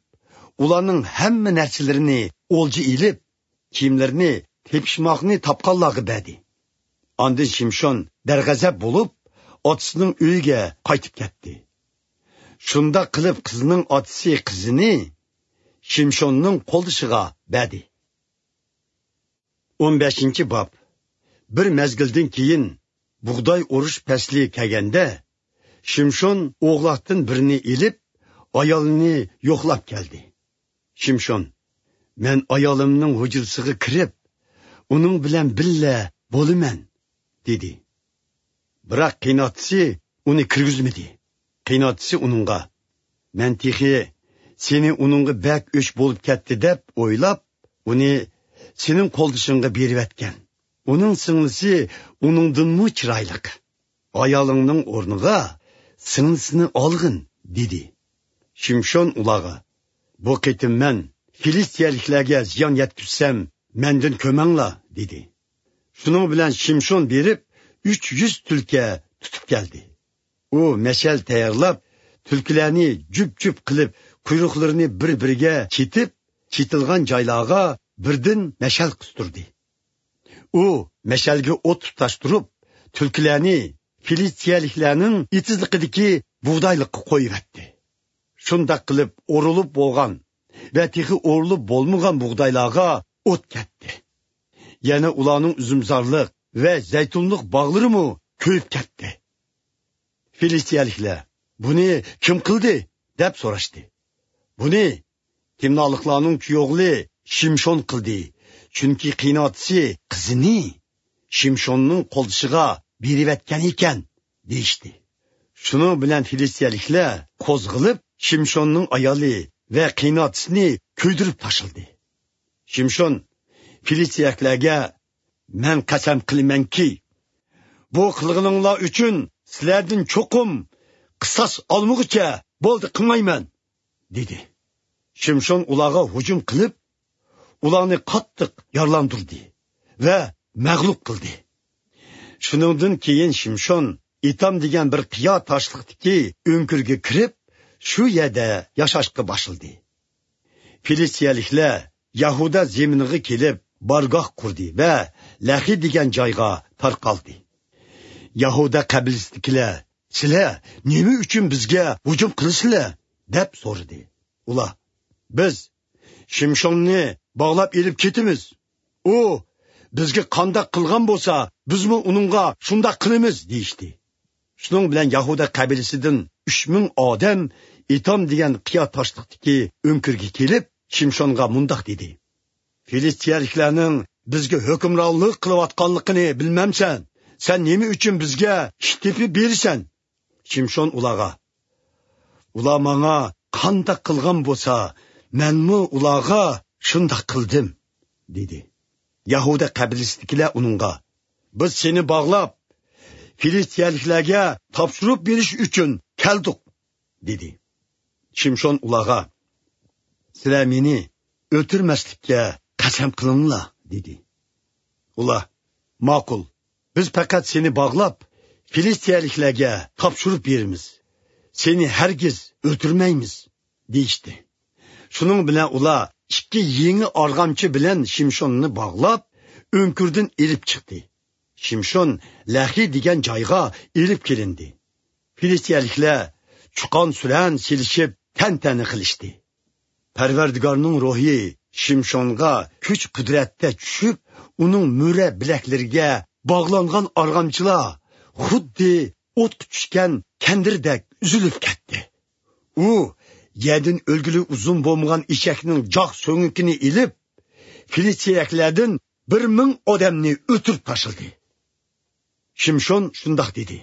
ئۇلارنىڭ ھەممە نەرسىلىرىنى ئولجا ئېلىپ، كىيىملىرىنى تېپىشماقنى تاپقانلارغا بەردى. ئاندىن شىمشون دەرغەزەپ بولۇپ، ئاتىسىنىڭ ئۆيىگە قايتىپ كەتتى. شۇنداق قىلىپ قىزنىڭ ئاتىسى قىزىنى شىمشوننىڭ قولدىشىغا بەردى. ئون بەشىنچى باب. بىر مەزگىلدىن كېيىن بۇغداي ئورۇش پەسلى كەلگەندە، شىمشون ئوغلاقتىن بىرنى ئېلىپ، ئايالىنى يوقلاپ كەلدى. شىمشون، مەن ئايالىمنىڭ ھۇجرىسىغا كىرىپ، ئۇنىڭ بىلەن بىللە بولىمەن، دېدى. بىراق قېيىنئاتىسى ئۇنى كىرگۈزمىدى. قېيىنئاتىسى ئۇنىڭغا، مەن تېخى سېنى ئۇنىڭغا بەك ئۆچ بولۇپ كەتتى دەپ ئويلاپ، ئۇنى سېنىڭ قولدىشىڭغا بېرىۋەتكەن. ئۇنىڭ سىڭلىسى ئۇنىڭدىنمۇ چىرايلىق. ئايالىڭنىڭ ئورنىغا سىڭلىسىنى ئالغىن، دېدى. شىمشون ئۇلارغا، بۇ قېتىم مەن فىلىستىيەلىكلەرگە زىيان يەتكۈزسەم، مەندىن كۆمەڭلار، دېدى. شۇنىڭ بىلەن شىمشون بېرىپ، ئۈچ يۈز تۈلكە تۇتۇپ كەلدى. ئۇ مەشەل تەييارلاپ، تۈلكىلەرنى جۈپ-جۈپ قىلىپ، قۇيرۇقلىرىنى بىر-بىرىگە چېتىپ، چېتىلغان جايلارغا بىردىن مەشەل قىستۇردى. ئۇ مەشەلگە ئوت تۇتاشتۇرۇپ، تۈلكىلەرنى فىلىستىيەلىكلەرنىڭ ئېتىزلىقىدىكى بۇغدايلىققا قويۇۋەتتى. شۇنداق قىلىپ ئورۇلۇپ بولغان ۋە تېخى ئورۇلۇپ بولمىغان بۇغدايلارغا ئوت كەتتى. يەنە ئۇلارنىڭ ئۈزۈمزارلىق ۋە زەيتۇنلۇق باغلىرىمۇ كۆيۈپ كەتتى. فىلىستىيەلىكلەر، بۇنى كىم قىلدى؟ دەپ سوراشتى. بۇنى تىمنالىقلارنىڭ كۈيئوغلى شىمشون قىلدى، چۈنكى قېيىنئاتىسى قىزىنى شىمشوننىڭ قولدىشىغا بېرىۋەتكەن ئىكەن، دېيىشتى. شۇنىڭ بىلەن فىلىستىيەلىكلەر قوزغىلىپ، شىمشوننىڭ ئايالى ۋە قېيىنئاتىسىنى كۆيدۈرۈپ تاشلىدى. شىمشون فىلىستىيەلىكلەرگە، مەن قەسەم قىلىمەنكى، بۇ قىلغىنىڭلار ئۈچۈن سىلەردىن چوقۇم قىساس ئالمىغۇچە بولدى قىلمايمەن، دېدى. شىمشون ئۇلارغا ھۇجۇم قىلىپ، ئۇلارنى قاتتىق يارىلاندۇردى ۋە مەغلۇپ قىلدى. شۇنىڭدىن كېيىن شىمشون ئېتام دېگەن بىر قىيا تاشلىقتىكى ئۆڭكۈرگە كىرىپ، شۇ يەردە ياشاشقا باشلىدى. فىلىستىيەلىكلەر يەھۇدا زېمىنىغا كېلىپ، بارگاھ قۇردى ۋە لەخى دېگەن جايغا تارقالدى. يەھۇدا قەبىلىسىدىكىلەر، سىلەر نېمە ئۈچۈن بىزگە ھۇجۇم قىلىسىلەر؟ دەپ سورىدى. ئۇلار، بىز شىمشوننى باغلاپ ئېلىپ كېتىمىز. ئۇ بىزگە قانداق قىلغان بولسا، بىزمۇ ئۇنىڭغا شۇنداق قىلىمىز، دېيىشتى. شۇنىڭ بىلەن يەھۇدا قەبىلىسىدىن ئۈچ مىڭ ئادەم ئېتام دېگەن قىيا تاشلىقتىكى ئۆڭكۈرگە كېلىپ، شىمشونغا مۇنداق دېدى: فىلىستىيەلىكلەرنىڭ بىزگە ھۆكۈمرانلىق قىلىۋاتقانلىقىنى بىلمەمسەن؟ سەن نېمە ئۈچۈن بىزگە ئىش تېپىپ بېرىسەن؟ شىمشون ئۇلارغا، ئۇلار ماڭا قانداق قىلغان بولسا، مەنمۇ ئۇلارغا شۇنداق قىلدىم، دېدى. يەھۇدا قەبىلىسىدىكىلەر ئۇنىڭغا، بىز سېنى باغلاپ، فىلىستىيەلىكلەرگە تاپشۇرۇپ بېرىش ئۈچۈن كەلدۇق» دېدى. شىمشون ئۇلارغا: «سىلەر مېنى ئۆلتۈرمەسلىككە قەسەم قىلىڭلار» دېدى. ئۇلار: «ماقۇل، بىز پەقەت سېنى باغلاپ، فىلىستىيەلىكلەرگە تاپشۇرۇپ بېرىمىز. سېنى ھەرگىز ئۆلتۈرمەيمىز» دېيىشتى. شۇنىڭ بىلەن ئۇلار ئىككى يېڭى ئارغامچا بىلەن شىمشوننى باغلاپ، ئۆڭكۈردىن ئېلىپ چىقتى. شىمشون لەخى دېگەن جايغا ئېلىپ كېلىندى. فىلىستىيەلىكلەر چۇقان-سۈرەن سېلىشىپ، تەنتەنە قىلىشتى. پەرۋەردىگارنىڭ روھى شىمشونغا كۈچ-قۇدرەتتە چۈشۈپ، ئۇنىڭ مۈرە بىلەكلىرىگە باغلانغان ئارغامچىلار خۇددى ئوتقا چۈشكەن كەندىردەك ئۈزۈلۈپ كەتتى. ئۇ يەردىن ئۆلگىلى ئۇزۇن بولمىغان ئېشەكنىڭ جاق سۆڭىكىنى ئېلىپ، فىلىستىيەلىكلەردىن بىر مىڭ ئادەمنى ئۆلتۈرۈپ تاشلىدى. شىمشون شۇنداق دېدى: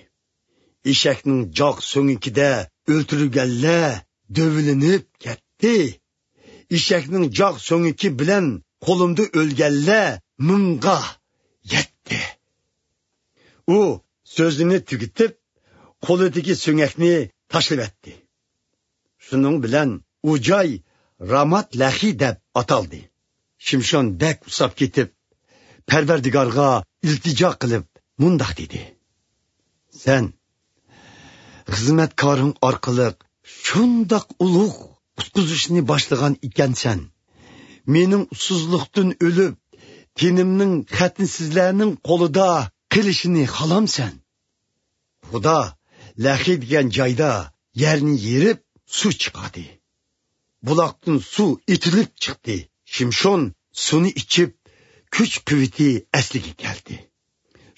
«ئېشەكنىڭ جاق سۆڭىكىدە ئۆلتۈرۈلگەنلەر دۆۋىلىنىپ كەتتى. ئېشەكنىڭ جاق سۆڭىكى بىلەن قولۇمدا ئۆلگەنلەر مىڭغا يەتتى.» ئۇ سۆزىنى تۈگىتىپ، قولىدىكى سۆڭەكنى تاشلىۋەتتى. شۇنىڭ بىلەن ئۇ جاي رامات لەخى دەپ ئاتالدى. شىمشون بەك ئۇسساپ كېتىپ، پەرۋەردىگارغا ئىلتىجا قىلىپ مۇنداق دېدى: «سەن خىزمەتكارىڭ ئارقىلىق شۇنداق ئۇلۇغ قۇتقۇزۇشنى باشلىغان ئىكەنسەن، مېنىڭ ئۇسسۇزلۇقتىن ئۆلۈپ، تېنىمنىڭ خەتنىسىزلەرنىڭ قولىدا قېلىشىنى خالامسەن؟» خۇدا لەخى دېگەن جايدا يەرنى يېرىپ، سۇ چىقاردى. بۇلاقتىن سۇ ئېتىلىپ چىقتى. شىمشون سۇنى ئىچىپ، كۈچ-قۇۋۋىتى ئەسلىگە كەلدى.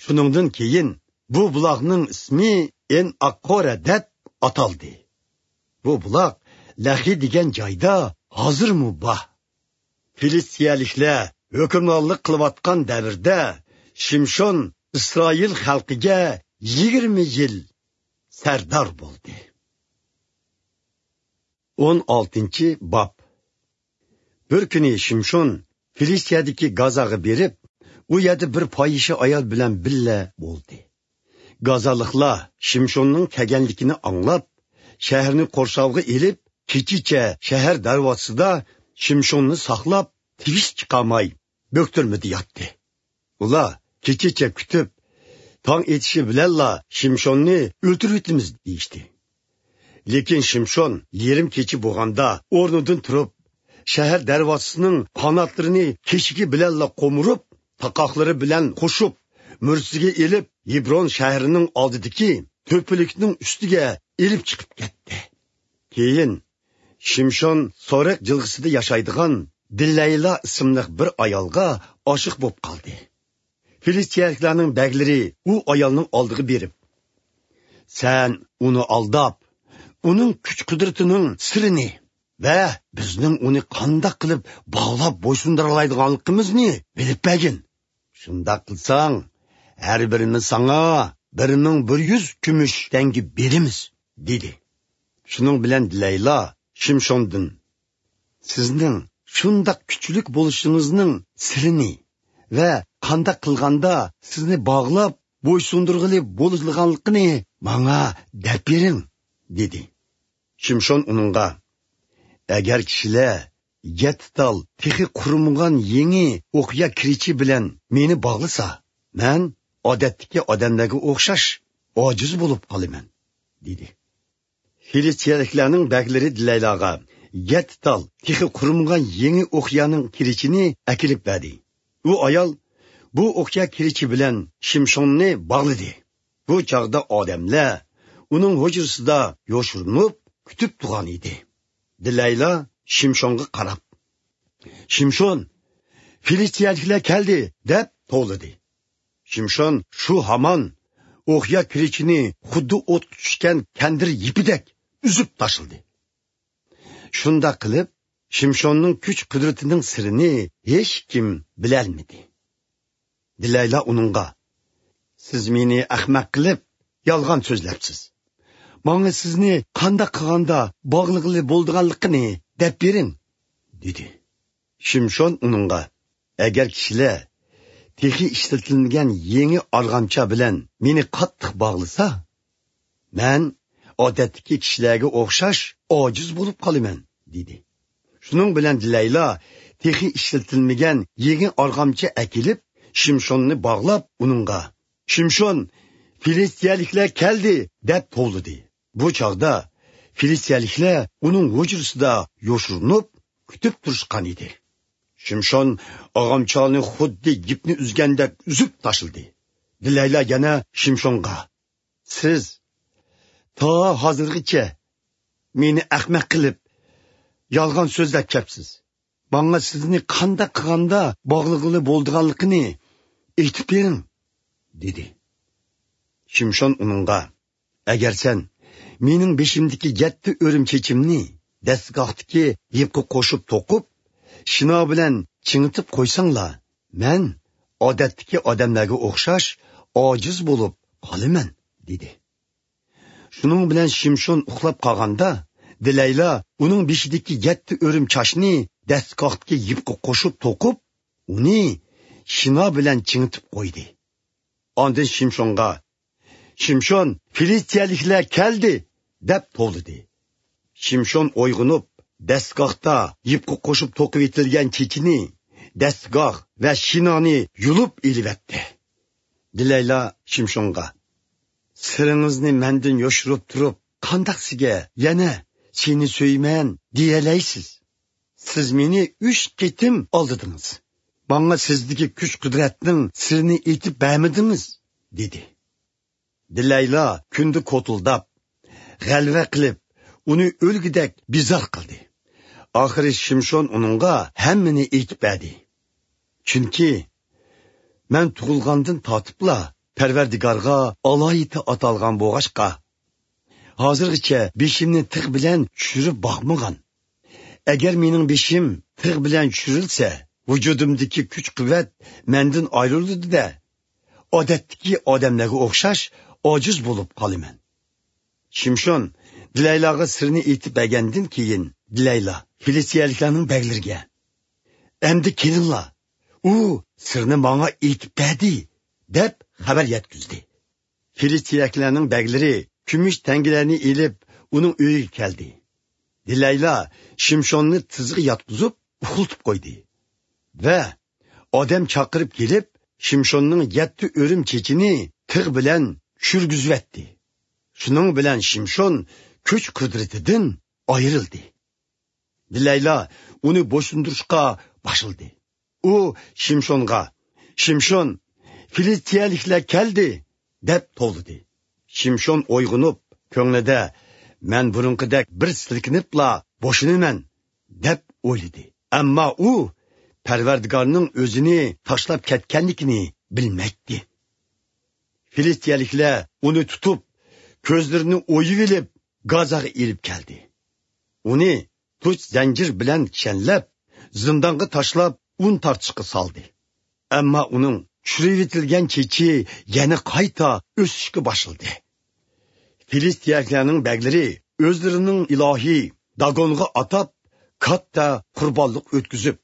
شۇنىڭدىن كېيىن بۇ بۇلاقنىڭ ئىسمى ئېن ئاققورە دەپ ئاتالدى. بۇ بۇلاق لەخى دېگەن جايدا ھازىرمۇ بار. فىلىستىيەلىكلەر ھۆكۈمرانلىق قىلىۋاتقان دەۋردە شىمشون ئىسرائىل خەلقىگە يىگىرمە يىل سەردار بولدى. ئون ئالتىنچى باب. بىر كۈنى شىمشون فىلىستىيەدىكى گازاغا بېرىپ، ئۇ يەردە بىر پاھىشە ئايال بىلەن بىللە بولدى. گازالىقلار شىمشوننىڭ كەلگەنلىكىنى ئاڭلاپ، شەھەرنى قورشاۋغا ئېلىپ، كېچىچە شەھەر دەرۋازىسىدا شىمشوننى ساقلاپ، تىۋىش چىقارماي، بۆكتۈرمىدە ياتتى. ئۇلار كېچىچە كۈتۈپ، تاڭ ئېتىشى بىلەنلا شىمشوننى ئۆلتۈرۈۋېتىمىز دېيىشتى. لېكىن شىمشون يېرىم كېچە بولغاندا ئورنىدىن تۇرۇپ، شەھەر دەرۋازىسىنىڭ قاناتلىرىنى كېشىكى بىلەنلا قومۇرۇپ، تاقاقلىرى بىلەن قوشۇپ، مۈرىسىگە ئېلىپ، ھېبرون شەھىرىنىڭ ئالدىدىكى تۆپىلىكنىڭ ئۈستىگە ئېلىپ چىقىپ كەتتى. كېيىن شىمشون سورەك جىلغىسىدا ياشايدىغان دىلەيلا ئىسىملىق بىر ئايالغا ئاشىق بولۇپ قالدى. فىلىستىيەلىكلەرنىڭ بەگلىرى ئۇ ئايالنىڭ ئالدىغا بېرىپ: «سەن ئۇنى ئالداپ، ئۇنىڭ كۈچ-قۇدرىتىنىڭ سىرىنى ۋە بىزنىڭ ئۇنى قانداق قىلىپ باغلاپ بويسۇندۇرالايدىغانلىقىمىزنى بىلىپ بەرگىن. شۇنداق قىلساڭ، ھەر بىرىمىز ساڭا بىر مىڭ بىر يۈز كۈمۈش تەڭگە بېرىمىز» دېدى. شۇنىڭ بىلەن دىلەيلا شىمشوندىن: «سىزنىڭ شۇنداق كۈچلۈك بولۇشىڭىزنىڭ سىرىنى ۋە قانداق قىلغاندا سىزنى باغلاپ بويسۇندۇرغىلى بولىدىغانلىقىنى ماڭا دەپ بېرىڭ» دېدى. شىمشون ئۇنىڭغا: «ئەگەر كىشىلەر يەتتە تال تېخى قۇرۇمىغان يېڭى ئوقيا كىرىچى بىلەن مېنى باغلىسا، مەن ئادەتتىكى ئادەملەرگە ئوخشاش ئاجىز بولۇپ قالىمەن» دېدى. فىلىستىيەلىكلەرنىڭ بەگلىرى دىلەيلاغا يەتتە تال تېخى قۇرۇمىغان يېڭى ئوقيانىڭ كىرىچىنى ئەكېلىپ بەردى. ئۇ ئايال بۇ ئوقيا كىرىچى بىلەن شىمشوننى باغلىدى. بۇ چاغدا ئادەملەر ئۇنىڭ ھۇجرىسىدا يوشۇرۇنۇپ كۈتۈپ تۇرغان ئىدى. دىلەيلا شىمشونغا قاراپ: «شىمشون، فىلىستىيەلىكلەر كەلدى!» دەپ توۋلىدى. شىمشون شۇ ھامان ئوقيا كىرىچىنى خۇددى ئوتقا چۈشكەن كەندىر يىپىدەك ئۈزۈپ تاشلىدى. شۇنداق قىلىپ، شىمشوننىڭ كۈچ-قۇدرىتىنىڭ سىرىنى ھېچكىم بىلەلمىدى. دىلەيلا ئۇنىڭغا: «سىز مېنى ئەخمەق قىلىپ، يالغان سۆزلەپسىز. ماڭا سىزنى قانداق قىلغاندا باغلىغىلى بولىدىغانلىقىنى دەپ بېرىڭ» دېدى. شىمشون ئۇنىڭغا: «ئەگەر كىشىلەر تېخى ئىشلىتىلمىگەن يېڭى ئارغامچا بىلەن مېنى قاتتىق باغلىسا، مەن ئادەتتىكى كىشىلەرگە ئوخشاش ئاجىز بولۇپ قالىمەن» دېدى. شۇنىڭ بىلەن دېلەيلا تېخى ئىشلىتىلمىگەن يېڭى ئارغامچا ئەكېلىپ، شىمشوننى باغلاپ، ئۇنىڭغا: «شىمشون، فىلىستىيەلىكلەر كەلدى!» دەپ توۋلىدى. بۇ چاغدا فىلىستىيەلىكلەر ئۇنىڭ ھۇجرىسىدا يوشۇرۇنۇپ كۈتۈپ تۇرۇشقان ئىدى. شىمشون ئارغامچانى خۇددى يىپنى ئۈزگەندەك ئۈزۈپ تاشلىدى. دېلەيلا يەنە شىمشونغا: «سىز تا ھازىرغىچە مېنى ئەخمەق قىلىپ، يالغان سۆزلەپ كەپسىز. ماڭا سىزنى قانداق قىلغاندا باغلىغىلى بولىدىغانلىقىنى ئېيتىپ بېرىڭ» دېدى. شىمشون ئۇنىڭغا: «ئەگەر سەن مېنىڭ بېشىمدىكى يەتتە ئۆرۈم چېچىمنى دەستىگاھتىكى يىپقا قوشۇپ توقۇپ، شىنا بىلەن چىڭىتىپ قويساڭلا، مەن ئادەتتىكى ئادەملەرگە ئوخشاش ئاجىز بولۇپ قالىمەن» دېدى. شۇنىڭ بىلەن شىمشون ئۇخلاپ قالغاندا، دېلەيلا ئۇنىڭ بېشىدىكى يەتتە ئۆرۈم چاچنى دەستىگاھتىكى يىپقا قوشۇپ توقۇپ، ئۇنى شىنا بىلەن چىڭىتىپ قويدى. ئاندىن شىمشونغا: «شىمشون، فىلىستىيەلىكلەر كەلدى!» دەپ توۋلىدى. شىمشون ئويغىنىپ، دەستىگاھتا يىپقا قوشۇپ توقۇۋېتىلگەن چېچىنى، دەستىگاھ ۋە شىنانى يۇلۇپ ئېلىۋەتتى. دېلەيلا شىمشونغا: «سىرىڭىزنى مەندىن يوشۇرۇپ تۇرۇپ، قانداق سىزگە يەنە سېنى سۆيىمەن دېيەلەيسىز؟ سىز مېنى ئۈچ قېتىم ئالدىدىڭىز. ماڭا سىزدىكى كۈچ-قۇدرەتنىڭ سىرىنى ئېيتىپ بەرمىدىڭىز» دېدى. دېلەيلا كۈندە كوتۇلداپ، غەلۋە قىلىپ، ئۇنى ئۆلگۈدەك بىزار قىلدى. ئاخىرى شىمشون ئۇنىڭغا ھەممىنى ئېيتىپ بەردى. چۈنكى مەن تۇغۇلغاندىن تارتىپلا پەرۋەردىگارغا ئالاھىدە ئاتالغان بولغاچقا، ھازىرغىچە بېشىمنى تىغ بىلەن چۈشۈرۈپ باقمىغان. ئەگەر مېنىڭ بېشىم تىغ بىلەن چۈشۈرۈلسە، ۋۇجۇدۇمدىكى كۈچ-قۇۋۋەت مەندىن ئايرىلىدۇ-دە، ئادەتتىكى ئادەملەرگە ئوخشاش ئاجىز بولۇپ قالىمەن. شىمشون دېلەيلاغا سىرنى ئېيتىپ بەرگەندىن كېيىن، دېلەيلا فىلىستىيەلىكلەرنىڭ بەگلىرىگە: «ئەمدى كېلىڭلار، ئۇ سىرنى ماڭا ئېيتىپ بەردى» دەپ خەۋەر يەتكۈزدى. فىلىستىيەلىكلەرنىڭ بەگلىرى كۈمۈش تەڭگىلەرنى ئېلىپ، ئۇنىڭ ئۆيىگە كەلدى. دېلەيلا شىمشوننى تىزغا ياتقۇزۇپ، ئۇخلىتىپ قويدى ۋە ئادەم چاقىرىپ كېلىپ، شىمشوننىڭ يەتتە ئۆرۈم چېچىنى تىغ بىلەن چۈشۈرگۈزۈۋەتتى. شۇنىڭ بىلەن شىمشون كۈچ-قۇدرىتىدىن ئايرىلدى. دېلەيلا ئۇنى بويسۇندۇرۇشقا باشلىدى. ئۇ شىمشونغا: «شىمشون، فىلىستىيەلىكلەر كەلدى!» دەپ توۋلىدى. شىمشون ئويغىنىپ، كۆڭلىدە: «مەن بۇرۇنقىدەك بىر سىلكىنىپلا بوشىنىمەن» دەپ ئويلىدى. ئەمما ئۇ پەرۋەردىگارنىڭ ئۆزىنى تاشلاپ كەتكەنلىكىنى بىلمەيتتى. فىلىستىيەلىكلەر ئۇنى تۇتۇپ، كۆزلىرىنى ئويۇۋېلىپ، گازاغا ئېلىپ كەلدى. ئۇنى تۇچ زەنجىر بىلەن كىشەنلەپ، زىندانغا تاشلاپ، ئۇن تارتىشقا سالدى. ئەمما ئۇنىڭ چۈشۈرۈۋېتىلگەن چېچى يەنە قايتا ئۆسۈشكە باشلىدى. فىلىستىيەلىكلەرنىڭ بەگلىرى ئۆزلىرىنىڭ ئىلاھى داگونغا ئاتاپ، كاتتا قۇربانلىق ئۆتكۈزۈپ،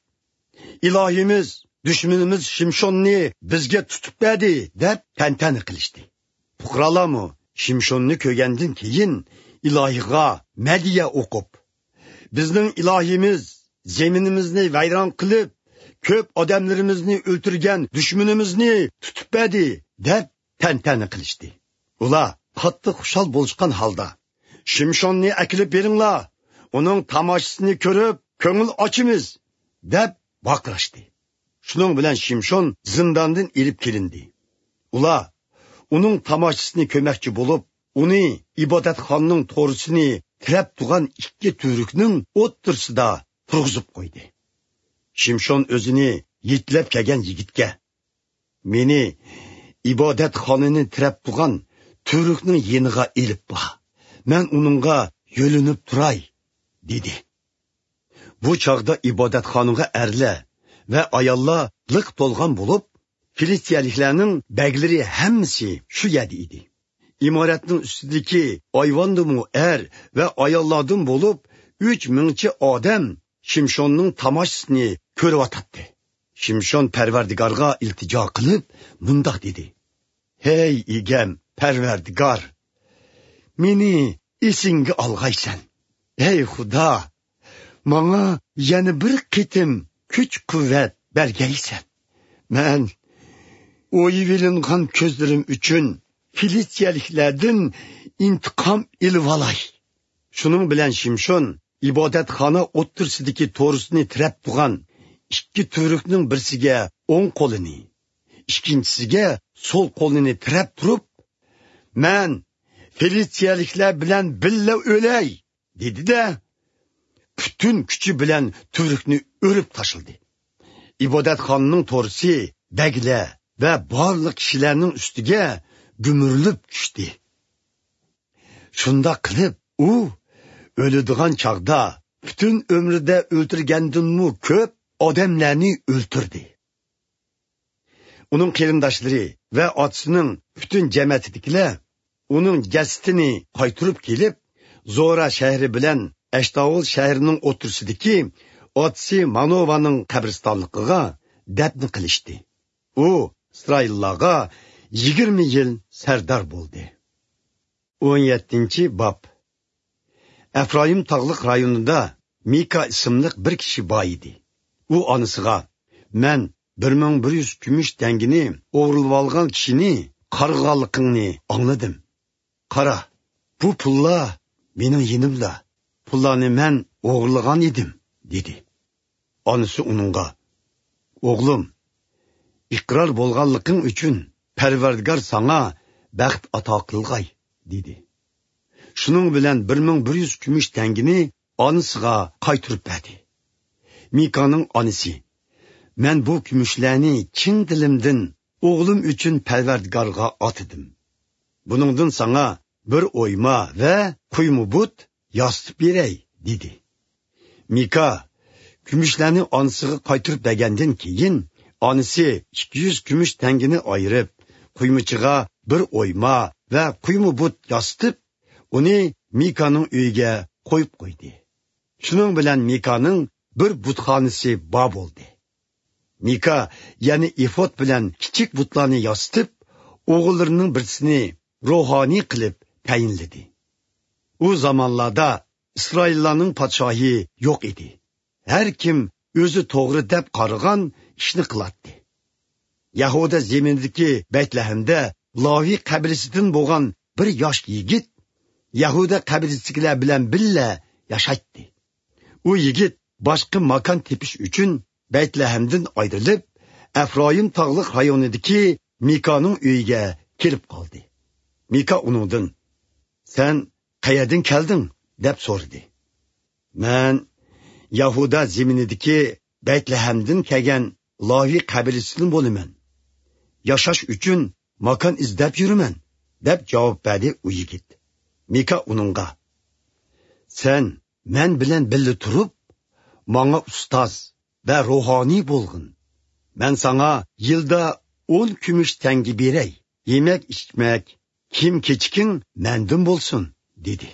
«ئىلاھىمىز دۈشمىنىمىز شىمشوننى بىزگە تۇتۇپ بەردى» دەپ تەنتەنە قىلىشتى. پۇقرالارمۇ شىمشوننى كۆرگەندىن كېيىن ئىلاھىغا مەدھىيە ئوقۇپ: «بىزنىڭ ئىلاھىمىز زېمىنىمىزنى ۋەيران قىلىپ، كۆپ ئادەملىرىمىزنى ئۆلتۈرگەن دۈشمىنىمىزنى تۇتۇپ بەردى» دەپ تەنتەنە قىلىشتى. ئۇلار قاتتىق خۇشال بولۇشقان ھالدا: «شىمشوننى ئەكېلىپ بېرىڭلار، ئۇنىڭ تاماشىسىنى كۆرۈپ كۆڭۈل ئاچىمىز» دەپ ۋارقىراشتى. شۇنىڭ بىلەن شىمشون زىنداندىن ئېلىپ كېلىندى. ئۇلار ئۇنىڭ تاماشىسىنى كۆرمەكچى بولۇپ، ئۇنى ئىبادەتخانىنىڭ تورۇسىنى تىرەپ تۇرغان ئىككى تۈۋرۈكنىڭ ئوتتۇرىسىدا تۇرغۇزۇپ قويدى. شىمشون ئۆزىنى يېتىلەپ كەلگەن يىگىتكە: «مېنى ئىبادەتخانىنى تىرەپ تۇرغان تۈۋرۈكنىڭ يېنىغا ئېلىپ بار، مەن ئۇنىڭغا يۆلىنىپ تۇراي» دېدى. بۇ چاغدا ئىبادەتخانىغا ئەرلەر ۋە ئاياللار لىق تولغان بولۇپ، فىلىستىيەلىكلەرنىڭ بەگلىرى ھەممىسى شۇ يەردە ئىدى. ئىمارەتنىڭ ئۈستىدىكى ئايۋاندىمۇ ئەر ۋە ئاياللاردىن بولۇپ ئۈچ مىڭچە ئادەم شىمشوننىڭ تاماشىسىنى كۆرۈۋاتاتتى. شىمشون پەرۋەردىگارغا ئىلتىجا قىلىپ، مۇنداق دېدى: «ھەي ئىگەم پەرۋەردىگار، مېنى ئېسىڭگە ئالغايسەن. ھەي خۇدا، ماڭا يەنە بىر قېتىم كۈچ-قۇۋۋەت بەرگەيسەن. مەن ئويۇۋېلىنغان كۆزلىرىم ئۈچۈن فىلىستىيەلىكلەردىن ئىنتىقام ئېلىۋالاي.» شۇنىڭ بىلەن شىمشون ئىبادەتخانا ئوتتۇرىسىدىكى تورۇسنى تىرەپ تۇرغان ئىككى تۈۋرۈكنىڭ بىرسىگە ئوڭ قولىنى، ئىككىنچىسىگە سول قولىنى تىرەپ تۇرۇپ، «مەن فىلىستىيەلىكلەر بىلەن بىللە ئۆلەي!» دېدى-دە، پۈتۈن كۈچى بىلەن تۈۋرۈكنى ئۆرۈپ تاشلىدى. ئىبادەتخانىنىڭ تورۇسى بەگلەر ۋە بارلىق كىشىلەرنىڭ ئۈستىگە گۈمۈرۈلۈپ چۈشتى. شۇنداق قىلىپ، ئۇ ئۆلىدىغان چاغدا پۈتۈن ئۆمرىدە ئۆلتۈرگەندىنمۇ كۆپ ئادەملەرنى ئۆلتۈردى. ئۇنىڭ قېرىنداشلىرى ۋە ئاتىسىنىڭ پۈتۈن جەمەتىدىكىلەر ئۇنىڭ جەسىتىنى قايتۇرۇپ كېلىپ، زورا شەھىرى بىلەن ئەشتاۋۇل شەھىرىنىڭ ئوتتۇرىسىدىكى ئاتىسى مانوۋانىڭ قەبرىستانلىقىغا دەپنە قىلىشتى. ئۇ ئىسرائىللارغا يىگىرمە يىل سەردار بولدى. ئون يەتتىنچى باب. ئەفرايىم تاغلىق رايونىدا مىكا ئىسىملىق بىر كىشى بار ئىدى. ئۇ ئانىسىغا: «مەن بىر مىڭ بىر يۈز كۈمۈش تەڭگىنى ئوغرىلىۋالغان كىشىنى قارغىغانلىقىڭنى ئاڭلىدىم. قارا، بۇ پۇللار مېنىڭ يېنىمدا. پۇللارنى مەن ئوغرىلىغان ئىدىم» دېدى. ئانىسى ئۇنىڭغا: «ئوغلۇم، ئىقرار بولغانلىقىڭ ئۈچۈن پەرۋەردىگار ساڭا بەخت ئاتا قىلغاي» دېدى. شۇنىڭ بىلەن بىر مىڭ بىر يۈز كۈمۈش تەڭگىنى ئانىسىغا قايتۇرۇپ بەردى. مىكانىڭ ئانىسى: «مەن بۇ كۈمۈشلەرنى چىن دىلىمدىن ئوغلۇم ئۈچۈن پەرۋەردىگارغا ئاتىدىم. بۇنىڭدىن ساڭا بىر ئويما ۋە قۇيما بۇت ياسىتىپ بېرەي» دېدى. مىكا كۈمۈشلەرنى ئانىسىغا قايتۇرۇپ بەرگەندىن كېيىن، ئانىسى ئىككى يۈز كۈمۈش تەڭگىنى ئايرىپ، قۇيمىچىغا بىر ئويما ۋە قۇيما بۇت ياسىتىپ، ئۇنى مىكانىڭ ئۆيىگە قويۇپ قويدى. شۇنىڭ بىلەن مىكانىڭ بىر بۇتخانىسى بار بولدى. مىكا يەنە ئېفود بىلەن كىچىك بۇتلارنى ياسىتىپ، ئوغۇللىرىنىڭ بىرسىنى روھانىي قىلىپ تەيىنلىدى. ئۇ زامانلاردا ئىسرائىللارنىڭ پادىشاھى يوق ئىدى. ھەر كىم ئۆزى توغرا دەپ قارىغان ئىشنى قىلاتتى. يەھۇدىيە زېمىنىدىكى بەيتلەھەمدە لاۋى قەبىلىسىدىن بولغان بىر ياش يىگىت يەھۇدىيە قەبىلىسىدىكىلەر بىلەن بىللە ياشايتتى. ئۇ يىگىت باشقا ماكان تېپىش ئۈچۈن بەيتلەھەمدىن ئايرىلىپ، ئەفرايىم تاغلىق رايونىدىكى مىكانىڭ ئۆيىگە كېلىپ قالدى. مىكا ئۇنىڭدىن: «سەن قەيەردىن كەلدىڭ؟» دەپ سورىدى. «مەن يەھۇدا زېمىنىدىكى بەيتلەھەمدىن كەلگەن لاۋى قەبىلىسىدىن بولىمەن. ياشاش ئۈچۈن ماكان ئىزدەپ يۈرىمەن» دەپ جاۋاب بەردى ئۇ يىگىت. مىكا ئۇنىڭغا: «سەن مەن بىلەن بىللە تۇرۇپ، ماڭا ئۇستاز ۋە روھانىي بولغىن. مەن ساڭا يىلدا ئون كۈمۈش تەڭگە بېرەي. يېمەك-ئىچمەك، كىيىم-كېچىكىڭ مەندىن بولسۇن» دېدى.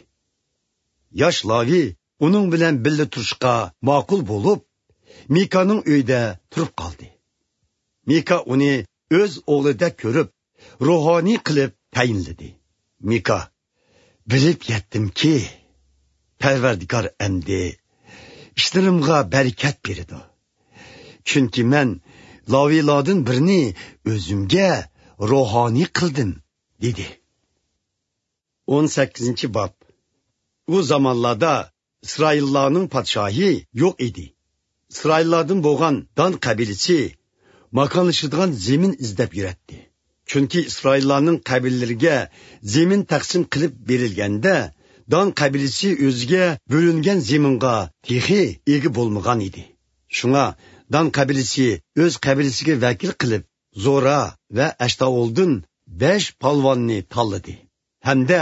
ياش لاۋى ئۇنىڭ بىلەن بىللە تۇرۇشقا ماقۇل بولۇپ، مىكانىڭ ئۆيىدە تۇرۇپ قالدى. مىكا ئۇنى ئۆز ئوغلىدەك كۆرۈپ، روھانىي قىلىپ تەيىنلىدى. مىكا: «بىلىپ يەتتىمكى، پەرۋەردىگار ئەمدى ئىشلىرىمغا بەرىكەت بېرىدۇ. چۈنكى مەن لاۋىلاردىن بىرنى ئۆزۈمگە روھانىي قىلدىم» دېدى. ئون سەككىزىنچى باب. ئۇ زامانلاردا ئىسرائىللارنىڭ پادىشاھى يوق ئىدى. ئىسرائىللاردىن بولغان دان قەبىلىسى ماكانلىشىدىغان زېمىن ئىزدەپ يۈرەتتى. چۈنكى ئىسرائىللارنىڭ قەبىلىلىرىگە زېمىن تەقسىم قىلىپ بېرىلگەندە، دان قەبىلىسى ئۆزىگە بۆلۈنگەن زېمىنغا تېخى ئىگە بولمىغان ئىدى. شۇڭا دان قەبىلىسى ئۆز قەبىلىسىگە ۋەكىل قىلىپ، زورا ۋە ئەشتاۋۇلدىن بەش پالۋاننى تاللىدى ھەمدە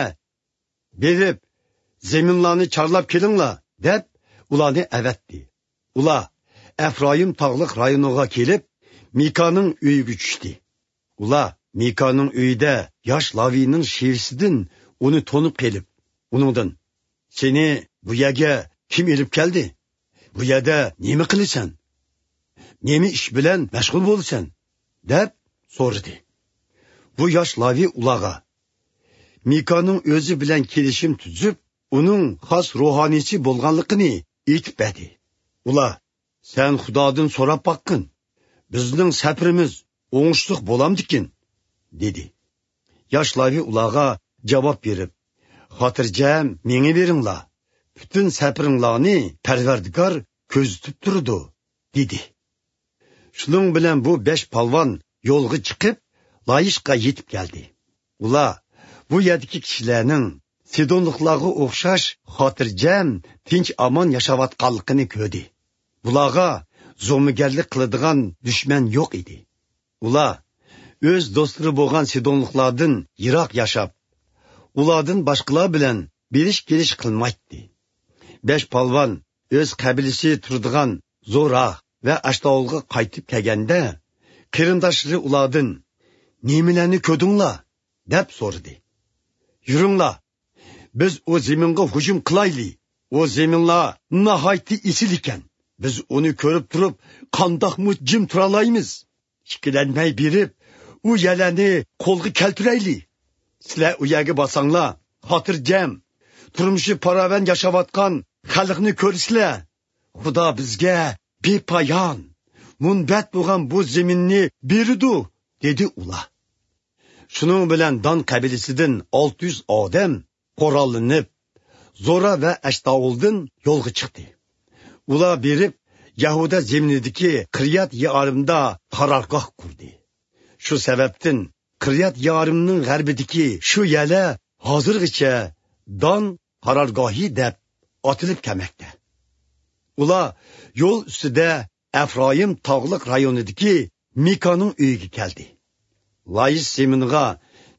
«بېرىپ، زېمىنلارنى چارلاپ كېلىڭلار» دەپ، ئۇلارنى ئەۋەتتى. ئۇلار ئەفرايىم تاغلىق رايونىغا كېلىپ، مىكانىڭ ئۆيىگە چۈشتى. ئۇلار مىكانىڭ ئۆيىدە ياش لاۋىنىڭ شېۋىسىدىن ئۇنى تونۇپ قېلىپ، ئۇنىڭدىن: «سېنى بۇ يەرگە كىم ئېلىپ كەلدى؟ بۇ يەردە نېمە قىلىسەن؟» نېمە ئىش بىلەن مەشغۇل بولىسەن؟ دەپ سورىدى. بۇ ياش لاۋى ئۇلارغا مىكانىڭ ئۆزى بىلەن كېلىشىم تۈزۈپ، ئۇنىڭ خاس روھانىيچى بولغانلىقىنى ئېيتىپ بەردى. ئۇلار، سەن خۇدادىن سوراپ باققىن، بىزنىڭ سەپىرىمىز ئوڭۇشلۇق بولامدىكىن؟ دېدى. ياش لاۋى ئۇلارغا جاۋاب بېرىپ، خاتىرجەم مېڭىۋېرىڭلار، پۈتۈن سەپىرىڭلارنى پەرۋەردىگار كۆزىتىپ تۇرىدۇ، دېدى. شۇنىڭ بىلەن بۇ بەش پالۋان يولغا چىقىپ، لايىشقا يېتىپ كەلدى. ئۇلار بۇ يەردىكى كىشىلەرنىڭ سىدونلۇقلارغا ئوخشاش خاتىرجەم، تىنچ-ئامان ياشاۋاتقانلىقىنى كۆردى. بۇلارغا زومىگەرلىك قىلىدىغان دۈشمەن يوق ئىدى. ئۇلار ئۆز دوستلىرى بولغان سىدونلۇقلاردىن يىراق ياشاپ، ئۇلاردىن باشقىلار بىلەن بېرىش-كېلىش قىلمايتتى. بەش پالۋان ئۆز قەبىلىسى تۇرىدىغان زورا ۋە ئەشتاۋۇلغا قايتىپ كەلگەندە، قېرىنداشلىرى ئۇلاردىن، نېمىلەرنى كۆردۈڭلار؟ دەپ سورىدى. يۈرۈڭلار، بىز ئۇ زېمىنغا ھۇجۇم قىلايلى. ئۇ زېمىنلار ناھايىتى ئېسىل ئىكەن. بىز ئۇنى كۆرۈپ تۇرۇپ، قانداقمۇ جىم تۇرالايمىز؟ ئىككىلەنمەي بېرىپ، ئۇ يەرلەرنى قولغا كەلتۈرەيلى. سىلەر ئۇ يەرگە بارساڭلار، خاتىرجەم، تۇرمۇشى پاراۋان ياشاۋاتقان خەلقنى كۆرىسىلەر. خۇدا بىزگە بىپايان، مۇنبەت بولغان بۇ زېمىننى بېرىدۇ، دېدى ئۇلار. شۇنىڭ بىلەن دان قەبىلىسىدىن ئالتە يۈز ئادەم قوراللىنىپ، زورا ۋە ئەشتاۋۇلدىن يولغا چىقتى. ئۇلار بېرىپ، يەھۇدا زېمىنىدىكى قىريات يېئارىمدا قارارگاھ قۇردى. شۇ سەۋەبتىن قىريات يېئارىمنىڭ غەربىدىكى شۇ يەرلەر ھازىرغىچە دان قارارگاھى دەپ ئاتىلىپ كەلمەكتە. ئۇلار يول ئۈستىدە ئەفرايىم تاغلىق رايونىدىكى مىكانىڭ ئۆيىگە كەلدى. لايىش زېمىنىغا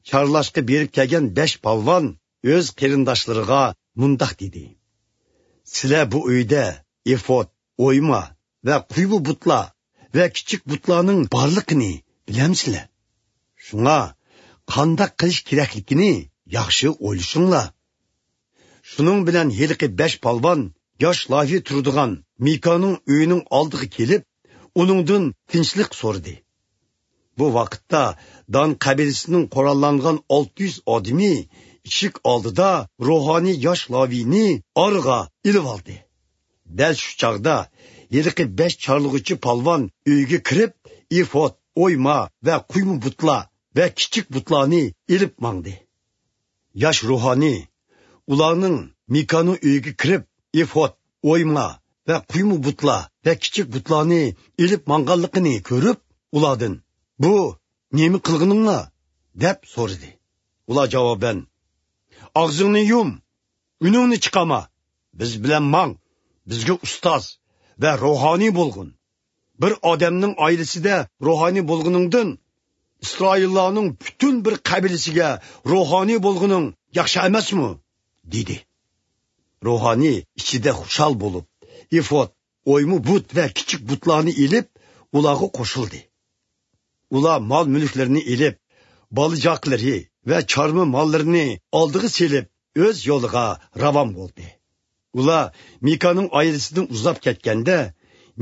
چارلاشقا بېرىپ كەلگەن بەش پالۋان ئۆز قېرىنداشلىرىغا مۇنداق دېدى: سىلەر بۇ ئۆيدە ئېفود، ئويما ۋە قۇيما بۇتلار ۋە كىچىك بۇتلارنىڭ بارلىقىنى بىلەمسىلەر؟ شۇڭا قانداق قىلىش كېرەكلىكىنى ياخشى ئويلىشىڭلار. شۇنىڭ بىلەن ھېلىقى بەش پالۋان ياش لاۋى تۇرىدىغان مىكانىڭ ئۆيىنىڭ ئالدىغا كېلىپ، ئۇنىڭدىن تىنچلىق سورىدى. بۇ ۋاقىتتا دان قەبىلىسىنىڭ قوراللانغان ئالتە يۈز ئادىمى ئىشىك ئالدىدا روھانىي ياش لاۋىنى ئارىغا ئېلىۋالدى. دەل شۇ چاغدا ھېلىقى بەش چارلىغۇچى پالۋان ئۆيگە كىرىپ، ئېفود، ئويما ۋە قۇيما بۇتلار ۋە كىچىك بۇتلارنى ئېلىپ ماڭدى. ياش روھانىي ئۇلارنىڭ مىكانىڭ ئۆيىگە كىرىپ، ئېفود، ئويما ۋە قۇيما بۇتلار ۋە كىچىك بۇتلارنى ئېلىپ ماڭغانلىقىنى كۆرۈپ، ئۇلاردىن، بۇ نېمە قىلغىنىڭلار؟ دەپ سورىدى. ئۇلار جاۋابەن، ئاغزىڭنى يۇم، ئۈنۈڭنى چىقارما، بىز بىلەن ماڭ، بىزگە ئۇستاز ۋە روھانىي بولغىن. بىر ئادەمنىڭ ئائىلىسىدە روھانىي بولغىنىڭدىن، ئىسرائىللارنىڭ پۈتۈن بىر قەبىلىسىگە روھانىي بولغىنىڭ ياخشى ئەمەسمۇ؟ دېدى. روھانىي ئىچىدە خۇشال بولۇپ، ئېفود، ئويما بۇت ۋە كىچىك بۇتلارنى ئېلىپ، ئۇلارغا قوشۇلدى. ئۇلار مال-مۈلۈكلىرىنى ئېلىپ، بالا-چاقىلىرى ۋە چارما ماللىرىنى ئالدىغا سېلىپ، ئۆز يولىغا راۋان بولدى. ئۇلار مىكانىڭ ئائىلىسىدىن ئۇزاپ كەتكەندە،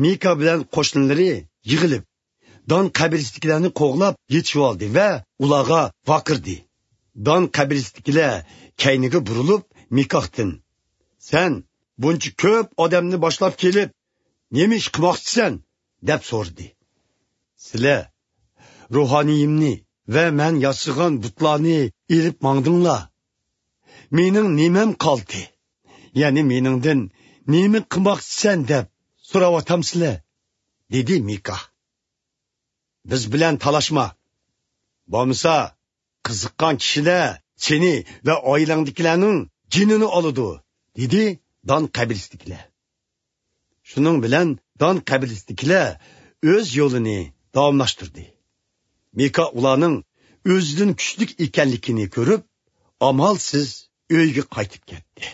مىكا بىلەن قوشنىلىرى يىغىلىپ، دان قەبىلىسىدىكىلەرنى قوغلاپ يېتىشىۋالدى ۋە ئۇلارغا ۋارقىرىدى. دان قەبىلىسىدىكىلەر كەينىگە بۇرۇلۇپ، مىكاھتىن، سەن بۇنچە كۆپ ئادەمنى باشلاپ كېلىپ، نېمە ئىش قىلماقچىسەن؟ دەپ سورىدى. سىلەر روھانىيىمنى ۋە مەن ياسىغان بۇتلارنى ئېلىپ ماڭدىڭلار. مېنىڭ نېمەم قالدى؟ يەنى مېنىڭدىن نېمە قىلماقچىسەن دەپ سوراۋاتامسىلەر؟ دېدى مىكا. بىز بىلەن تالاشما. بولمىسا، قىزىققان كىشىلەر سېنى ۋە ئائىلەڭدىكىلەرنىڭ جېنىنى ئالىدۇ، دېدى دان قەبىلىسىدىكىلەر. شۇنىڭ بىلەن دان قەبىلىسىدىكىلەر ئۆز يولىنى داۋاملاشتۇردى. مىكا ئۇلارنىڭ ئۆزىدىن كۈچلۈك ئىكەنلىكىنى كۆرۈپ، ئامالسىز ئۆيىگە قايتىپ كەتتى.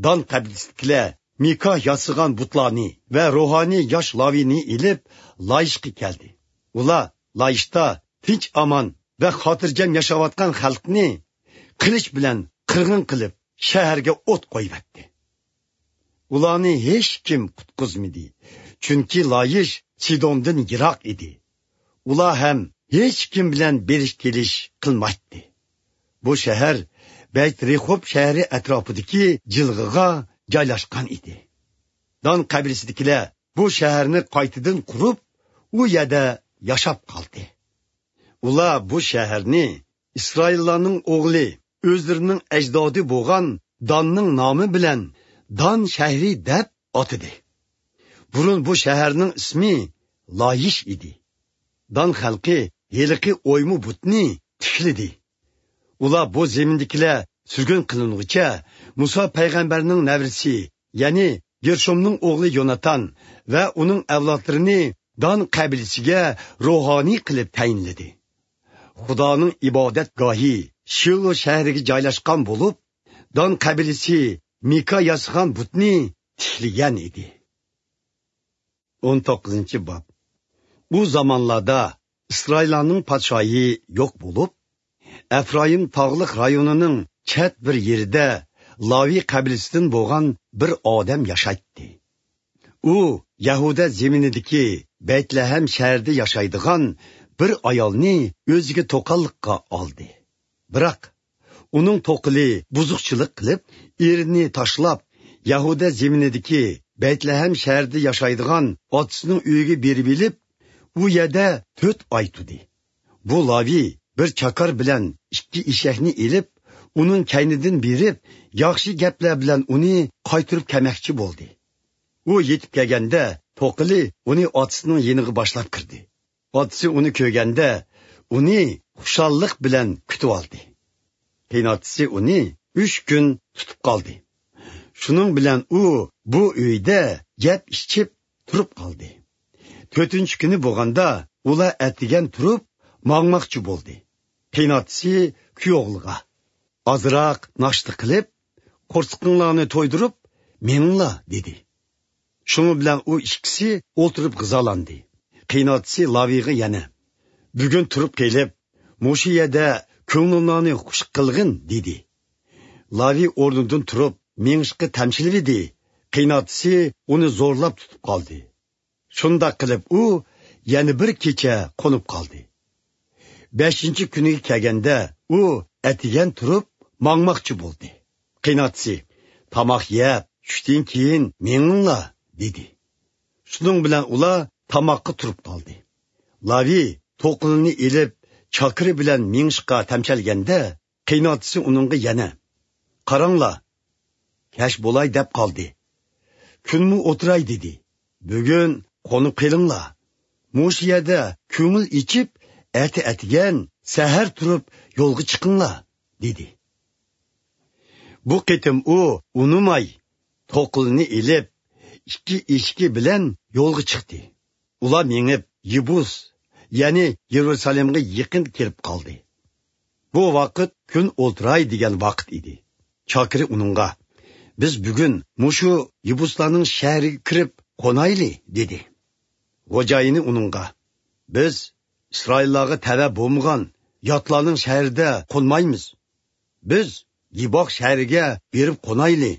دان قەبىلىسىدىكىلەر مىكا ياسىغان بۇتلارنى ۋە روھانىي ياش لاۋىنى ئېلىپ، لايىشقا كەلدى. ئۇلار لايىشتا تىنچ-ئامان ۋە خاتىرجەم ياشاۋاتقان خەلقنى قىلىچ بىلەن قىرغىن قىلىپ، شەھەرگە ئوت قويۇۋەتتى. ئۇلارنى ھېچكىم قۇتقۇزمىدى، چۈنكى لايىش سىدوندىن يىراق ئىدى. ئۇلار ھەم ھېچكىم بىلەن بېرىش-كېلىش قىلمايتتى. بۇ شەھەر بەيترېخوب شەھىرى ئەتراپىدىكى جىلغىغا جايلاشقان ئىدى. دان قەبىلىسىدىكىلەر بۇ شەھەرنى قايتىدىن قۇرۇپ، ئۇ يەردە ياشاپ قالدى. ئۇلار بۇ شەھەرنى ئىسرائىللارنىڭ ئوغلى، ئۆزلىرىنىڭ ئەجدادى بولغان داننىڭ نامى بىلەن دان شەھىرى دەپ ئاتىدى. بۇرۇن بۇ شەھەرنىڭ ئىسمى لايىش ئىدى. دان خەلقى ھېلىقى ئويما بۇتنى تىكلىدى. ئۇلار بۇ زېمىندىكىلەر سۈرگۈن قىلىنغۇچە مۇسا پەيغەمبەرنىڭ نەۋرىسى، يەنى گېرشومنىڭ ئوغلى يوناتان ۋە ئۇنىڭ ئەۋلادلىرىنى دان قەبىلىسىگە روھانىي قىلىپ تەيىنلىدى. خۇدانىڭ ئىبادەتگاھى شىلو شەھىرىگە جايلاشقان بولۇپ، دان قەبىلىسى مىكا ياسىغان بۇتنى تىكلىگەن ئىدى. ئون توققۇزىنچى باب. ئۇ زامانلاردا ئىسرائىللارنىڭ پادىشاھى يوق بولۇپ، ئەفرايىم تاغلىق رايونىنىڭ چەت بىر يېرىدە لاۋى قەبىلىسىدىن بولغان بىر ئادەم ياشايتتى. ئۇ يەھۇدە زېمىنىدىكى بەيتلەھەم شەھىرىدە ياشايدىغان بىر ئايالنى ئۆزىگە توقاللىققا ئالدى. بىراق، ئۇنىڭ توقىلى بۇزۇقچىلىق قىلىپ، ئېرىنى تاشلاپ، يەھۇدە زېمىنىدىكى بەيتلەھەم شەھىرىدە ياشايدىغان ئاتىسىنىڭ ئۆيىگە بېرىۋېلىپ، ئۇ يەردە تۆت ئاي تۇردى. بۇ لاۋى بىر چاكار بىلەن ئىككى ئېشەكنى ئېلىپ، ئۇنىڭ كەينىدىن بېرىپ، ياخشى گەپلەر بىلەن ئۇنى قايتۇرۇپ كەلمەكچى بولدى. ئۇ يېتىپ كەلگەندە، توقىلى ئۇنى ئاتىسىنىڭ يېنىغا باشلاپ كىردى. ئاتىسى ئۇنى كۆرگەندە، ئۇنى خۇشاللىق بىلەن كۈتۈۋالدى. قېيىنئاتىسى ئۇنى ئۈچ كۈن تۇتۇپ قالدى. شۇنىڭ بىلەن ئۇ بۇ ئۆيدە يەپ ئىچىپ تۇرۇپ قالدى. تۆتىنچى كۈنى بولغاندا، ئۇلار ئەتىگەن تۇرۇپ ماڭماقچى بولدى. قېيىنئاتىسى كۈيئوغلىغا، «ئازراق ناشتا قىلىپ، قورسىقىڭلارنى تويدۇرۇپ مېڭىڭلار» دېدى. شۇنىڭ بىلەن ئۇ ئىككىسى ئولتۇرۇپ غىزالاندى. قېيىنئاتىسى لاۋىغا يەنە، «بۈگۈن تۇرۇپ قېلىپ، مۇشۇ يەردە كۆڭلۈڭلارنى خۇش قىلغىن» دېدى. لاۋى ئورنىدىن تۇرۇپ مېڭىشقا تەمشىلىۋىدى. قېيىنئاتىسى ئۇنى زورلاپ تۇتۇپ قالدى. شۇنداق قىلىپ ئۇ يەنە بىر كېچە قونۇپ قالدى. بەشىنچى كۈنىگە كەلگەندە ئۇ ئەتىگەن تۇرۇپ ماڭماقچى بولدى. قېيىنئاتىسى، «تاماق يەپ، چۈشتىن كېيىن مېڭىڭلار» دېدى. شۇنىڭ بىلەن ئۇلار تاماققا تۇرۇپ قالدى. لاۋى توقىلىنى ئېلىپ، چاكىرى بىلەن مېڭىشقا تەمشەلگەندە، قېيىنئاتىسى ئۇنىڭغا يەنە، «قاراڭلار، كەچ بولاي دەپ قالدى. كۈنمۇ ئولتۇراي دېدى. بۈگۈن قونۇپ قېلىڭلار. مۇشۇ يەردە كۆڭۈل ئېچىپ، ئەتە ئەتىگەن سەھەر تۇرۇپ يولغا چىقىڭلار» دېدى. بۇ قېتىم ئۇ ئۇنىماي، توقىلىنى ئېلىپ، ئىككى ئېشىكى بىلەن يولغا چىقتى. ئۇلار مېڭىپ، يېبۇس، يەنى يېرۇسالېمغا يېقىن كېلىپ قالدى. بۇ ۋاقىت كۈن ئولتۇراي دېگەن ۋاقىت ئىدى. چاكىرى ئۇنىڭغا، «بىز بۈگۈن مۇشۇ يېبۇسلارنىڭ شەھىرىگە كىرىپ قونايلى» دېدى. خوجايىنى ئۇنىڭغا، «بىز ئىسرائىللارغا تەۋە بولمىغان ياتلارنىڭ شەھىرىدە قونمايمىز. بىز گىباغ شەھىرىگە بېرىپ قونايلى»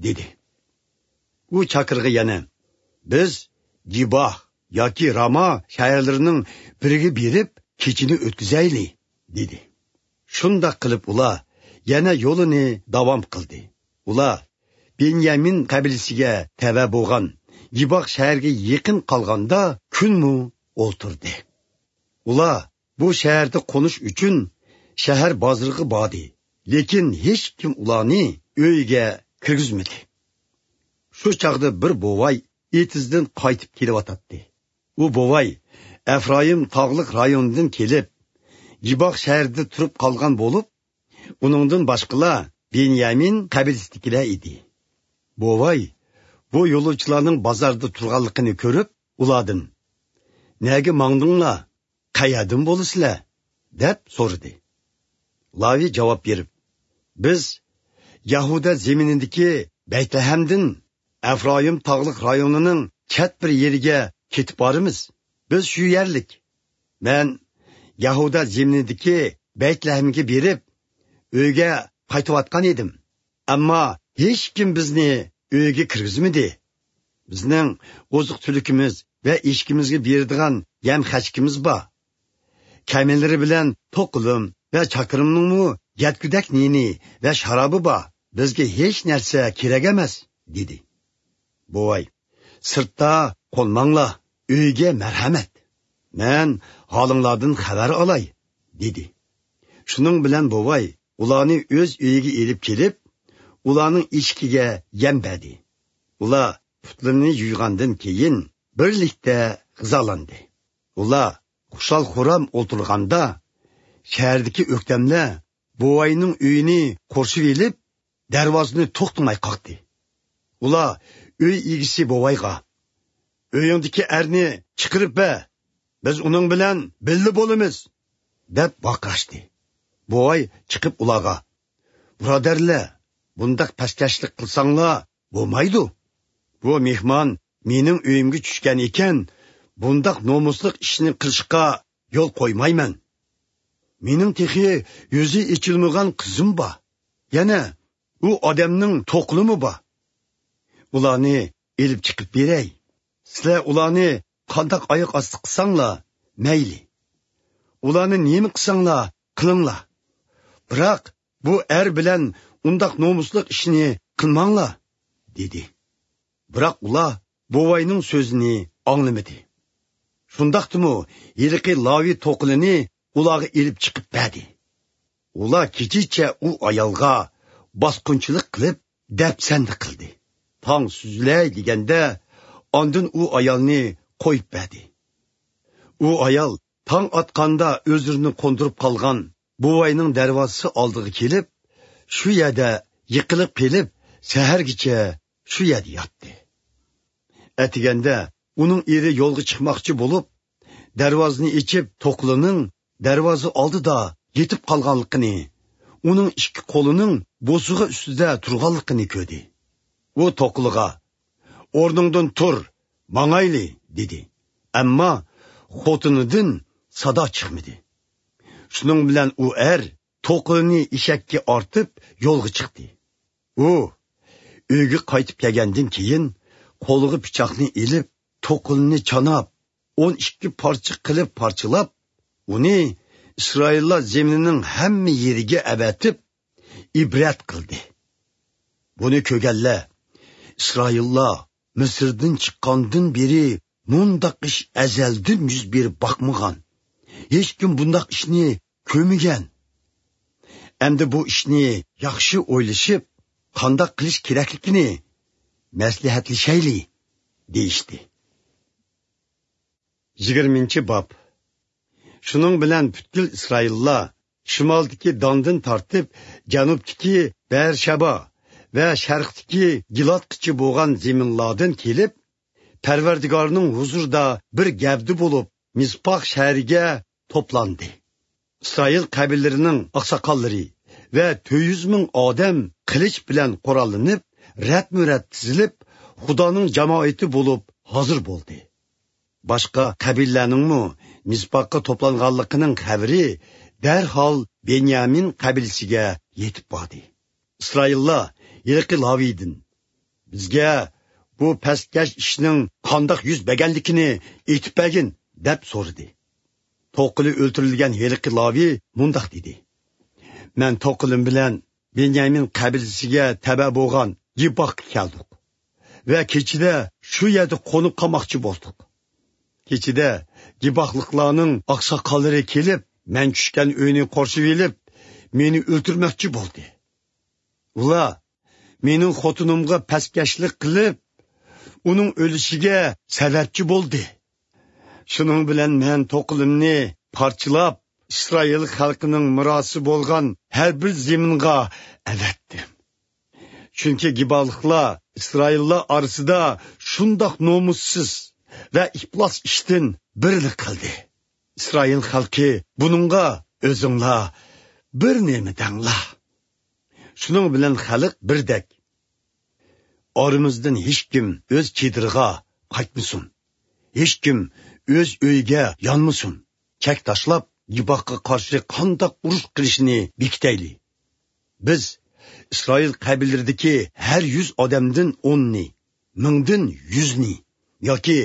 دېدى. ئۇ چاكىرغا يەنە، «بىز گىباھ ياكى راما شەھەرلىرىنىڭ بىرىگە بېرىپ، كېچىنى ئۆتكۈزەيلى» دېدى. شۇنداق قىلىپ ئۇلار يەنە يولىنى داۋام قىلدى. ئۇلار بېنيامىن قەبىلىسىگە تەۋە بولغان گىباھ شەھەرگە يېقىن قالغاندا كۈنمۇ ئولتۇردى. ئۇلار بۇ شەھەردە قونۇش ئۈچۈن شەھەر بازىرىغا باردى، لېكىن ھېچكىم ئۇلارنى ئۆيىگە كىرگۈزمىدى. شۇ چاغدا بىر بوۋاي ئېتىزدىن قايتىپ كېلىۋاتاتتى. ئۇ بوۋاي ئەفرايىم تاغلىق رايونىدىن كېلىپ، گىباغ شەھىرىدە تۇرۇپ قالغان بولۇپ، ئۇنىڭدىن باشقىلار بېنيامىن قەبىلىسىدىكىلەر ئىدى. بوۋاي بۇ يولۇچىلارنىڭ بازاردا تۇرغانلىقىنى كۆرۈپ، ئۇلاردىن، «نەگە ماڭدىڭلار؟ قەيەردىن بولىسىلەر؟» دەپ سورىدى. لاۋى جاۋاب بېرىپ، «بىز يەھۇدا زېمىنىدىكى بەيتلەھەمدىن ئەفرايىم تاغلىق رايونىنىڭ چەت بىر يېرىگە كېتىپ بارىمىز. بىز شۇ يەرلىك. مەن يەھۇدا زېمىنىدىكى بەيتلەھەمگە بېرىپ، ئۆيگە قايتىۋاتقان ئىدىم. ئەمما ھېچكىم بىزنى ئۆيگە كىرگۈزمىدى. بىزنىڭ ئوزۇق-تۈلۈكىمىز ۋە ئېشىكىمىزگە بېرىدىغان يەم-خەشىكىمىز بار. كەمىلىرى بىلەن توقلۇم ۋە چاكىرىمنىڭمۇ يەتكۈدەك نېنى ۋە شارابى بار. بىزگە ھېچ نەرسە كېرەك ئەمەس» دېدى. بوۋاي: «سىرتتا قونماڭلار، ئۆيگە مەرھەمەت. مەن ھالىڭلاردىن خەۋەر ئالاي» دېدى. شۇنىڭ بىلەن بوۋاي ئۇلارنى ئۆز ئۆيىگە ئېلىپ كېلىپ، ئۇلارنىڭ ئېشىكىگە يەم بەردى. ئۇلار پۇتلىرىنى يۇيغاندىن كېيىن، بىرلىكتە غىزالاندى. ئۇلار خۇشال-خۇرام ئولتۇرغاندا، شەھەردىكى ئۆكتەملەر بوۋاينىڭ ئۆيىنى قورشىۋېلىپ، دەرۋازىنى توختىماي قاقتى. ئۇلار ئۆي ئىگىسى بوۋايغا: «ئۆيۈڭدىكى ئەرنى چىقىرىپ بەر، بىز ئۇنىڭ بىلەن بىللە بولىمىز!» دەپ ۋارقىراشتى. بوۋاي چىقىپ ئۇلارغا: «بۇرادەرلەر، بۇنداق پەسكەشلىك قىلساڭلار بولمايدۇ. بۇ مېھمان مېنىڭ ئۆيۈمگە چۈشكەن ئىكەن، بۇنداق نومۇسلۇق ئىشنى قىلىشقا يول قويمايمەن. مېنىڭ تېخى يۈزى ئېچىلمىغان قىزىم بار. يەنە ئۇ ئادەمنىڭ توقلىمۇ بار. ئۇلارنى ئېلىپ چىقىپ بېرەي. سىلەر ئۇلارنى قانداق ئاياق ئاستى قىلساڭلار مەيلى. ئۇلارنى نېمە قىلساڭلار قىلىڭلار. بىراق بۇ ئەر بىلەن ئۇنداق نومۇسلۇق ئىشنى قىلماڭلار» دېدى. بىراق ئۇلار بوۋاينىڭ سۆزىنى ئاڭلىمىدى. شۇنداقتىمۇ ھېلىقى لاۋى توقلىنى ئۇلارغا ئېلىپ چىقىپ بەردى. ئۇلار كېچىچە ئۇ ئايالغا باسقۇنچىلىق قىلىپ، دەپسەندە قىلدى. تاڭ سۈزۈلەي دېگەندە، ئاندىن ئۇ ئايالنى قويۇپ بەردى. ئۇ ئايال تاڭ ئاتقاندا ئۆزلىرىنى قوندۇرۇپ قالغان بوۋاينىڭ دەرۋازىسى ئالدىغا كېلىپ، شۇ يەردە يىقىلىپ قېلىپ، سەھەرگىچە شۇ يەردە ياتتى. ئەتىگەندە ئۇنىڭ ئېرى يولغا چىقماقچى بولۇپ، دەرۋازىنى ئېچىپ، توقلىنىڭ دەرۋازا ئالدىدا يېتىپ قالغانلىقىنى، ئۇنىڭ ئىككى قولىنىڭ بوسۇغا ئۈستىدە تۇرغانلىقىنى كۆردى. ئۇ توقلىغا: «ئورنۇڭدىن تۇر، ماڭايلى!» دېدى. ئەمما خوتۇنىدىن سادا چىقمىدى. شۇنىڭ بىلەن ئۇ ئەر توقلىنى ئېشەككە ئارتىپ يولغا چىقتى. ئۇ ئۆيگە قايتىپ كەلگەندىن كېيىن، قولىغا پىچاقنى ئېلىپ، توقلىنى چاناپ، ئون ئىككى پارچە قىلىپ پارچىلاپ، ئۇنى ئىسرائىللار زېمىنىنىڭ ھەممە يېرىگە ئەۋەتىپ، ئىبرەت قىلدى. بۇنى كۆرگەنلەر: «ئىسرائىللار مىسىردىن چىققاندىن بېرى مۇنداق ئىش ئەزەلدىن يۈز بېرىپ باقمىغان، ھېچكىم بۇنداق ئىشنى كۆرمىگەن. ئەمدى بۇ ئىشنى ياخشى ئويلىشىپ، قانداق قىلىش كېرەكلىكىنى مەسلىھەتلىشەيلى» دېيىشتى. يىگىرمىنچى باب. شۇنىڭ بىلەن پۈتكۈل ئىسرائىللار شىمالدىكى داندىن تارتىپ، جەنۇبتىكى بەئەرشەبا ۋە شەرقتىكى گىلادقىچە بولغان زېمىنلاردىن كېلىپ، پەرۋەردىگارنىڭ ھۇزۇرىدا بىر گەۋدە بولۇپ، مىسپاھ شەھىرىگە توپلاندى. ئىسرائىل قەبىلىلىرىنىڭ ئاقساقاللىرى ۋە تۆت يۈز مىڭ ئادەم قىلىچ بىلەن قوراللىنىپ، رەتمۇرەت تىزىلىپ، خۇدانىڭ جامائىتى بولۇپ ھازىر بولدى. باشقا قەبىلىلەرنىڭمۇ مىسپاھقا توپلانغانلىقىنىڭ خەۋىرى دەرھال بېنيامىن قەبىلىسىگە يېتىپ باردى. ئىسرائىللار ھېلىقى لاۋىدىن: «بىزگە بۇ پەسكەش ئىشنىڭ قانداق يۈز بەرگەنلىكىنى ئېيتىپ بەرگىن» دەپ سورىدى. توقلى ئۆلتۈرۈلگەن ھېلىقى لاۋى مۇنداق دېدى: «مەن توقلىم بىلەن بېنيامىن قەبىلىسىگە تەۋە بولغان گىباغقا كەلدۇق ۋە كېچىدە شۇ يەردە قونۇپ قالماقچى بولدۇق. كېچىدە گىباغلىقلارنىڭ ئاقساقاللىرى كېلىپ، مەن چۈشكەن ئۆينى قورشىۋېلىپ، مېنى ئۆلتۈرمەكچى بولدى. ئۇلار مېنىڭ خوتۇنۇمغا پەسكەشلىك قىلىپ، ئۇنىڭ ئۆلۈشىگە سەۋەبچى بولدى. شۇنىڭ بىلەن مەن توقلىمنى پارچىلاپ، ئىسرائىل خەلقىنىڭ مىراسى بولغان ھەر بىر زېمىنغا ئەۋەتتىم. چۈنكى گىبالىقلار ئىسرائىللار ئارىسىدا شۇنداق نومۇسسىز ۋە ئىپلاس ئىشتىن بىرنى قىلدى. ئىسرائىل خەلقى بۇنىڭغا ئۆزۈڭلار بىر نېمە دەڭلار.» شۇنىڭ بىلەن خەلق بىردەك: «ئارىمىزدىن ھېچكىم ئۆز چېدىرىغا قايتمىسۇن، ھېچكىم ئۆز ئۆيىگە يانمىسۇن. چەك تاشلاپ، گىباغقا قارشى قانداق ئۇرۇش قىلىشنى بېكىتەيلى. بىز ئىسرائىل قەبىلىلىرىدىكى ھەر يۈز ئادەمدىن ئوننى، مىڭدىن يۈزنى ياكى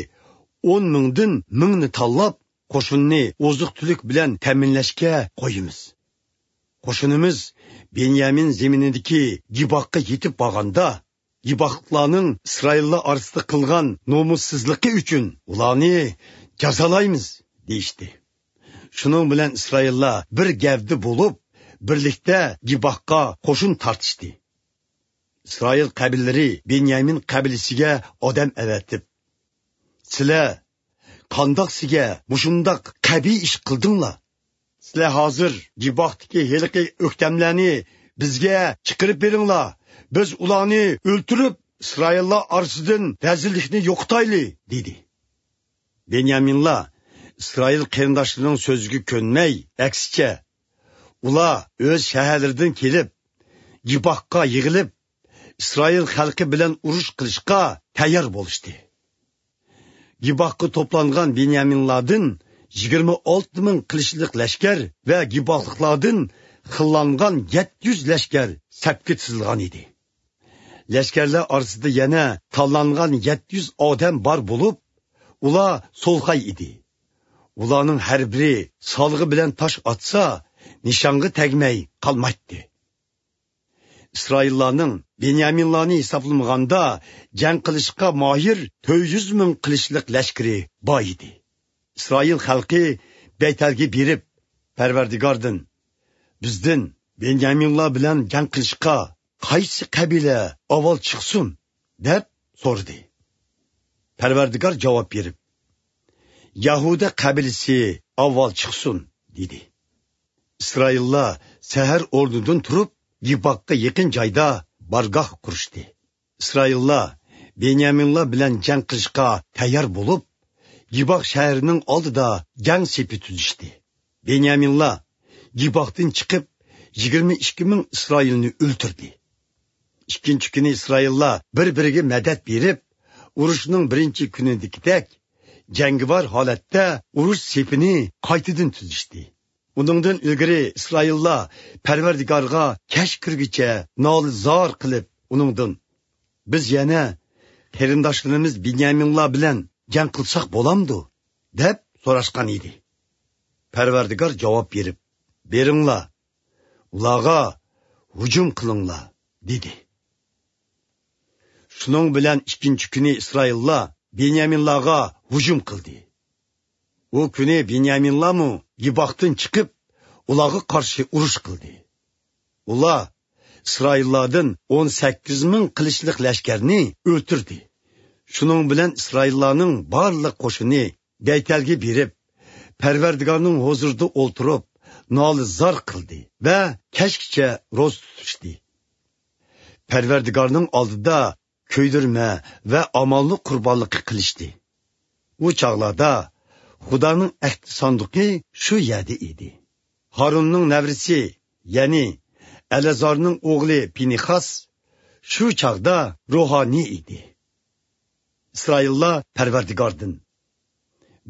ئون مىڭدىن مىڭنى تاللاپ، قوشۇننى ئوزۇق-تۈلۈك بىلەن تەمىنلەشكە قويىمىز. قوشۇنىمىز بېنيامىن زېمىنىدىكى گىباغقا يېتىپ بارغاندا، گىباغلىقلارنىڭ ئىسرائىللار ئارىسىدا قىلغان نومۇسسىزلىقى ئۈچۈن ئۇلارنى جازالايمىز، دېيىشتى. شۇنىڭ بىلەن ئىسرائىللار بىر گەۋدە بولۇپ، بىرلىكتە گىباغقا قوشۇن تارتىشتى. ئىسرائىل قەبىلىلىرى بېنيامىن قەبىلىسىگە ئادەم ئەۋەتىپ، سىلەر قانداق سىگە مۇشۇنداق قەبىھ ئىش قىلدىڭلار؟ سىلەر ھازىر گىباغدىكى ھېلىقى ئۆكتەملەرنى بىزگە چىقىرىپ بېرىڭلار، بىز ئۇلارنى ئۆلتۈرۈپ، ئىسرائىللار ئارىسىدىن رەزىللىكنى يوقىتايلى، دېدى. بېنيامىنلار ئىسرائىل قېرىنداشلىرىنىڭ سۆزىگە كۆنمەي، ئەكسىچە، ئۇلار ئۆز شەھەرلىرىدىن كېلىپ، گىباغقا يىغىلىپ، ئىسرائىل خەلقى بىلەن ئۇرۇش قىلىشقا تەييار بولۇشتى. گىباغقا توپلانغان بېنيامىنلاردىن يىگىرمە ئالتە مىڭ قىلىچلىق لەشكەر ۋە گىباغلىقلاردىن خىللانغان يەتتە يۈز لەشكەر سەپكە تىزىلغان ئىدى. لەشكەرلەر ئارىسىدا يەنە تاللانغان يەتتە يۈز ئادەم بار بولۇپ، ئۇلار سولخاي ئىدى. ئۇلارنىڭ ھەر بىرى سالغا بىلەن تاش ئاتسا، نىشانغا تەگمەي قالمايتتى. ئىسرائىللارنىڭ بېنيامىنلارنى ھېسابلىمىغاندا جەڭ قىلىشقا ماھىر تۆت يۈز مىڭ قىلىچلىق لەشكىرى بار ئىدى. ئىسرائىل خەلقى بەيتەلگە بېرىپ، پەرۋەردىگاردىن، بىزدىن بېنيامىنلار بىلەن جەڭ قىلىشقا قايسى قەبىلە ئاۋۋال چىقسۇن؟ دەپ سورىدى. پەرۋەردىگار جاۋاب بېرىپ، يەھۇدە قەبىلىسى ئاۋۋال چىقسۇن، دېدى. ئىسرائىللار سەھەر ئورنىدىن تۇرۇپ، گىباغقا يېقىن جايدا بارگاھ قۇرۇشتى. ئىسرائىللار بېنيامىنلار بىلەن جەڭ قىلىشقا تەييار بولۇپ، گىباغ شەھىرىنىڭ ئالدىدا جەڭ سېپى تۈزۈشتى. بېنيامىنلار گىباغدىن چىقىپ، يىگىرمە ئىككى مىڭ ئىسرائىلنى ئۆلتۈردى. ئىككىنچى كۈنى ئىسرائىللار بىر-بىرىگە مەدەت بېرىپ، ئۇرۇشنىڭ بىرىنچى كۈنىدىكىدەك جەڭگىۋار ھالەتتە ئۇرۇش سېپىنى قايتىدىن تۈزۈشتى. ئۇنىڭدىن ئىلگىرى ئىسرائىللار پەرۋەردىگارغا كەچ كىرگۈچە نالە-زار قىلىپ، ئۇنىڭدىن، بىز يەنە قېرىنداشلىرىمىز بېنيامىنلار بىلەن جەڭ قىلساق بولامدۇ؟ دەپ سوراشقان ئىدى. پەرۋەردىگار جاۋاب بېرىپ، بېرىڭلار، ئۇلارغا ھۇجۇم قىلىڭلار، دېدى. شۇنىڭ بىلەن ئىككىنچى كۈنى ئىسرائىللار بېنيامىنلارغا ھۇجۇم قىلدى. ئۇ كۈنى بېنيامىنلارمۇ گىباغدىن چىقىپ، ئۇلارغا قارشى ئۇرۇش قىلدى. ئۇلار ئىسرائىللاردىن ئون سەككىز مىڭ قىلىچلىق لەشكەرنى ئۆلتۈردى. شۇنىڭ بىلەن ئىسرائىللارنىڭ بارلىق قوشۇنى بەيتەلگە بېرىپ، پەرۋەردىگارنىڭ ھۇزۇرىدا ئولتۇرۇپ، نالە-زار قىلدى ۋە كەچكىچە روزا تۇتۇشتى. پەرۋەردىگارنىڭ ئالدىدا كۆيدۈرمە ۋە ئامانلىق قۇربانلىقى قىلىشتى. ئۇ چاغلاردا خۇدانىڭ ئەھدى ساندۇقى شۇ يەردە ئىدى. ھارۇننىڭ نەۋرىسى، يەنى ئەلەزارنىڭ ئوغلى پىنىخاس شۇ چاغدا روھانىي ئىدى. ئىسرائىللار پەرۋەردىگاردىن،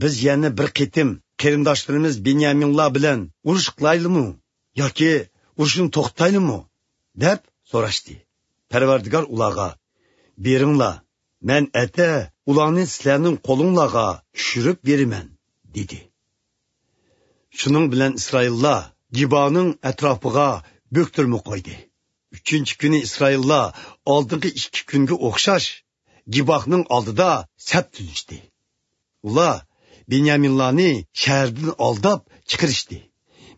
بىز يەنە بىر قېتىم قېرىنداشلىرىمىز بېنيامىنلار بىلەن ئۇرۇش قىلايلىمۇ ياكى ئۇرۇشنى توختىتايلىمۇ؟ دەپ سوراشتى. پەرۋەردىگار ئۇلارغا، بېرىڭلار، مەن ئەتە ئۇلارنى سىلەرنىڭ قولۇڭلارغا چۈشۈرۈپ بېرىمەن، دېدى. شۇنىڭ بىلەن ئىسرائىللار گىبانىڭ ئەتراپىغا بۆكتۈرمە قويدى. ئۈچىنچى كۈنى ئىسرائىللار ئالدىنقى ئىككى كۈنگە ئوخشاش گىباھنىڭ ئالدىدا سەپ تۈزۈشتى. ئۇلار بېنيامىنلارنى شەھەردىن ئالداپ چىقىرىشتى.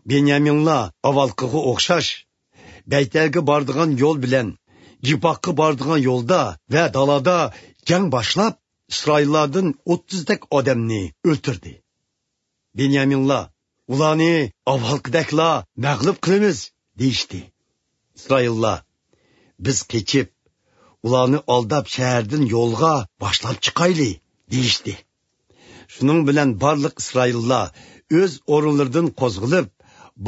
بېنيامىنلار ئاۋۋالقىغا ئوخشاش بەيتەلگە بارىدىغان يول بىلەن گىباھقا بارىدىغان يولدا ۋە دالادا جەڭ باشلاپ، ئىسرائىللاردىن ئوتتۇزدەك ئادەمنى ئۆلتۈردى. بېنيامىنلار، ئۇلارنى ئاۋۋالقىدەكلا مەغلۇپ قىلىمىز، دېيىشتى. ئىسرائىللار، بىز قېچىپ، ئۇلارنى ئالداپ شەھەردىن يولغا باشلاپ چىقايلى، دېيىشتى. شۇنىڭ بىلەن بارلىق ئىسرائىللار ئۆز ئورۇنلىرىدىن قوزغىلىپ،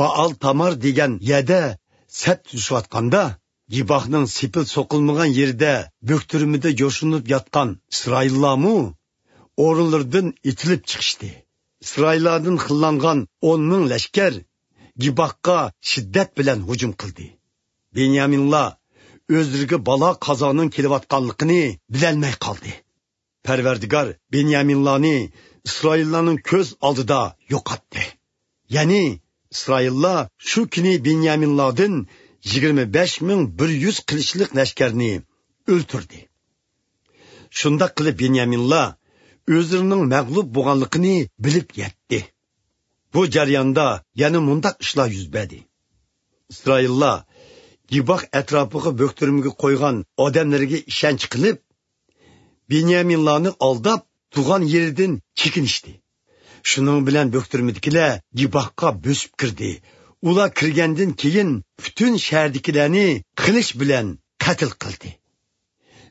بائال تامار دېگەن يەردە سەپ تۈزۈشۈۋاتقاندا، گىباھنىڭ سېپىل سوقۇلمىغان يېرىدە بۆكتۈرمىدە يوشۇرۇنۇپ ياتقان ئىسرائىللارمۇ ئورۇنلىرىدىن ئېتىلىپ چىقىشتى. ئىسرائىللاردىن خىللانغان ئون مىڭ لەشكەر گىباھقا شىددەت بىلەن ھۇجۇم قىلدى. بېنيامىنلار ئۆزلىرىگە بالا قازانىڭ كېلىۋاتقانلىقىنى بىلەلمەي قالدى. پەرۋەردىگار بېنيامىنلارنى ئىسرائىللارنىڭ كۆز ئالدىدا يوقاتتى. يەنى ئىسرائىللار شۇ كۈنى بېنيامىنلاردىن يىگىرمە بەش مىڭ بىر يۈز قىلىچلىق لەشكەرنى ئۆلتۈردى. شۇنداق قىلىپ بېنيامىنلار ئۆزلىرىنىڭ مەغلۇپ بولغانلىقىنى بىلىپ يەتتى. بۇ جەرياندا يەنە مۇنداق ئىشلار يۈز بەردى. ئىسرائىللار گىباھ ئەتراپىغا بۆكتۈرمىگە قويغان ئادەملىرىگە ئىشەنچ قىلىپ، بېنيامىنلارنى ئالداپ، تۇغان يېرىدىن چېكىنىشتى. شۇنىڭ بىلەن بۆكتۈرمىدىكىلەر گىباھقا بۆسۈپ كىردى. ئۇلار كىرگەندىن كېيىن پۈتۈن شەھەردىكىلەرنى قىلىچ بىلەن قەتل قىلدى.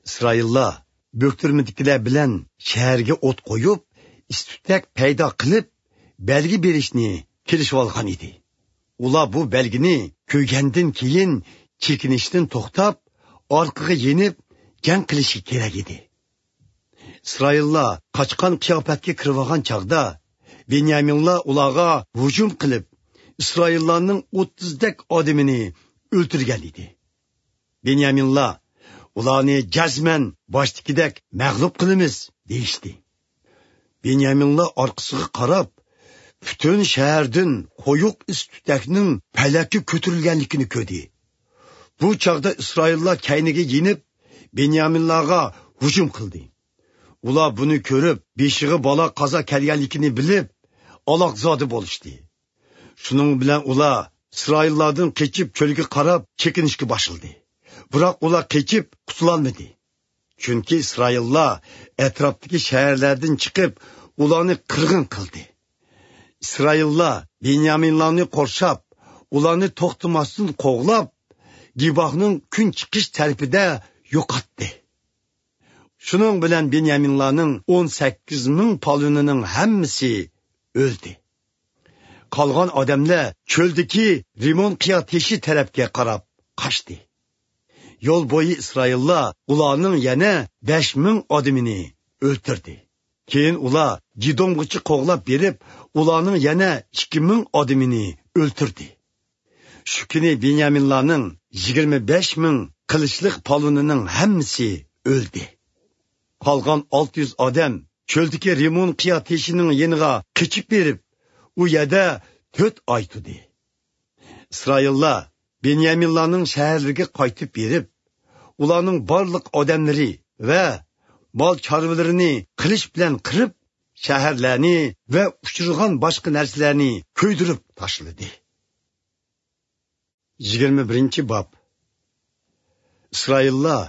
ئىسرائىللار بۆكتۈرمىدىكىلەر بىلەن شەھەرگە ئوت قويۇپ، ئىس-تۈتەك پەيدا قىلىپ، بەلگە بېرىشنى كېلىشىۋالغان ئىدى. ئۇلار بۇ بەلگىنى كۆرگەندىن كېيىن چېكىنىشتىن توختاپ، ئارقىغا يېنىپ جەڭ قىلىشى كېرەك ئىدى. ئىسرائىللار قاچقان قىياپەتكە كىرىۋالغان چاغدا، بېنيامىنلار ئۇلارغا ھۇجۇم قىلىپ، ئىسرائىللارنىڭ ئوتتۇزدەك ئادىمىنى ئۆلتۈرگەن ئىدى. بېنيامىنلار، «ئۇلارنى جەزمەن باشتىكىدەك مەغلۇپ قىلىمىز» دېيىشتى. بېنيامىنلار ئارقىسىغا قاراپ، پۈتۈن شەھەردىن قويۇق ئىس-تۈتەكنىڭ پەلەككە كۆتۈرۈلگەنلىكىنى كۆردى. بۇ چاغدا ئىسرائىللار كەينىگە يېنىپ، بېنيامىنلارغا ھۇجۇم قىلدى. ئۇلار بۇنى كۆرۈپ، بېشىغا بالا-قازا كەلگەنلىكىنى بىلىپ، ئالاقزادە بولۇشتى. شۇنىڭ بىلەن ئۇلار ئىسرائىللاردىن قېچىپ، چۆلگە قاراپ چېكىنىشكە باشلىدى. بىراق ئۇلار قېچىپ قۇتۇلالمىدى. چۈنكى ئىسرائىللار ئەتراپتىكى شەھەرلەردىن چىقىپ، ئۇلارنى قىرغىن قىلدى. ئىسرائىللار بېنيامىنلارنى قورشاپ، ئۇلارنى توختىماستىن قوغلاپ، گىباھنىڭ كۈن چىقىش تەرىپىدە يوقاتتى. شۇنىڭ بىلەن بېنيامىنلارنىڭ ئون سەككىز مىڭ پالۋىنىنىڭ ھەممىسى ئۆلدى. قالغان ئادەملەر چۆلدىكى رىمون قىيا تېشى تەرەپكە قاراپ قاچتى. يول بويى ئىسرائىللار ئۇلارنىڭ يەنە بەش مىڭ ئادىمىنى ئۆلتۈردى. كېيىن ئۇلار جىدومغىچە قوغلاپ بېرىپ، ئۇلارنىڭ يەنە ئىككى مىڭ ئادىمىنى ئۆلتۈردى. شۇ كۈنى بېنيامىنلارنىڭ يىگىرمە بەش مىڭ قىلىچلىق پالۋىنىنىڭ ھەممىسى ئۆلدى. قالغان ئالتە يۈز ئادەم چۆلدىكى رىمون قىيا تېشىنىڭ يېنىغا قېچىپ بېرىپ، ئۇ يەردە تۆت ئاي تۇردى. ئىسرائىللار بېنيامىنلارنىڭ شەھەرلىرىگە قايتىپ بېرىپ، ئۇلارنىڭ بارلىق ئادەملىرى ۋە مال چارۋىلىرىنى قىلىچ بىلەن قىرىپ، شەھەرلەرنى ۋە ئۇچرىغان باشقا نەرسىلەرنى كۆيدۈرۈپ تاشلىدى. يىگىرمە بىرىنچى باب. ئىسرائىللار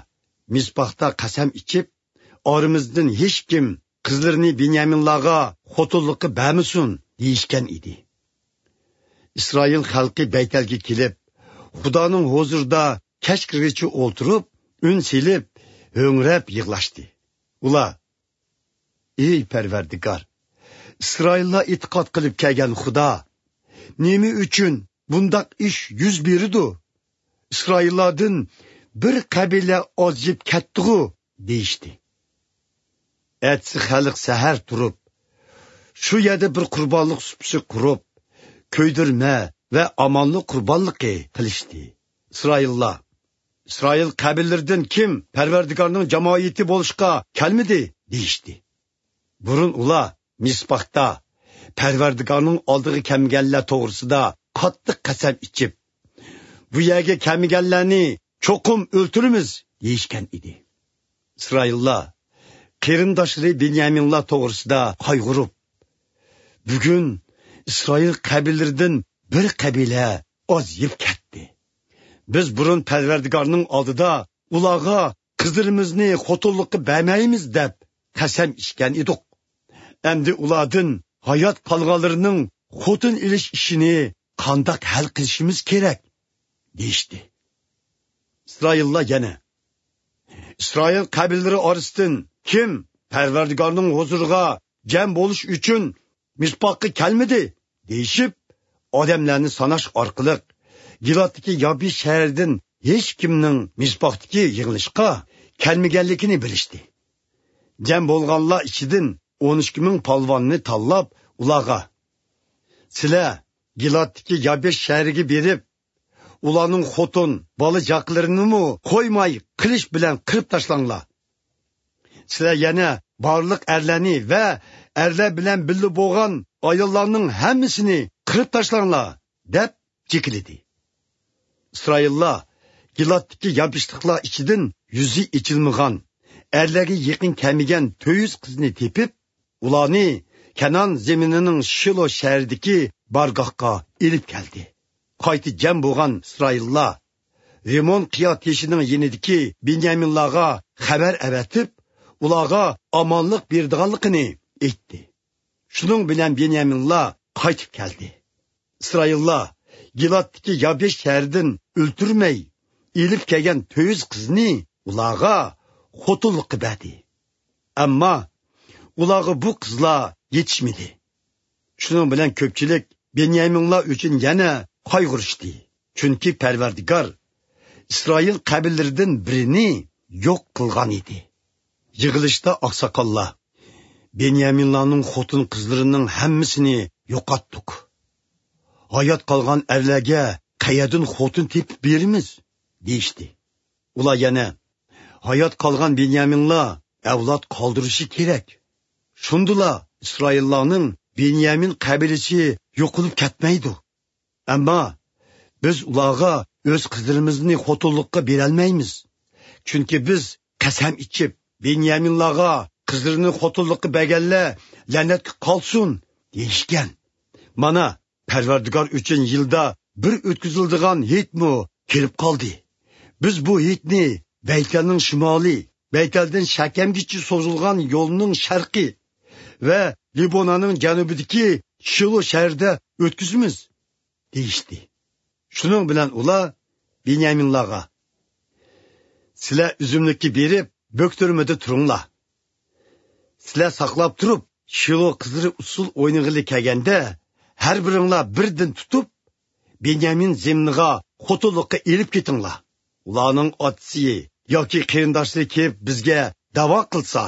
مىزپاھتا قەسەم ئىچىپ، «ئارىمىزدىن ھېچكىم قىزلىرىنى بېنيامىنلارغا خوتۇنلۇققا بەرمىسۇن» دېيىشكەن ئىدى. ئىسرائىل خەلقى بەيتەلگە كېلىپ، خۇدانىڭ ھۇزۇرىدا كەچ كىرگىچە ئولتۇرۇپ، ئۈن سېلىپ، ھۆڭرەپ يىغلاشتى. ئۇلار، «ئەي پەرۋەردىگار، ئىسرائىللار ئېتىقاد قىلىپ كەلگەن خۇدا، نېمە ئۈچۈن بۇنداق ئىش يۈز بېرىدۇ؟ ئىسرائىللاردىن بىر قەبىلە ئازىيىپ كەتتىغۇ؟» دېيىشتى. ئەتىسى خەلق سەھەر تۇرۇپ، شۇ يەردە بىر قۇربانلىق سۇپىسى قۇرۇپ، كۆيدۈرمە ۋە ئامانلىق قۇربانلىقى قىلىشتى. ئىسرائىللار، «ئىسرائىل قەبىلىلىرىدىن كىم پەرۋەردىگارنىڭ جامائىتى بولۇشقا كەلمىدى؟» دېيىشتى. بۇرۇن ئۇلار مىسپاھتا پەرۋەردىگارنىڭ ئالدىغا كەلمىگەنلەر توغرىسىدا قاتتىق قەسەم ئىچىپ، «بۇ يەرگە كەلمىگەنلەرنى چوقۇم ئۆلتۈرىمىز» دېيىشكەن ئىدى. ئىسرائىللار قېرىنداشلىرى بېنيامىنلار توغرىسىدا قايغۇرۇپ، «بۈگۈن ئىسرائىل قەبىلىلىرىدىن بىر قەبىلە ئازىيىپ كەتتى. بىز بۇرۇن پەرۋەردىگارنىڭ ئالدىدا ئۇلارغا قىزلىرىمىزنى خوتۇنلۇققا بەرمەيمىز دەپ قەسەم ئىچكەن ئىدۇق. ئەمدى ئۇلاردىن ھايات قالغانلىرىنىڭ خوتۇن ئېلىش ئىشىنى قانداق ھەل قىلىشىمىز كېرەك؟» دېيىشتى. ئىسرائىللار يەنە، «ئىسرائىل قەبىلىلىرى ئارىسىدىن كىم پەرۋەردىگارنىڭ ھۇزۇرىغا جەم بولۇش ئۈچۈن مىسپاققا كەلمىدى؟» دېيىشىپ، ئادەملەرنى ساناش ئارقىلىق گىلادتىكى يابىش شەھىرىدىن ھېچكىمنىڭ مىسپاقتىكى يىغىلىشقا كەلمىگەنلىكىنى بىلىشتى. جەم بولغانلار ئىچىدىن ئون ئىككى مىڭ پالۋاننى تاللاپ، ئۇلارغا، «سىلەر گىلادتىكى يابىش شەھىرىگە بېرىپ، ئۇلارنىڭ خوتۇن، بالا-چاقىلىرىنىمۇ قويماي قىلىچ بىلەن قىرىپ تاشلاڭلار. سىلەر يەنە بارلىق ئەرلەرنى ۋە ئەرلەر بىلەن بىللە بولغان ئاياللارنىڭ ھەممىسىنى قىرىپ تاشلاڭلار» دەپ جېكىلىدى. ئىسرائىللار گىلادتىكى ياپيېشىللىقلار ئىچىدىن يۈزى ئېچىلمىغان، ئەرلەرگە يېقىن كەلمىگەن تۆت يۈز قىزنى تېپىپ، ئۇلارنى كەنئان زېمىنىنىڭ شىلو شەھىرىدىكى بارگاھقا ئېلىپ كەلدى. قايتا جەم بولغان ئىسرائىللار رىمون قىيا تېشىنىڭ يېنىدىكى بېنيامىنلارغا خەۋەر ئەۋەتىپ، ئۇلارغا ئامانلىق بېرىدىغانلىقىنى ئېيتتى. شۇنىڭ بىلەن بېنيامىنلار قايتىپ كەلدى. ئىسرائىللار گىلادتىكى يابيېش شەھىرىدىن ئۆلتۈرمەي ئېلىپ كەلگەن تۆت يۈز قىزنى ئۇلارغا خوتۇنلۇققا بەردى. ئەمما ئۇلارغا بۇ قىزلار يېتىشمىدى. شۇنىڭ بىلەن كۆپچىلىك بېنيامىنلار ئۈچۈن يەنە قايغۇرۇشتى. چۈنكى پەرۋەردىگار ئىسرائىل قەبىلىلىرىدىن بىرىنى يوق قىلغان ئىدى. يىغىلىشتا ئاقساقاللار: «بېنيامىنلارنىڭ خوتۇن-قىزلىرىنىڭ ھەممىسىنى يوقاتتۇق. ھايات قالغان ئەرلەرگە قەيەردىن خوتۇن تېپىپ بېرىمىز؟» دېيىشتى. ئۇلار يەنە: «ھايات قالغان بېنيامىنلار ئەۋلاد قالدۇرۇشى كېرەك. شۇندىلا ئىسرائىللارنىڭ بېنيامىن قەبىلىسى يوقىلىپ كەتمەيدۇ. ئەمما بىز ئۇلارغا ئۆز قىزلىرىمىزنى خوتۇنلۇققا بېرەلمەيمىز. چۈنكى بىز قەسەم ئىچىپ، بېنيامىنلارغا قىزلىرىنى خوتۇنلۇققا بەرگەنلەر لەنەتكە قالسۇن دېيىشكەن. مانا، پەرۋەردىگار ئۈچۈن يىلدا بىر ئۆتكۈزۈلىدىغان ھېيتمۇ كېلىپ قالدى. بىز بۇ ھېيتنى بەيتەلنىڭ شىمالى، بەيتەلدىن شەكەمگىچە سوزۇلغان يولنىڭ شەرقى ۋە لىبونانىڭ جەنۇبىدىكى شىلو شەھىرىدە ئۆتكۈزىمىز» دېيىشتى. شۇنىڭ بىلەن ئۇلار بېنيامىنلارغا: «سىلەر ئۈزۈملۈككە بېرىپ، بۆكتۈرمىدە تۇرۇڭلار. سىلەر ساقلاپ تۇرۇپ، شىلو قىزلىرى ئۇسسۇل ئوينىغىلى كەلگەندە، ھەر بىرىڭلار بىردىن تۇتۇپ، بېنيامىن زېمىنىغا خوتۇنلۇققا ئېلىپ كېتىڭلار. ئۇلارنىڭ ئاتىسى ياكى قېرىنداشلىرى كېلىپ بىزگە دەۋا قىلسا،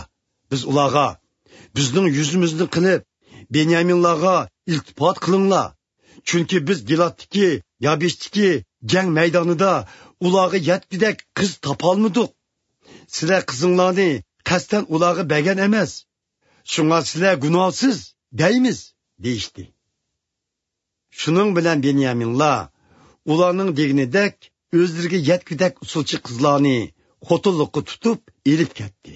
بىز ئۇلارغا: ‹بىزنىڭ يۈزىمىزنى قىلىپ، بېنيامىنلارغا ئىلتىپات قىلىڭلار، چۈنكى بىز گىلادتىكى يابېشتىكى جەڭ مەيدانىدا ئۇلارغا يەتكۈدەك قىز تاپالمىدۇق. سىلەر قىزىڭلارنى قەستەن ئۇلارغا بەرگەن ئەمەس. شۇڭا سىلەر گۇناھسىز› دەيمىز» دېيىشتى. شۇنىڭ بىلەن بېنيامىنلار ئۇلارنىڭ دېگىنىدەك ئۆزلىرىگە يەتكۈدەك ئۇسسۇلچى قىزلارنى خوتۇنلۇققا تۇتۇپ ئېلىپ كەتتى.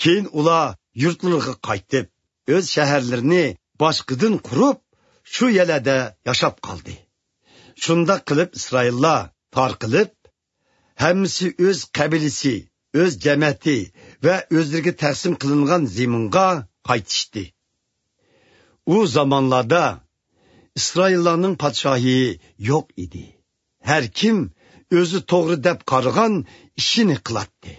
كېيىن ئۇلار يۇرتلىرىغا قايتىپ، ئۆز شەھەرلىرىنى باشقىدىن قۇرۇپ، شۇ يەرلەردە ياشاپ قالدى. شۇنداق قىلىپ ئىسرائىللار تارقىلىپ، ھەممىسى ئۆز قەبىلىسى، ئۆز جەمەتى ۋە ئۆزلىرىگە تەقسىم قىلىنغان زېمىنغا قايتىشتى. ئۇ زامانلاردا ئىسرائىللارنىڭ پادىشاھى يوق ئىدى. ھەر كىم ئۆزى توغرا دەپ قارىغان ئىشىنى قىلاتتى.